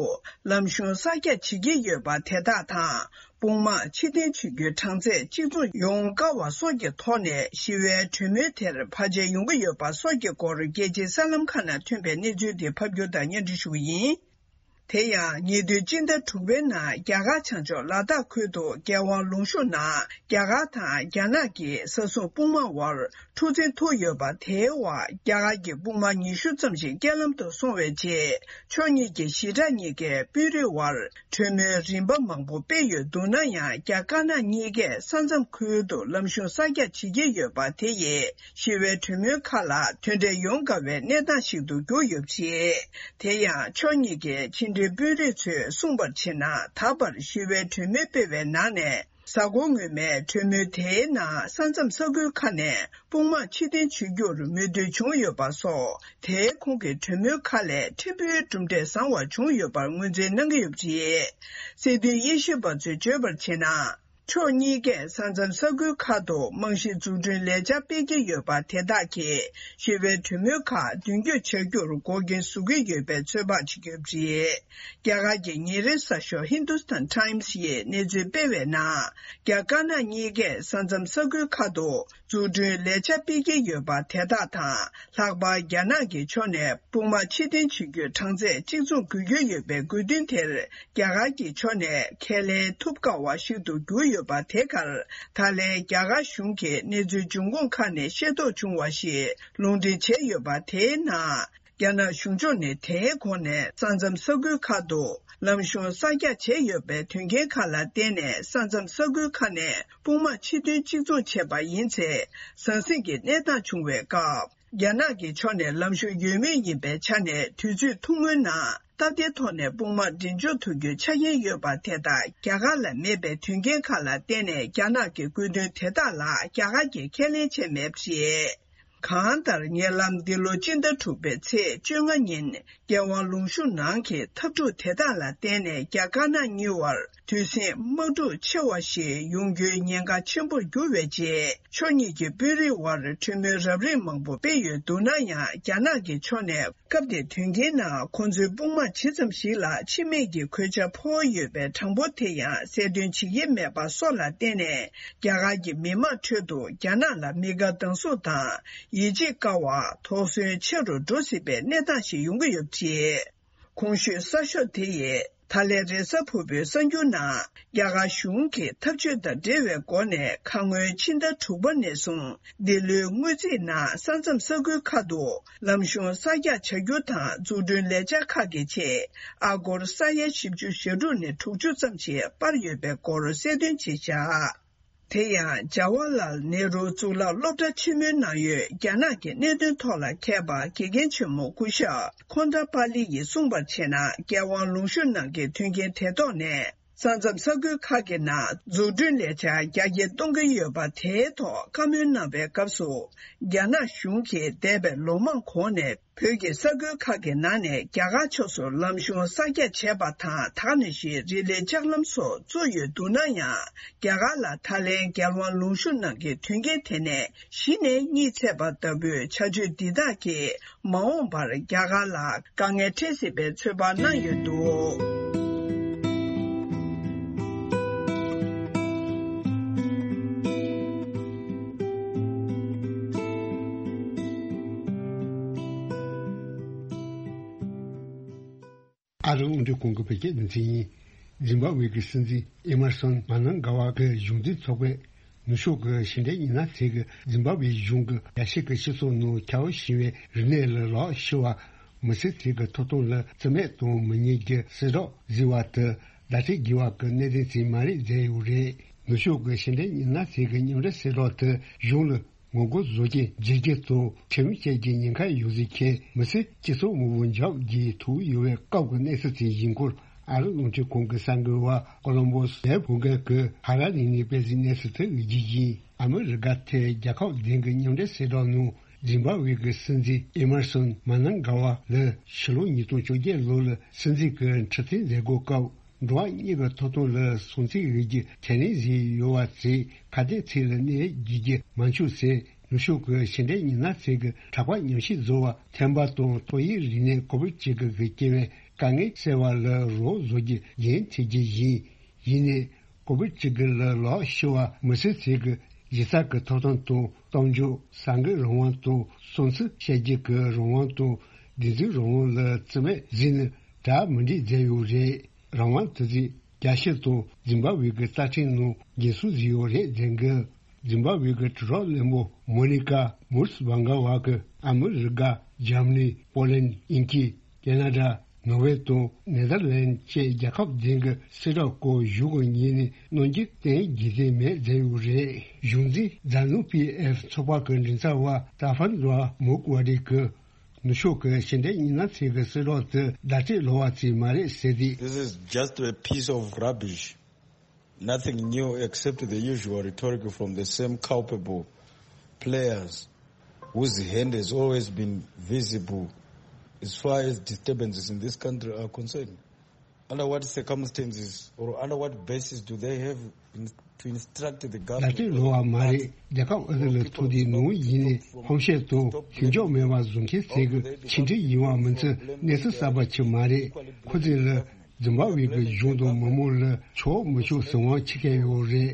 ལམ་གཞུང་གསར་རྒྱག་བྱེད་ཀྱི་ཡོད་པ་དེ་དག་དང་། དཔུང་དམག་ཕྱིར་འཐེན་བྱེད་རྒྱུའི་གྲངས་ཚད་གཅིག་མཚུངས་ཡོང་དཀའ་བ་སོགས་ཀྱི་ཐོག་ནས་ཞི་བའི་གྲོས་མོལ་དེར་བར་ཆད་ཡོང་གི་ཡོད་པ་སོགས་ཀྱི་སྐོར་རྒྱལ་སྤྱིའི་གསར་ལམ་ཁག་ནང་ཐོན་པའི་གནས་ཚུལ་དེ་ཕབ་སྒྱུར་དང་སྙན་སྒྲོན་ཞུ་གི་ཡིན། དེ་ཡང་ཉེ་དུས་སྤྱི་ཟླ་དྲུག་པའི་ནང་རྒྱ་གར་བྱང་ཕྱོགས་ལ་དྭགས་ཁུལ་དུ་རྒྱལ་དབང་ལུང་ཤུར་ནང་རྒྱ་གར་དང་རྒྱ་ནག་གི་ས་སྲུང་དཔུང་དམག་དབར་འཁྲུག་འཛིང་ཐུག་ཡོད་པ་དེའི་འོག་རྒྱ་གར་གྱི་དཔུང་དམག་ཉི་ཤུ་ཙམ་ཞིག་རྐྱེན་ལམ་དུ་སོང་བའི་རྗེས། ཕྱོགས་གཉིས་ཀྱི་ཞི་དྲག་གཉིས་ཀའི་དཔོན་རིགས་དབར་གྲོས་མོལ་རིམ་པ་མང་པོ་སྤེལ་ཡོད་འདུག་ན་ཡང་། རྒྱ་དཀར་ནག་གཉིས་ཀས་ས་མཚམས་ཁུལ་དུ་ལམ་གཞུང་གསར་རྒྱག་བྱེད་ཀྱི་ཡོད་པ་དེ་ཡིས་ཞི་བའི་གྲོས་མོལ་ཁག་ལ་དོན་འབྲས་ཡོང་དཀའ་བའི་གནས་སྟངས་ཤིག་ཏུ་གྱུར་ཡོད་པ་རེད། དེ་ཡང་ཕྱོགས་གཉིས་ཀའི་ཕྱི་འབྲེལ་དཔོན་རིགས་ཚོས་གསུངས་པར་བྱས་ན། ད་བར་ཞི་བའི་གྲོས་མོལ་སྤེལ་བའི་ནང་ནས། གཟའ་འཁོར་སྔོན་མའི་གྲོས་མོལ་དེའི་ནང་ས་མཚམས་ས་ཁུལ་ཁག་ནས་དཔུང་དམག་ཕྱིར་འཐེན་བྱེད་རྒྱུར་མོས་མཐུན་བྱུང་ཡོད་པ་སོགས། དེའི་ཁོངས་ཀྱི་གྲོས་མོལ་ཁག་ལས་ཕྲན་བུའི་གྲུབ་འབྲས་བཟང་བ་བྱུང་ཡོད་པར་ངོས་འཛིན་གནང་གི་ཡོད་པ་རེད། སྲིད་དོན་དབྱེ་ཞིབ་པ་ཚོས་བརྗོད་པར་བྱས་ན། ཕྱོགས་གཉིས་ཀས་ས་མཚམས་ས་ཁུལ་ཁག་ཏུ་རྨང་གཞི་འཛུགས་སྐྲུན་ལས་འཆར་སྤེལ་གྱི་ཡོད་པ་དེ་དག་གིས་ཞི་བའི་གྲོས་མོལ་ཁག་མདུན་སྐྱོད་བྱ་རྒྱུར་འགོག་རྐྱེན་བཟོ་གི་ཡོད་པའི་ཚོད་དཔག་བྱེད་ཀྱི་ཡོད་པ་རེད། རྒྱ་གར་གྱི་ཉིན་རེའི་གསར་ཤོག་Hindustan Times ཡིས་གནས་ཚུལ་སྤེལ་བའི་ནང་། རྒྱ་དཀར་ནག་གཉིས་ཀས་ས་མཚམས་ས་ཁུལ་ཁག་ཏུ་འཛུགས་སྐྲུན་ལས་འཆར་སྤེལ་གྱི་ཡོད་པ་དེ་དག་དང་། ལྷག་པར་རྒྱ་ནག་གི་ཕྱོགས་ནས་དཔུང་དམག་ཕྱིར་འཐེན་བྱེད་རྒྱུའི་གྲངས་ཚད་གཅིག་མཚུངས་དགོས་ཀྱི་ཡོད་པའི་དགོས་འདུན་དེར། རྒྱ་གར་གྱི་ཕྱོགས་ནས་ཁས་ལེན་ཐུབ་དཀའ་བ་ཞིག་ཏུ་གྱུར་ཡོད་པ་དེ་གར། ད་ལན་རྒྱ་གར་གཞུང་གིས་གནས་ཚུལ་འབྱུང་ཁུངས་ཁག་ནས་ཤེས་རྟོགས་བྱུང་བ་ཞིག་ལུང་འདྲེན་བྱས་ཡོད་པ་དེའི་ནང་། རྒྱ་ནག་གཞུང་ཕྱོགས་ནས་དེའི་གོང་ནས་ས་མཚམས་ས་ཁུལ་ཁག་ཏུ་ལམ་གཞུང་གསར་རྒྱག་བྱས་ཡོད་པའི་དོན་རྐྱེན་ཁག་ལ་བརྟེན་ནས། ས་མཚམས་ས་ཁུལ་ཁག་ནས་དཔུང་དམག་ཕྱིར་འཐེན་གཅིག་མཚུངས་བྱས་པ་ཡིན་ཚེ། ཟང་ཟིང་གི་གནས་སྟངས་བྱུང་བའི་སྐབས། རྒྱ་ནག་གི་ཕྱོགས་ནས་ལམ་གཞུང་ཡོད་མེད་ཡིན་པའི་ཆ་ནས། དུས་ཚོད་ཐུང་ངུའི་ནང་སྟབས་བདེའི་ཐོག་ནས་དཔུང་དམག་འགྲན་འཇོག་ཐུབ་རྒྱུའི་ཆ་རྐྱེན་ཡོད་པ་དེ་དག་རྒྱ་གར་ལ་མེད་པའི་དོན་རྐྱེན་ཁག་ལ་བརྟེན་ནས། རྒྱ་ནག་གི་དགོས་འདུན་དེ་དག་ལ་རྒྱ་གར་གྱིས་ཁས་ལེན་བྱས་མེད་པ་རེད། གང་ལྟར། ཉེ་ལམ་འདི་ལོ་སྤྱི་ཟླ་དྲུག་པའི་ཚེས་བཅོ་ལྔ་ཉིན། རྒྱལ་དབང་ལུང་ཤུར་ནང་གི་འཐབ་འཁྲུག་དེ་དག་ལ་བརྟེན་ནས། རྒྱ་དཀར་ནག་གཉིས་བར་དུས་ཟིང་དམག་འཁྲུག་ཆེ་བ་ཞིག་ཡོང་རྒྱུའི་ཉེན་ཁ་ཆེན་པོར་གྱུར་བའི་རྗེས། ཕྱོགས་གཉིས་ཀྱི་དཔོན་རིགས་དབར་གྲོས་མོལ་རབ་རིམ་མང་པོ་སྤེལ་ཡོད་འདུག་ན་ཡང་། རྒྱ་ནག་གི་ཕྱོགས་ནས། སྐབས་དེའི་དོན་རྐྱེན་ནང་། ཁོང་ཚོའི་དཔུང་དམག་ཇི་ཙམ་ཞིག་ལ་འཆི་རྨས་ཀྱི་གོད་ཆག་ཕོག་ཡོད་པའི་གྲངས་འབོར་དེ་ཡང་གསལ་སྟོན་བྱེད་ཀྱི་མེད་པ་སོགས་ལ་བརྟེན་ནས། རྒྱ་གར་གྱི་མི་དམངས་ཁྲོད་དུ་རྒྱ་ནག་ལ་མི་དགའ་སྡང་ཟུག་དང་། ཡིད་ཆེས་དཀའ་བ། དོགས་ཟོན་ཆེ་རུ་འགྲོ་སྲིད་པའི་གནས་སྟངས་ཤིག་ཡོང་གི་ཡོད་པ་རེད། གོང་ཞུས་གསར་ཤོག་དེ་ཡིས། ད་ལན་རེས་གཟའ་ཕུར་བུའི་གསར་འགྱུར་ནང་། རྒྱ་གར་གཞུང་གིས་འཐབ་ཇུས་དང་འབྲེལ་བའི་སྒོ་ནས། ཁ་སྔོན་ཕྱི་ཟླ་དྲུག་པ་ནས་བཟུང་། འདི་ལོའི་དངུལ་རྩིས་ནང་། ས་མཚམས་ས་ཁུལ་ཁག་ཏུ་ལམ་གཞུང་གསར་རྒྱག་བྱ་རྒྱུ་དང་། འཛུགས་སྐྲུན་ལས་འཆར་ཁག་གི་ཆེད། ཨ་སྒོར་ས་ཡ་བཞི་བཅུ་ཞེ་དྲུག་ནས་དྲུག་ཅུ་ཙམ་ཞིག་སྤར་ཡོད་པའི་སྐོར་གསལ་སྟོན་བྱས་བཞག་དེ་ཡང་། ཇ་ཝ་ལལ་ནེ་རུ་གཙུག་ལག་སློབ་གྲྭ་ཆེན་མོའི་ནང་ཡོད། རྒྱ་ནག་གི་གནད་དོན་ཐོག་ལ་མཁས་པ་དགེ་རྒན་ཆེན་མོ་སྐུ་ཞབས་ཁོན་ཏ་པ་ལི་ཡིས་གསུངས་པར་བྱས་ན། རྒྱལ་དབང་ལུང་ཤུར་ནང་གི་དོན་རྐྱེན་དེ་ཐོག་ནས། ས་མཚམས་ས་ཁུལ་ཁག་གི་ནང་འཛུགས་སྐྲུན་ལས་འཆར་རྒྱ་སྐྱེད་གཏོང་གི་ཡོད་པ་དེའི་ཐོག་བཀའ་མོལ་གནང་བའི་སྐབས་སུ། རྒྱ་ནག་གཞུང་གིས་འདས་པའི་ལོ་མང་གོང་ནས་བོད་ཀྱི་ས་ཁུལ་ཁག་གི་ནང་ནས་རྒྱ་གར་ཕྱོགས་སུ་ལམ་གཞུང་གསར་རྒྱག་བྱས་པ་དང་། ད་ག་ནང་བཞིན་རི་ལི་ལྕགས་ལམ་སོགས་བཙུགས་ཡོད་འདུག་ན་ཡང་། རྒྱ་གར་ལ་ད་ལན་རྒྱལ་དབང་ལུང་གཤོང་གནང་གི་དོན་རྐྱེན་དེ་ནས་གཞི་ནས་གཉིད་ཚད་པ་ལྟ་བུའི་བྱ་སྤྱོད་འདི་དག་གིས། མ་འོངས་པར་རྒྱ་གར་ལ་དཀའ་ངལ་འཕྲད་སྲིད་པའི་ཚོད་དཔག་གནང་ཡོད་འདུག། ཨ་རི་རླུང་འཕྲིན་ཁང་གི་བོད་སྐད་སྡེ་ཚན་ཡིན། ཛིམ་བྷ་ཝེ་གི་སྲིད་འཛིན་ཨེ་མར་སོན་མ་ནང་ག་བ་གི་གཞུང་འཛིན་ཚོགས་པས། ནུབ་ཕྱོགས་ཀྱི་ཕྱི་འབྲེལ་ཉི་ན་ཚེ་གི་ཛིམ་བྷ་ཝེ་གཞུང་གི་རྒྱལ་སྤྱི་གི་སྤྱི་ཚོགས་ནང་ཁྱབ་ཞེངས་པའི་རིག་གནས་ལ་ལག་ཤི་བ། མི་སེར་ཚོས་ཀྱི་ཐོབ་ཐང་ལ་བརྩི་མེད་གཏོང་མི་ཉེས་ཀྱི་གསལ་བསྒྲགས་བཟོས་པ་དེ་བརྡ་སྤྲོད་དགོས་པ་གི་གནད་དོན་ཅིག་མ་རེད་བསྡད་ཡོད་རེད། ནུབ་ཕྱོགས་ཀྱི་ཕྱི་འབྲེལ་ཉི་ན་ཚེ་གི་མཉམ་འབྲེལ་གསལ་བསྒྲགས་དེ་གཞུང་ལ་ངོ་རྒོལ་བཟོ་རྐྱེན་བརྗེ་བསྒྱུར་དང་ཁྲིམས་བཅད་ཀྱི་ཉེན་ཁ་ཡོད་ཟེར་མཁན་མི་སེར་སྤྱི་ཚོགས་དངོས་པོ་འཇབ་རྒྱས་ཐུག་ཡོད་པའི་སྐབས་ཀྱི་གནས་ཚུལ་དེ་ཡིན་སྐོར། ཨ་རི་རླུང་འཕྲིན་ཁང་གི་གསར་འགོད་པ་ཀོ་ལོམ་བྷོ་སི་ལའི་བོད་སྐད་ཀྱི་ཧ་ར་ནི་ནས་སྤེལ་གཟིགས་གནས་ཚུལ་དེ་འོད་བརྒྱུད་ཡིན། ཨ་མི་རི་ཀ་ཐེ་རྒྱལ་ཁབ་བདུན་གྱི་མཉམ་འབྲེལ་གསལ་བསྒྲགས་ནང་ཛིམ་བྷ་ཝེ་གི་སྲིད་འཛིན་ཨེ་མར་སོན་མ་ནང་ག་བ་ལ་ཕྱི་ལོ་ཉིས་སྟོང་བཅོ་བརྒྱད་ལོ་ལ་སྲིད་འཛིན་གྱི་འཁྲི་འཐེན་མཛད་སྒོ་སྐབས། འགྲོ་བ་གཉིས་ཀྱི་ཐོབ་ཐང་ལ་སྲུང་བརྩི་ཡོད་རྒྱུ་ཁས་ལེན་བཟོས་ཡོད་པ་ཚོས་ཁ་གཏད་ཚིག་ལ་གནས་རྒྱུ་རྒྱུ་མ་འཆུག་ཟེར། ནུབ་ཕྱོགས་ཀྱི་ཕྱི་འབྲེལ་ཉི་ན་ཚེ་གི་གྲགས་པ་ཉམས་ཞིབ་བཟོ་བ་ཐན་པ་དང་ཏོག་དབྱིབས་རིམས་ནད་ཀོ་བིད་བཅུ་དགུ་གི་སྐྱེ་བའི་དཀའ་ངལ་སེལ་བ་ལ་རོགས་བཟོ་རྒྱུ་འགན་འཁྲི་རྒྱུ་ཡིན། ཡིན་ནའི་ཀོ་བིད་བཅུ་དགུ་ལ་ལག་ཤི་བ་མི་སེར་ཚོས་ཀྱི་གཞི་རྩ་གི་ཐོབ་ཐང་དང་། གཏམ་བརྗོད་གསར་འགོད་རང་དབང་དང་། བསམ་ཚུལ་བཤད་རྒྱུ་གི་རང་དབང་དང་། བདེན་རྫུན་རང་དབང་ལ་བརྩི་མེད་བཟོས་ནས་གྲ་མི་འགྲིག་མཛད་ཡོད་རེད། རང་དབང་དེ་ཚོས་རྒྱལ་སྤྱི་དང་ཛིམ་བྷ་ཝེ་གི་རྩ་ཁྲིམས་ནང་འགན་སྲུང་བཟོས་ཡོད་རེད་ཟེར་གི། ཛིམ་བྷ་ཝེ་གི་དྲིལ་སྒྲོག་བློན་པོ་མོ་ནི་ཀ་མུར་སྦང་ག་བ་གི་ཨ་མི་རི་ཀ། འཇར་མ་ནི། པོ་ལན། དབྱིན་ཇི། ཁེ་ན་ཌ། ནོར་ཝེ་དང་ནེ་དར་ལན་བཅས་རྒྱལ་ཁབ་བདུན་གྱི་གསལ་བསྒྲགས་སྐོར་གཞུང་གི་ངོས་ནས་གནང་རྒྱུ་གཏན་འཁེལ་མེད་མཛད་ཡོད་རེད། གཞུང་འཛིན་ཛ་ནུ་པི་ཨེཕ་ཚོགས་པ་གི་མགྲིན་ཚབ་པ་ཏཱ་ཧྥན་ར་མུག་ཝ་རི་གིས། ནུབ་ཕྱོགས་ཀྱི་ཕྱི་འབྲེལ་ཉི་ན་ཚེ་གི་གསལ་བསྒྲགས་དེ་བརྡ་སྤྲོད་ལོག་པ་ཅིག་མ་རེད་ཟེར་ཏེ། This is just a piece of rubbish. Nothing new except the usual rhetoric from the same culpable players whose hand has always been visible as far as disturbances in this country are concerned. Under what circumstances or under what basis do they have in, to instruct the government? ལྟ་སྤྲོད་ལོག་པ་མ་རེད། རྒྱལ་ཁབ་ཨ་རི་ལ་ཐུག་དུས་ནང་ཡིན་ནའི་ཧམ་བཤད་དང་ཞིབ་འཇུག་མེད་པ་བཟོ་མཁན་ཟེར་གི་ཕྱི་འབྲེལ་ཡིན་པ་མིན་ཚོ་གནས་ཚུལ་གསར་པ་ཅིག་མ་རེད། ཁོ་ཚོས་ལ་ཛིམ་བྷ་ཝེ་གི་གཞུང་དང་མི་མང་ལ་ཆོག་མི་ཆོག་གཟིགས་དབང་ཆེ་གལ་ཡོད་རེད།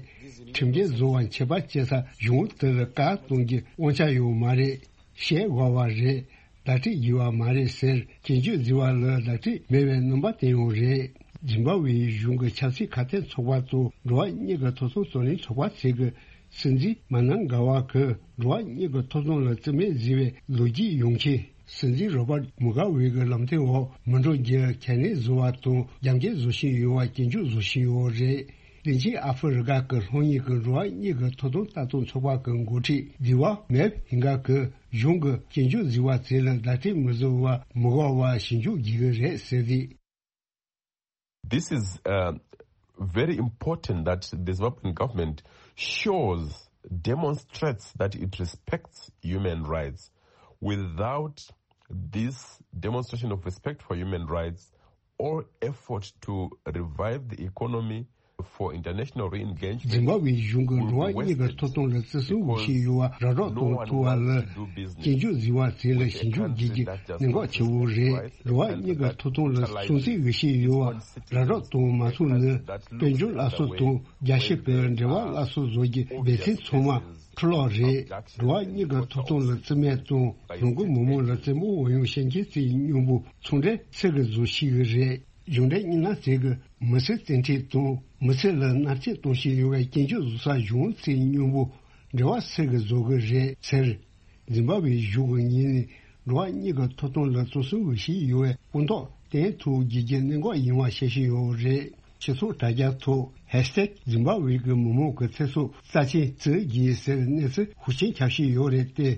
ཁྲིམས་འགལ་བཟོ་བ་ཆད་པ་བཅད་ས་གཞུང་དེ་ལ་བཀག་གཏོང་རྒྱུ་དབང་ཆ་ཡོད་མ་རེད། བཤད་དགོས་པ་རེད། བརྡ་སྤྲོད་དགོས་པ་མ་རེད་ཟེར་སྐྱོན་བརྗོད་བཟོས་པ་ལ་བརྡ་སྤྲོད་མེད་པའི་རྣམ་པ་བསྟན་ཡོད་རེད། ཛིམ་བྷ་ཝེའི་གཞུང་གི་ཆབ་སྲིད་ཁ་གཏད་ཚོགས་པ་དང་འགྲོ་བ་མིའི་ཐོབ་ཐང་རྩོད་ལེན་ཚོགས་པ་ཚོས་ཀྱི་སྲིད་འཛིན་མ་ནང་ག་བ་གིས་འགྲོ་བ་མིའི་ཐོབ་ཐང་ལ་བརྩི་མེད་བཟོས་པའི་ལོ་རྒྱུས་ཡོང་ཆེད། སྲིད་འཛིན་རོ་བར་མུ་ག་ཝེ་གི་ལམ་སྟོན་འོག་མི་འགྲོ་རྒྱུ་ཁས་ལེན་བཟོ་བ་དང་རྒྱབ་འགལ་བཟོ་བཞིན་ཡོད་པ་སྐྱོན་བརྗོད་བཟོ་བཞིན་ཡོད་རེད། ལྷན་ཅིག་ཨ་ཧྥེ་རི་ཁ་གི་ལྷོ་ངོས་ཀྱི་འགྲོ་བ་མིའི་ཐོབ་ཐང་ལྟ་རྟོག་ཚོགས་པ་གི་འགོ་ཁྲིད་དི་ཝ་མེབ་ཧིང་ག་གིས་གཞུང་གི་སྐྱོན་བརྗོད་བཟོས་པ་དེ་ལ་བརྡ་སྤྲོད་མི་བཟོ་བར་མི་དགོས་པ་ཞིབ་འཇུག་བགྱི་གི་རེད་ཟེར་ཏེ། This is uh, very important that the Zimbabwean government shows, demonstrates that it respects human rights. Without this demonstration of respect for human rights or effort to revive the economy for international re-engagement, ཛིམ་བྷ་ཝེའི་གཞུང་གིས་འགྲོ་བ་མིའི་ཐོབ་ཐང་ལ་བརྩི་སྲུང་ཞུས་ཡོད་པ་ར་སྤྲོད་གཏོང་ཐུབ་པ་ལ་སྐྱོན་བརྗོད་བཟོས་པ་དེ་ལ་ཞིབ་འཇུག་བགྱི་རྒྱུ་གནད་འགག་ཆེ་བོ་རེད། འགྲོ་བ་མིའི་ཐོབ་ཐང་ལ་སྲུང་བརྩི་ཞུས་ཡོད་པ་ར་སྤྲོད་གཏོང་མ་ཐུབ་ན། དཔལ་འབྱོར་སླར་གསོ་དང་རྒྱལ་སྤྱི་གི་འབྲེལ་བ་སླར་གསོ་བཟོ་རྒྱུ་འབད་བརྩོན་ཚང་མ་ཕུ་ལོག་རེད། འགྲོ་བ་མིའི་ཐོབ་ཐང་ལ་བརྩི་མེད་དང་རང་གི་མི་མང་ལ་བཙན་པོ་འོས་ཡོང་བཤད་མཁན་ཚོའི་མཉམ་པོ་ཚོང་འབྲེལ་ཚིག་གི་བཟོ་ཤེས་ཀྱི་རེད། གཞུང་འབྲེལ་ཉི་ན་ཚེ་གིས་མི་སེར་བཙན་ཁྲིད་དང་མི་སེར་ལ་མནར་གཅོད་གཏོང་བཞིན་ཡོད་པའི་སྐྱོན་བརྗོད་བཟོ་ས་གཞུང་ཚོའི་མཉམ་པོ་འབྲེལ་བ་ཚིག་གི་བཟོ་གི་རེད་ཟེར། ཛིམ་བྷ་ཝེའི་གཞུང་གི་ངོས་ནས་འགྲོ་བ་མིའི་ཐོབ་ཐང་ལ་བརྩི་སྲུང་ཞུས་ཡོད་པའི་དཔང་རྟགས་བསྟན་ཐུབ་རྒྱུ་གནད་འགག་ཡིན་པ་བཤད་བཞིན་ཡོད་རེད། སྤྱི་ཚོགས་དྲ་རྒྱ་ཐོག་ཧེཤ་ཊེག་ཛིམ་བྷ་ཝེ་གི་མི་མང་གི་ཚེ་སྲོག་རྩ་ཆེན་བརྩི་དགོས་ཟེར་གནས་ཚུལ་ཤུགས་ཆེན་ཁྱབ་བཞིན་ཡོད་རེད་དེ།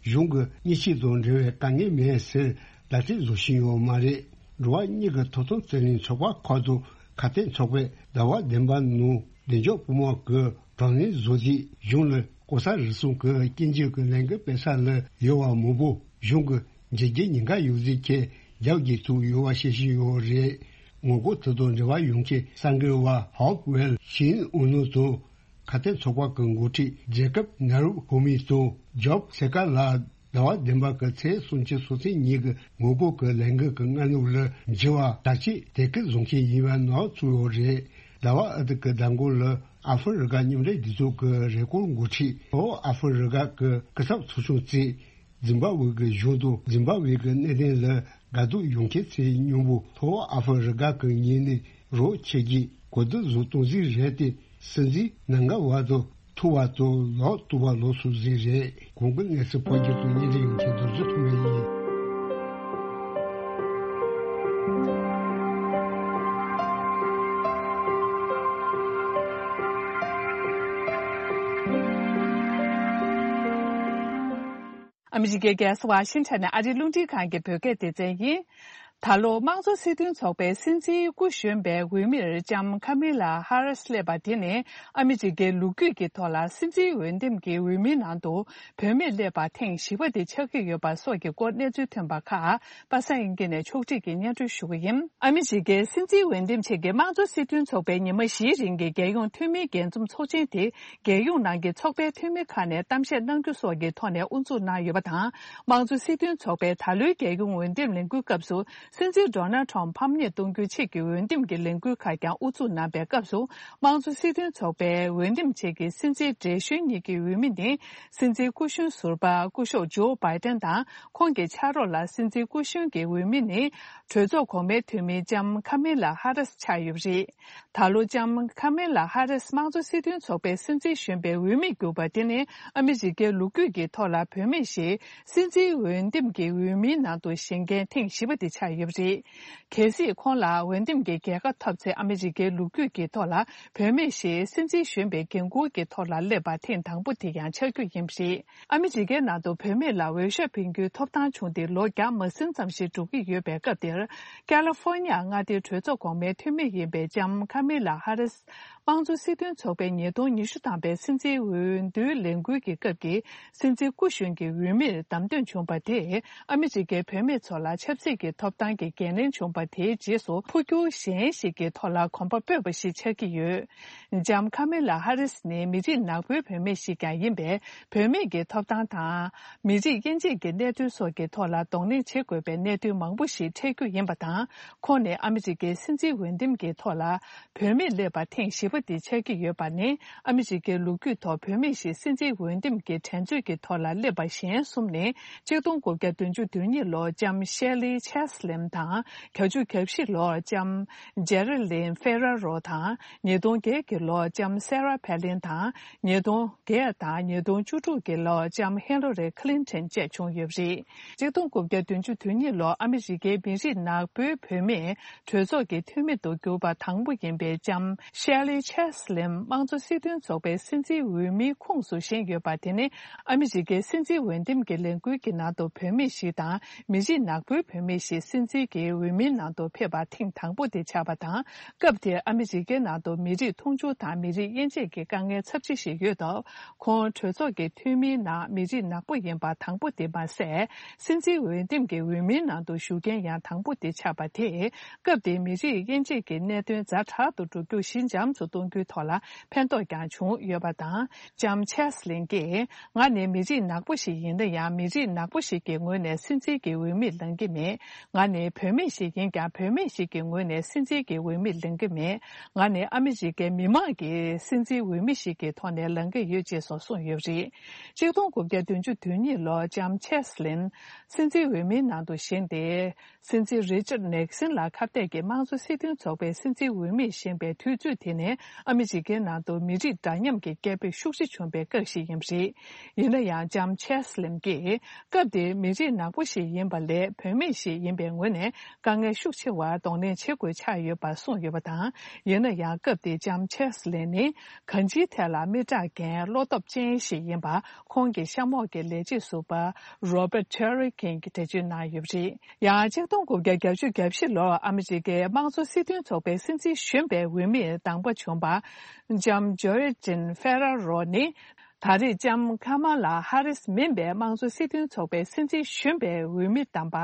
གཞུང་གིས་མི་གཅིག་དང་འབྲེལ་བའི་དཀའ་ངལ་མེད་ཟེར་བརྡ་སྤྲོད་བཟོ་བཞིན་ཡོད་མ་རེད། འགྲོ་བ་མིའི་ཐོབ་ཐང་རྩོད་ལེན་ཚོགས་པ་ཁག་དང་ ཁ་གཏད་ཚོགས་པས་ཟླ་བ་བདུན་པ་ནང་བདེ་འཇགས་པུས་མོ་གི་བགྲོ་གླེང་བཟོ་རྗེས་གཞུང་ལ་ལྐོག་ཟ་རུལ་སུངས་ཀྱི་སྐྱོན་བརྗོད་ཀྱི་ལས་འགུལ་སྤེལ་ས་ལ་ཡོད་པ་མང་པོ་གཞུང་གི་འཇིགས་སྐུལ་ཉེན་ཁ་ཡོད་ཚུལ་གྱི་རྒྱབ་ཀྱི་ཐུག་ཡོད་པ་བཤད་བཞིན་ཡོད་རེད། ངོ་རྒོལ་དེ་དང་འབྲེལ་བ་ཡོད་མཁན་གསར་འགོད་པ་ཧོབ་ཝེལ་ཤིན་ཨུ་ནུ་དང་། ཁ་གཏད་ཚོགས་པ་གི་འགོ་ཁྲིད་ཇེ་ཀབ་ནཱ་རུབ་ཧོ་མི་དང་ཇོབ་སེ་ཀ་ལ་ཟླ་བ་བདུན་པ་གི་ཚེས་སུམ་ཅུ་སོ་ཚེས་ཉིན་གྱི་ངོ་རྒོལ་གྱི་ལས་འགུལ་གྱི་སྔ་ནུབ་ལ་འགྱུར་བ་དྲག་ཆས་དེ་སྐད་བཟུང་མཁན་ཡིན་པ་ནང་ཚུད་ཡོད་རེད། ཟླ་བ་ཨ་ཏི་གི་ཟླ་འགོ་ལ་ཨ་ཧྥེ་རི་ཁ་མཉམ་འབྲེལ་རྒྱལ་ཚོགས་ཀྱི་རེས་སྐོར་འགོ་ཁྲིད་ལྷོ་ཨ་ཧྥེ་རི་ཁ་གི་སྐུ་ཚབ་ཚོགས་ཆུང་བཙུགས། ཛིམ་བྷ་ཝེ་གི་གཞུང་དང་ཛིམ་བྷ་ཝེ་གི་གནད་དོན་ལ་དགའ་སྡུག་ཡོང་མཁན་ཚོའི་མཉམ་པོ་ལྷོ་ཨ་ཧྥེ་རི་ཁ་གི་ངོས་ནས་རོགས་བྱེད་རྒྱུའི་གོ་བསྡུར་བཟོ་གཏོང་རྩིས་རེད་དེ། སྲིད་འཛིན་ནང་འགལ་བ་དང་ཐུག་པ་དང་ལོག་ཐུག་པ་ལོག་སུ་རྩིས་རེད། གོང་གི་གནས་ཚུལ་ཕོ་རྒྱུད་དུ་ཉིན་རེ་ཡོང་མཁན་རྡོ་རྗེ་ཐོགས་མེད་ཡིན། ཨ་མི་རི་ཀའི་རྒྱལ་ས་ཝ་ཤིང་ཊོན་ནས་ཨ་རིའི་རླུང་འཕྲིན་ཁང་གི་བོད་སྐད་སྡེ་ཚན་ཡིན། ད་ལོ་དམངས་གཙོ་སྲིད་དོན་ཚོགས་པའི་སྲིད་འཛིན་སྐུ་གཞོན་པའི་འོས་མིར་ལྕམ་ཁ་མི་ལ་ཧ་རིས་སླེབས་པ་དེ་ནི་ཨ་མི་རི་ཀའི་ལོ་རྒྱུས་ཀྱི་ཐོག་ལ་སྲིད་འཛིན་འོས་འདེམས་ཀྱི་འོས་མིའི་ནང་དུ་བུད་མེད་སླེབས་པ་ཐེངས་བཞི་པ་དེ་ཆགས་ཀྱི་ཡོད་པ་སོགས་ཀྱི་སྐོར་གནས་ཚུལ་ཐོན་པ་ཁག་པ་སངས་དབྱངས་སྐྱིད་ནས་ཕྱོགས་སྒྲིག་གིས་སྙན་སྒྲོན་ཞུ་གི་ཡིན། ཨ་མི་རི་ཀའི་སྲིད་འཛིན་འོས་འདེམས་ཆེད་ཀྱི་དམངས་གཙོ་སྲིད་དོན་ཚོགས་པའི་ཉི་མ་བཞིའི་རིང་གི་རྒྱལ་ཡོངས་འཐུས་མིའི་རྒྱས་འཛོམས་ཚོགས་ཆེན་དེ་རྒྱལ་ཡོངས་ནང་གི་ཚོགས་པའི་འཐུས་མི་ཁག་ནས་གཏམ་བཤད་གནང་རྒྱུ་སོགས་ཀྱི་ཐོག་ནས་དབུ་འཛུགས་གནང་ཡོད་པ་དང་། དམངས་གཙོ་སྲིད་དོན་ཚོགས་པའི་ད་ལོའི་རྒྱལ་ཡོངས་འོས་འདེམས་ལས་འགུལ་སྐབས་སུ་སྲིད་འཛིན་ཌོ་ནལ་ཁྲོམ་ཕམ་ཉེས་གཏོང་རྒྱུའི་ཆེད་ཀྱི་འོས་འདེམས་ཀྱི་ལས་འགུལ་ཁག་ཀྱང་དབུ་འཛུགས་གནང་པའི་སྐབས་སུ། དམངས་གཙོ་སྲིད་དོན་ཚོགས་པའི་འོས་འདེམས་ཆེད་ཀྱི་སྲིད་འཛིན་བགྲེས་གཞོན་གཉིས་ཀྱི་འོས་མི་ནི་སྲིད་འཛིན་སྐུ་གཞོན་ཟུར་པ་སྐུ་ཞབས་ཇོ་བྷའི་ཏན་དང་། ཁོང་གི་ཕྱག་རོགས་ལ་སྲིད་འཛིན་སྐུ་གཞོན་གྱི་འོས་མི་ནི་གྲོས་ཚོགས་གོང་མའི་འཐུས་མི་ལྕམ་ཁ་མི་ལ་ཧ་རིས་ཆགས་ཡོད་པ་རེད། ད་ལོ་ལྕམ་ཁ་མི་ལ་ཧ་རིས་དམངས་གཙོ་སྲིད་དོན་ཚོགས་པའི་སྲིད་འཛིན་གཞོན་པའི་འོས་མི་གྱུར་པ་དེ་ནི་ཨ་མི་རི་ཀའི་ལོ་རྒྱུས་ཀྱི་ཐོག་ལ་བུད་མེད་ཞིག་སྲིད་འཛིན་འོས་འདེམས་ཀྱི་འོས་མིའི་ནང་དུ་བཞེངས་མཁན་ཐེངས་བཞི་པ་དེ་ཆགས་ཡོད་པ་རེད། གལ་སྲིད་ཁོང་ལ་འོས་འདེམས་ཀྱི་རྒྱལ་ཁ་ཐོབ་ཚེ་ཨ་མི་རི་ཀའི་ལོ་རྒྱུས་ཀྱི་ཐོག་ལ་བུད་མེད་ཞིག་སྲིད་འཛིན་གཞོན་པའི་འགན་འཁུར་གྱི་ཐོག་ལ་སླེབས་པ་ཐེངས་དང་པོ་དེ་ཡང་ཆགས་རྒྱུ་ཡིན་པ་རེད། ཨ་མི་རི་ཀའི་ནང་དུ་བུད་མེད་ལ་འོས་ཤོག་འཕེན་རྒྱུའི་ཐོབ་ཐང་བྱུང་སྟེ་ལོ་བརྒྱ་མ་ཟིན་ཙམ་ཞིག་འགྲོ་གི་ཡོད་པའི་སྐབས་དེར། ཀ་ལི་ཧྥོ་ཉི་ཡ་མངའ་སྡེའི་གྲོས་ཚོགས་གོང་མའི་འཐུས་མི་ཡིན་པའི་ལྕམ་ཁ་མི་ལ་ཧ་རིས། དམངས་གཙོ་སྲིད་དོན་ཚོགས་པའི་ཉིས་སྟོང་ཉི་ཤུ་ཐམ་པའི་སྲིད་འཛིན་འོས་བསྡུའི་ལས་འགུལ་གྱི་སྐབས་ཀྱི་སྲིད་འཛིན་སྐུ་གཞོན་གྱི་འོས་མིར་བདམས་ཐོན་བྱུང་བ་དེས་ཨ་མི་རི་ཀའི་བུད་མེད་ཚོ་ལ་ཆབ་སྲིད་ཀྱི་ཐོབ་ཐང་གི་འགན་ལེན་བྱུང་བ་དེའི་རྗེས་སུ་འཕོ་འགྱུར་གཞན་ཞིག་གི་ཐོག་ལ་གོམ་པ་སྤོས་པ་ཞིག་ཆགས་ཀྱི་ཡོད། ལྕམ་ཁ་མི་ལ་ཧ་རིས་ནི་མི་རིགས་ནག་པོའི་བུད་མེད་ཞིག་ཀྱང་ཡིན་པས། བུད་མེད་ཀྱི་ཐོབ་ཐང་དང་། མི་རིགས་དབྱེ་འབྱེད་ཀྱི་གནད་དོན་སོགས་ཀྱི་ཐོག་ལ་གདོང་ལེན་བྱེད་དགོས་པའི་གནད་དོན་མང་པོ་ཞིག་འཕྲད་རྒྱུ་ཡིན་པ་དང་། ཁོང་ནི་ཨ་མི་རི་ཀའི་སྲིད་འཛིན་འོས་འདེམས་ཀྱི་ཐོག་ལ་བུད་མེད་སླེབས་པ་ཐེངས་བཞི་པ་དེ་ཆགས་ཀྱི་ཡོད་པ་ནི། ཨ་མི་རི་ཀའི་ལོ་རྒྱུས་ཐོག་བུད་མེད་ཞིག་སྲིད་འཛིན་འོས་འདེམས་ཀྱི་འགྲན་རྩོད་ཀྱི་ཐོག་ལ་སླེབས་པ་གཞན་གསུམ་ནི། ཆིག་སྟོང་དགུ་བརྒྱ་བདུན་ཅུ་དོན་གཉིས་ལོར་ལྕམ་ཤེ་ལི་ཆེ་སི་ལིན་དང་། བརྒྱད་ཅུ་གྱ་བཞི་ལོར་ལྕམ་ཇེ་རི་ལིན་ཧྥེ་ར་རོ་དང་། ཉིས་སྟོང་བརྒྱད་ཀྱི་ལོར་ལྕམ་སེ་ར་ཕེ་ལིན་དང་། ཉིས་སྟོང་བརྒྱད་དང་ཉིས་སྟོང་བཅུ་དྲུག་གི་ལོར་ལྕམ་ཧི་ལ་རི་ཁི་ལིན་ཐན་བཅས་བྱུང་ཡོད་པ་རེད། ཆིག་སྟོང་དགུ་བརྒྱ་བདུན་ཅུ་དོན་གཉིས་ལོར་ཨ་མི་རི་ཀའི་མི་རིགས་ནག་པོའི་བུད་མེད་གྲོས་ཚོགས་ཀྱི་འཐུས་མི་དུ་གྱུར་པ་དང་པོ་ཡིན་པའི་ལྕམ་ཤེ་ལི་ཆེ་སི་ལིན་དམངས་གཙོ་སྲིད་དོན་ཚོགས་པའི་སྲིད་འཛིན་འོས་མིའི་ཁོངས་སུ་བཞེངས་ཡོད་པ་དེ་ནི། ཨ་མི་རི་ཀའི་སྲིད་འཛིན་འོས་འདེམས་ཀྱི་ལས་འགུལ་གྱི་ནང་དུ་བུད་མེད་ཞིག་དང་མི་རིགས་ནག་པོའི་བུད་མེད་ཞིག་སྲིད་འཛིན་གྱི་འོས་མིའི་ནང་དུ་ཕེབས་པ་ཐེངས་དང་པོ་དེ་ཆགས་པ་དང་། སྐབས་དེར་ཨ་མི་རི་ཀའི་ནང་དུ་མི་རིགས་མཐོང་ཆུང་དང་མི་རིགས་དབྱེ་འབྱེད་ཀྱི་དཀའ་ངལ་ཚབས་ཆེ་ཞིག་ཡོད་སྟབས། ཁོང་གྲོས་ཚོགས་ཀྱི་འཐུས་མིའི་ནང་མི་རིགས་ནག་པོ་ཡིན་པ་དང་པོ་དེ་མ་ཟད། སྲིད་འཛིན་འོས་འདེམས་ཀྱི་འོས་མིའི་ནང་དུ་ཞུགས་མཁན་ཡང་དང་པོ་དེ་ཆགས་པ་དེས། སྐབས་དེའི་མི་རིགས་དབྱེ་འབྱེད་ཀྱི་གནད་དོན་ཛ་དྲག་ཏུ་འགྲོ་རྒྱུ་ཞི་འཇམ་དུ་གཏོང་རྒྱུའི་ཐོག་ལ་ཕན་ཐོགས་ཀྱང་བྱུང་ཡོད་པ་དང་། ལྕམ་ཆེ་སི་ལིན་གྱིས། ང་ནི་མི་རིགས་ནག་པོ་ཞིག་ཡིན་ན་ཡང་། མི་རིགས་ནག་པོ་ཞིག་གི་ངོས་ནས་སྲིད་འཛིན་གྱི་འོས་མིར་ལངས་ཀྱི་མེད། ང་ནི་བུད་མེད་ཞིག་ཡིན་ཀྱང་། བུད་མེད་ཞིག་གི་ངོས་ནས་སྲིད་འཛིན་གྱི་འོས་མིར་ལངས་ཀྱི་མེད། ང་ནི་ཨ་མི་རི་ཀའི་མི་མང་གི་སྲིད་འཛིན་འོས་མི་ཞིག་གི་ཐོག་ནས་ལངས་ཀྱི་ཡོད་ཅེས་སོགས་གསུངས་ཡོད་པ་རེད། ཆིག་སྟོང་དགུ་བརྒྱ་བདུན་ཅུ་དོན་གཉིས་ལོར་ལྕམ་ཆེ་སི་ལིན་སྲིད་འཛིན་འོས་མིའི་ནང་དུ་བཞེངས་ཏེ། སྲིད་འཛིན་རི་ཅར་ནེག་སིན་ལ་ཁ་གཏད་ཀྱིས་དམངས་གཙོ་སྲིད་དོན་ཚོགས་པའི་སྲིད་འཛིན་འོས་མིར་བཞེངས་པའི་དུས་ཚོད་དེ་ནི་ ཨ་མི་རི་ཀའི་ནང་དུ་མི་རིགས་འདྲ་མཉམ་གྱི་སྐད་འབོད་ཤུགས་ཆེ་བྱུང་བའི་སྐབས་ཤིག་ཡིན་པ་རེད། ཡིན་ན་ཡང་ལྕམ་ཆེ་སི་ལིན་གྱིས་སྐབས་དེར་མི་རིགས་ནག་པོ་ཞིག་ཡིན་པ་ལས་བུད་མེད་ཞིག་ཡིན་པའི་ངོས་ནས་དཀའ་ངལ་ཤུགས་ཆེ་བར་གདོང་ལེན་བྱེད་དགོས་ཆགས་ཡོད་པ་གསུངས་ཡོད་པ་དང་། ཡིན་ན་ཡང་སྐབས་དེར་ལྕམ་ཆེ་སི་ལིན་ནི་གང་ཅིའི་ཐད་ལ་མི་དྲག་འགན་བློ་སྟོབས་ཅན་ཞིག་ཡིན་པ་ཁོང་གི་གཤམ་འོག་གི་ལས་བྱེད་ཟུར་པ་Robert Cherry King་གིས་འགྲེལ་བརྗོད་གནང་ཡོད་པ་རེད། ཡང་ཆིག་སྟོང་དགུ་བརྒྱ་བརྒྱད་ཅུ་གྱ་བཞི་ལོར་ཨ་མི་རི་ཀའི་དམངས་གཙོ་སྲིད་དོན་ཚོགས་པའི་སྲིད་འཛིན་གཞོན་པའི་འོས་མིར་དང་པོ་བྱུང་བ་ལྕམ་ཇོ་ཡེ་ཅིན་ཧྥེ་ར་རོ་ནི། ད་རེས་ལྕམ་ཁ་མ་ལ་ཧ་རིས་མིན་པའི་དམངས་གཙོ་སྲིད་དོན་ཚོགས་པའི་སྲིད་འཛིན་གཞོན་པའི་འོས་མི་དམ་པ་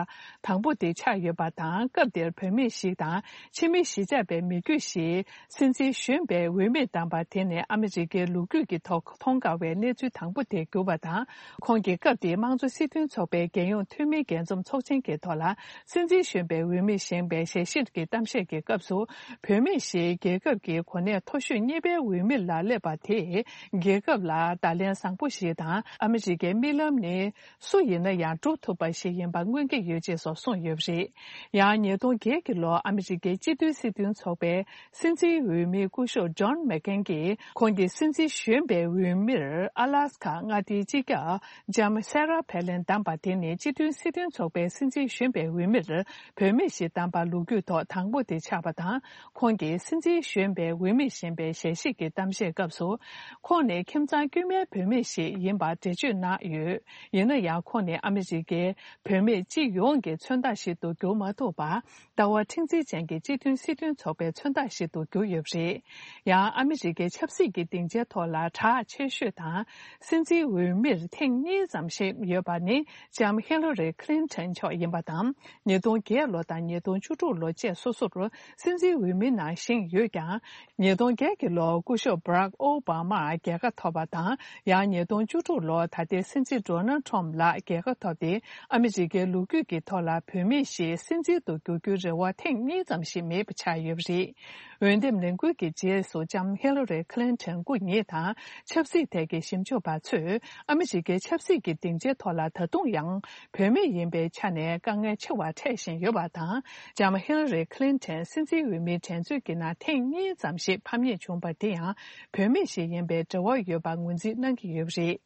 དང་པོ་དེ་ཆགས་ཡོད་པ་དང་། སྐབས་དེར་བུད་མེད་ཞིག་དང་ཕྱི་མི་གཞིས་ཆགས་པའི་མི་རྒྱུད་ཞིག་སྲིད་འཛིན་གཞོན་པའི་འོས་མི་དམ་པ་དེ་ནི་ཨ་མི་རི་ཀའི་ལོ་རྒྱུས་ཀྱི་ཐོག་མཐོང་དཀའ་བའི་གནས་ཚུལ་དང་པོ་དེ་གྱུར་བ་དང་། ཁོང་གིས་སྐབས་དེའི་དམངས་གཙོ་སྲིད་དོན་ཚོགས་པའི་རྒྱལ་ཡོངས་འཐུས་མིའི་རྒྱས་འཛོམས་ཚོགས་ཆེན་གྱི་ཐོག་ལ་སྲིད་འཛིན་གཞོན་པའི་འོས་མིར་བཞེངས་པའི་ཞལ་བཞེས་ཀྱི་གཏམ་བཤད་ཀྱི་སྐབས་སུ། བུད་མེད་ཞིག་རྒྱལ་ཁབ་ཀྱི་གོ་གནས་མཐོ་ཤོས་གཉིས་པའི་འོས་མི་ལ་སླེབས་པ་དེས་རྒྱལ་ཁབ་ལ་བརྡ་ལན་བཟང་པོ་ཞིག་དང་། ཨ་མི་རི་ཀའི་རྨི་ལམ་ནི་སུ་ཡིན་ན་ཡང་འགྲུབ་ཐུབ་པ་ཞིག་ཡིན་པ་མངོན་གྱི་ཡོད་ཅེས་སོགས་གསུངས་ཡོད་པ་རེད། ཡང་ཉིས་སྟོང་བརྒྱད་ཀྱི་ལོར་ཨ་མི་རི་ཀའི་སྤྱི་འཐུས་སྲིད་དོན་ཚོགས་པའི་སྲིད་འཛིན་འོས་མི་སྐུ་ཞབས་ཇོན་མེག་ཀེན་གྱིས་ཁོང་གི་སྲིད་འཛིན་གཞོན་པའི་འོས་མིར་ཨ་ལཱ་སི་ཁ་མངའ་སྡེའི་སྤྱི་ཁྱབ་ལྕམ་སེ་ར་ཕེ་ལིན་བདམས་པ་དེ་ནི་སྤྱི་མཐུན་སྲིད་དོན་ཚོགས་པའི་སྲིད་འཛིན་གཞོན་པའི་འོས་མིར་བུད་མེད་ཞིག་བདམས་པ་ལོ་རྒྱུས་ཐོག་དང་པོ་དེ་ཆགས་པ་དང་། ཁོང་གིས་སྲིད་འཛིན་གཞོན་པའི་འོས་མིར་བཞེངས་པའི་ཞལ་བཞེས་ཀྱི་གཏམ་བཤད་སྐབས་སུ། ཁོང་ནི་ཁྱིམ་ཚང་དཀྱུས་མའི་བུད་མེད་ཞིག་ཡིན་པར་འགྲེལ་བརྗོད་གནང་ཡོད། ཡིན་ན་ཡང་ཁོང་ནི་ཨ་མི་རི་ཀའི་བུད་མེད་སྤྱི་ཡོངས་ཀྱི་མཚོན་རྟགས་ཤིག་ཏུ་གྱུར་མ་ཐུབ་པར། ལྟ་བ་མཁྲེགས་འཛིན་ཅན་གྱི་སྤྱི་མཐུན་སྲིད་དོན་ཚོགས་པའི་མཚོན་རྟགས་ཤིག་ཏུ་གྱུར་ཡོད་པ་རེད། ཡང་ཨ་མི་རི་ཀའི་ཆབ་སྲིད་ཀྱི་སྡིངས་ཆའི་ཐོག་ལ་གྲགས་ཆེ་ཤོས་དང་། སྲིད་འཛིན་འོས་མིར་ཐེངས་གཉིས་ཙམ་ཞིག་ཡོད་པ་ནི་ལྕམ་ཧི་ལ་རི་ཁི་ལིན་ཊོན་མཆོག་ཡིན་པ་དང་། ཉིས་སྟོང་བརྒྱད་ལོ་དང་ཉིས་སྟོང་བཅུ་དྲུག་ལོ་བཅས་སོ་སོར་སྲིད་འཛིན་འོས་མི་ནང་བཞེངས་ཡོད་ཀྱང་། ཉིས་སྟོང་བརྒྱད་ཀྱི་ལོར་སྐུ་ཞབས་བྷ་རག་ཨོ་བྷ་མར་རྒྱལ་ཁ་ཐོབ་པ་དང་། ཡང་ཉིས་སྟོང་བཅུ་དྲུག་ལོར་ད་ལྟའི་སྲིད་འཛིན་ཌོ་ནལ་ཊམ་ལགས་རྒྱལ་ཁ་ཐོབ་སྟེ། ཨ་མི་རི་ཀའི་ལོ་རྒྱུས་ཀྱི་ཐོག་ལ་བུད་མེད་ཞིག་སྲིད་འཛིན་དུ་འགྱུར་རྒྱུའི་རེ་བ་ཐེངས་གཉིས་ཙམ་ཞིག་མེད་པ་ཆགས་ཡོད་པ་རེད། འོས་འདེམས་ལས་འགུལ་གྱི་རྗེས་སུ་ལྕམ་ཧི་ལ་རི་ཁི་ལིན་ཊོན་སྐུ་ཉིད་དང་ཆབ་སྲིད་ཐད་ཀྱི་ཞིབ་འཇུག་པ་ཚོས་ཨ་མི་རི་ཀའི་ཆབ་སྲིད་ཀྱི་སྡིངས་ཆའི་ཐོག་ལ་ད་དུང་ཡང་བུད་མེད་ཡིན་པའི་ཆ་ནས་དཀའ་ངལ་ཆེ་བ་འཕྲད་བཞིན་ཡོད་པ་དང་། ལྕམ་ཧི་ལ་རི་ཁི་ལིན་ཊོན་སྲིད་འཛིན་འོས་མིའི་འགྲན་རྩོད་ཀྱི་ནང་ཐེངས་གཉིས་ཙམ་ཞིག་ཕམ་ཉེས་བྱུང་བ་དེ་ཡང་བུད་མེད་ཞིག་ཡིན་པའི་འབྲེལ་བ་ཡོད་པ་ངོས་འཛིན་གནང་གི་ཡོད་པ་རེད།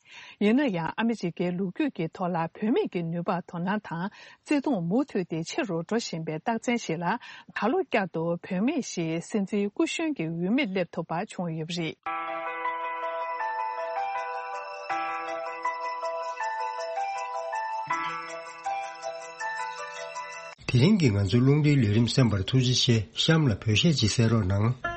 ཡིན་ན་ཡང་ཨ་མི་རི་ཀའི་ལོ་རྒྱུས་ཀྱི་ཐོག་ལ་བུད་མེད་ཀྱི་ནུས་པ་དོ་སྣང་དང་བརྩེ་དུང་མུ་མཐུད་དེ་ཆེ་རུ་འགྲོ་བཞིན་པའི་རྟགས་མཚན་ཞིག་ལ། ད་ལོ་བསྐྱར་དུ་བུད་མེད་ཞིག་སྲིད་འཛིན་སྐུ་གཞོན་གྱི་འོས་མིར་སླེབས་ཐུབ་པ་བྱུང་ཡོད་པ་རེད། དེ་རིང་གི་ང་ཚོའི་རླུང་འཕྲིན་ལས་རིམ་གསན་པར་ཐུགས་རྗེ་ཆེ། གཤམ་ལ་བོད་གཞས་ཅིག་གསན་རོགས་གནང་།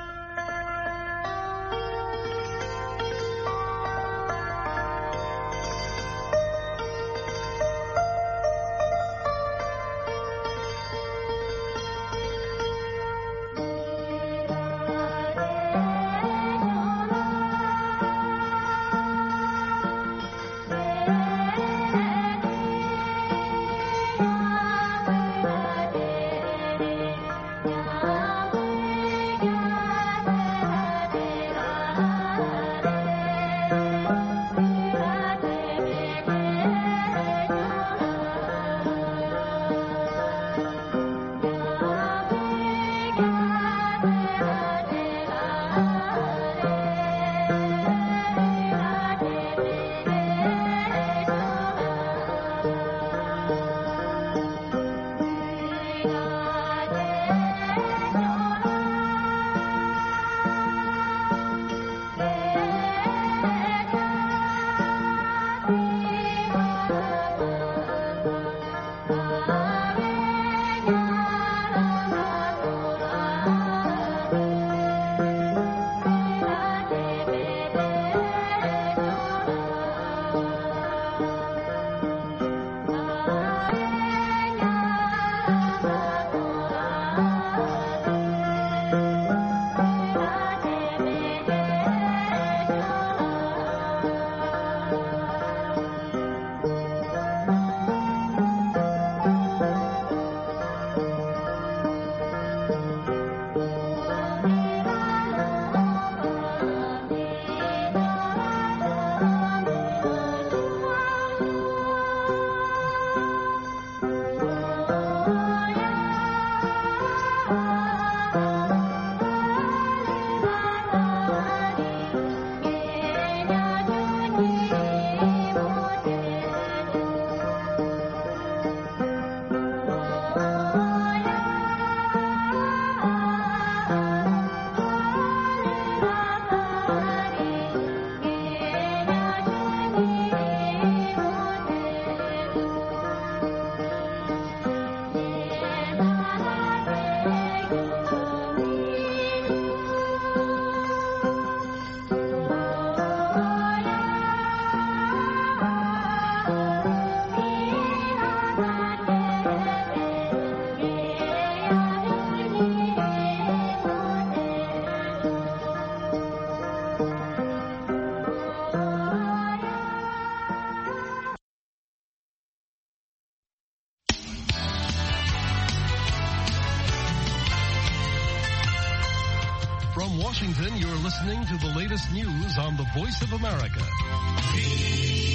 Washington, you're listening to the latest news on the Voice of America.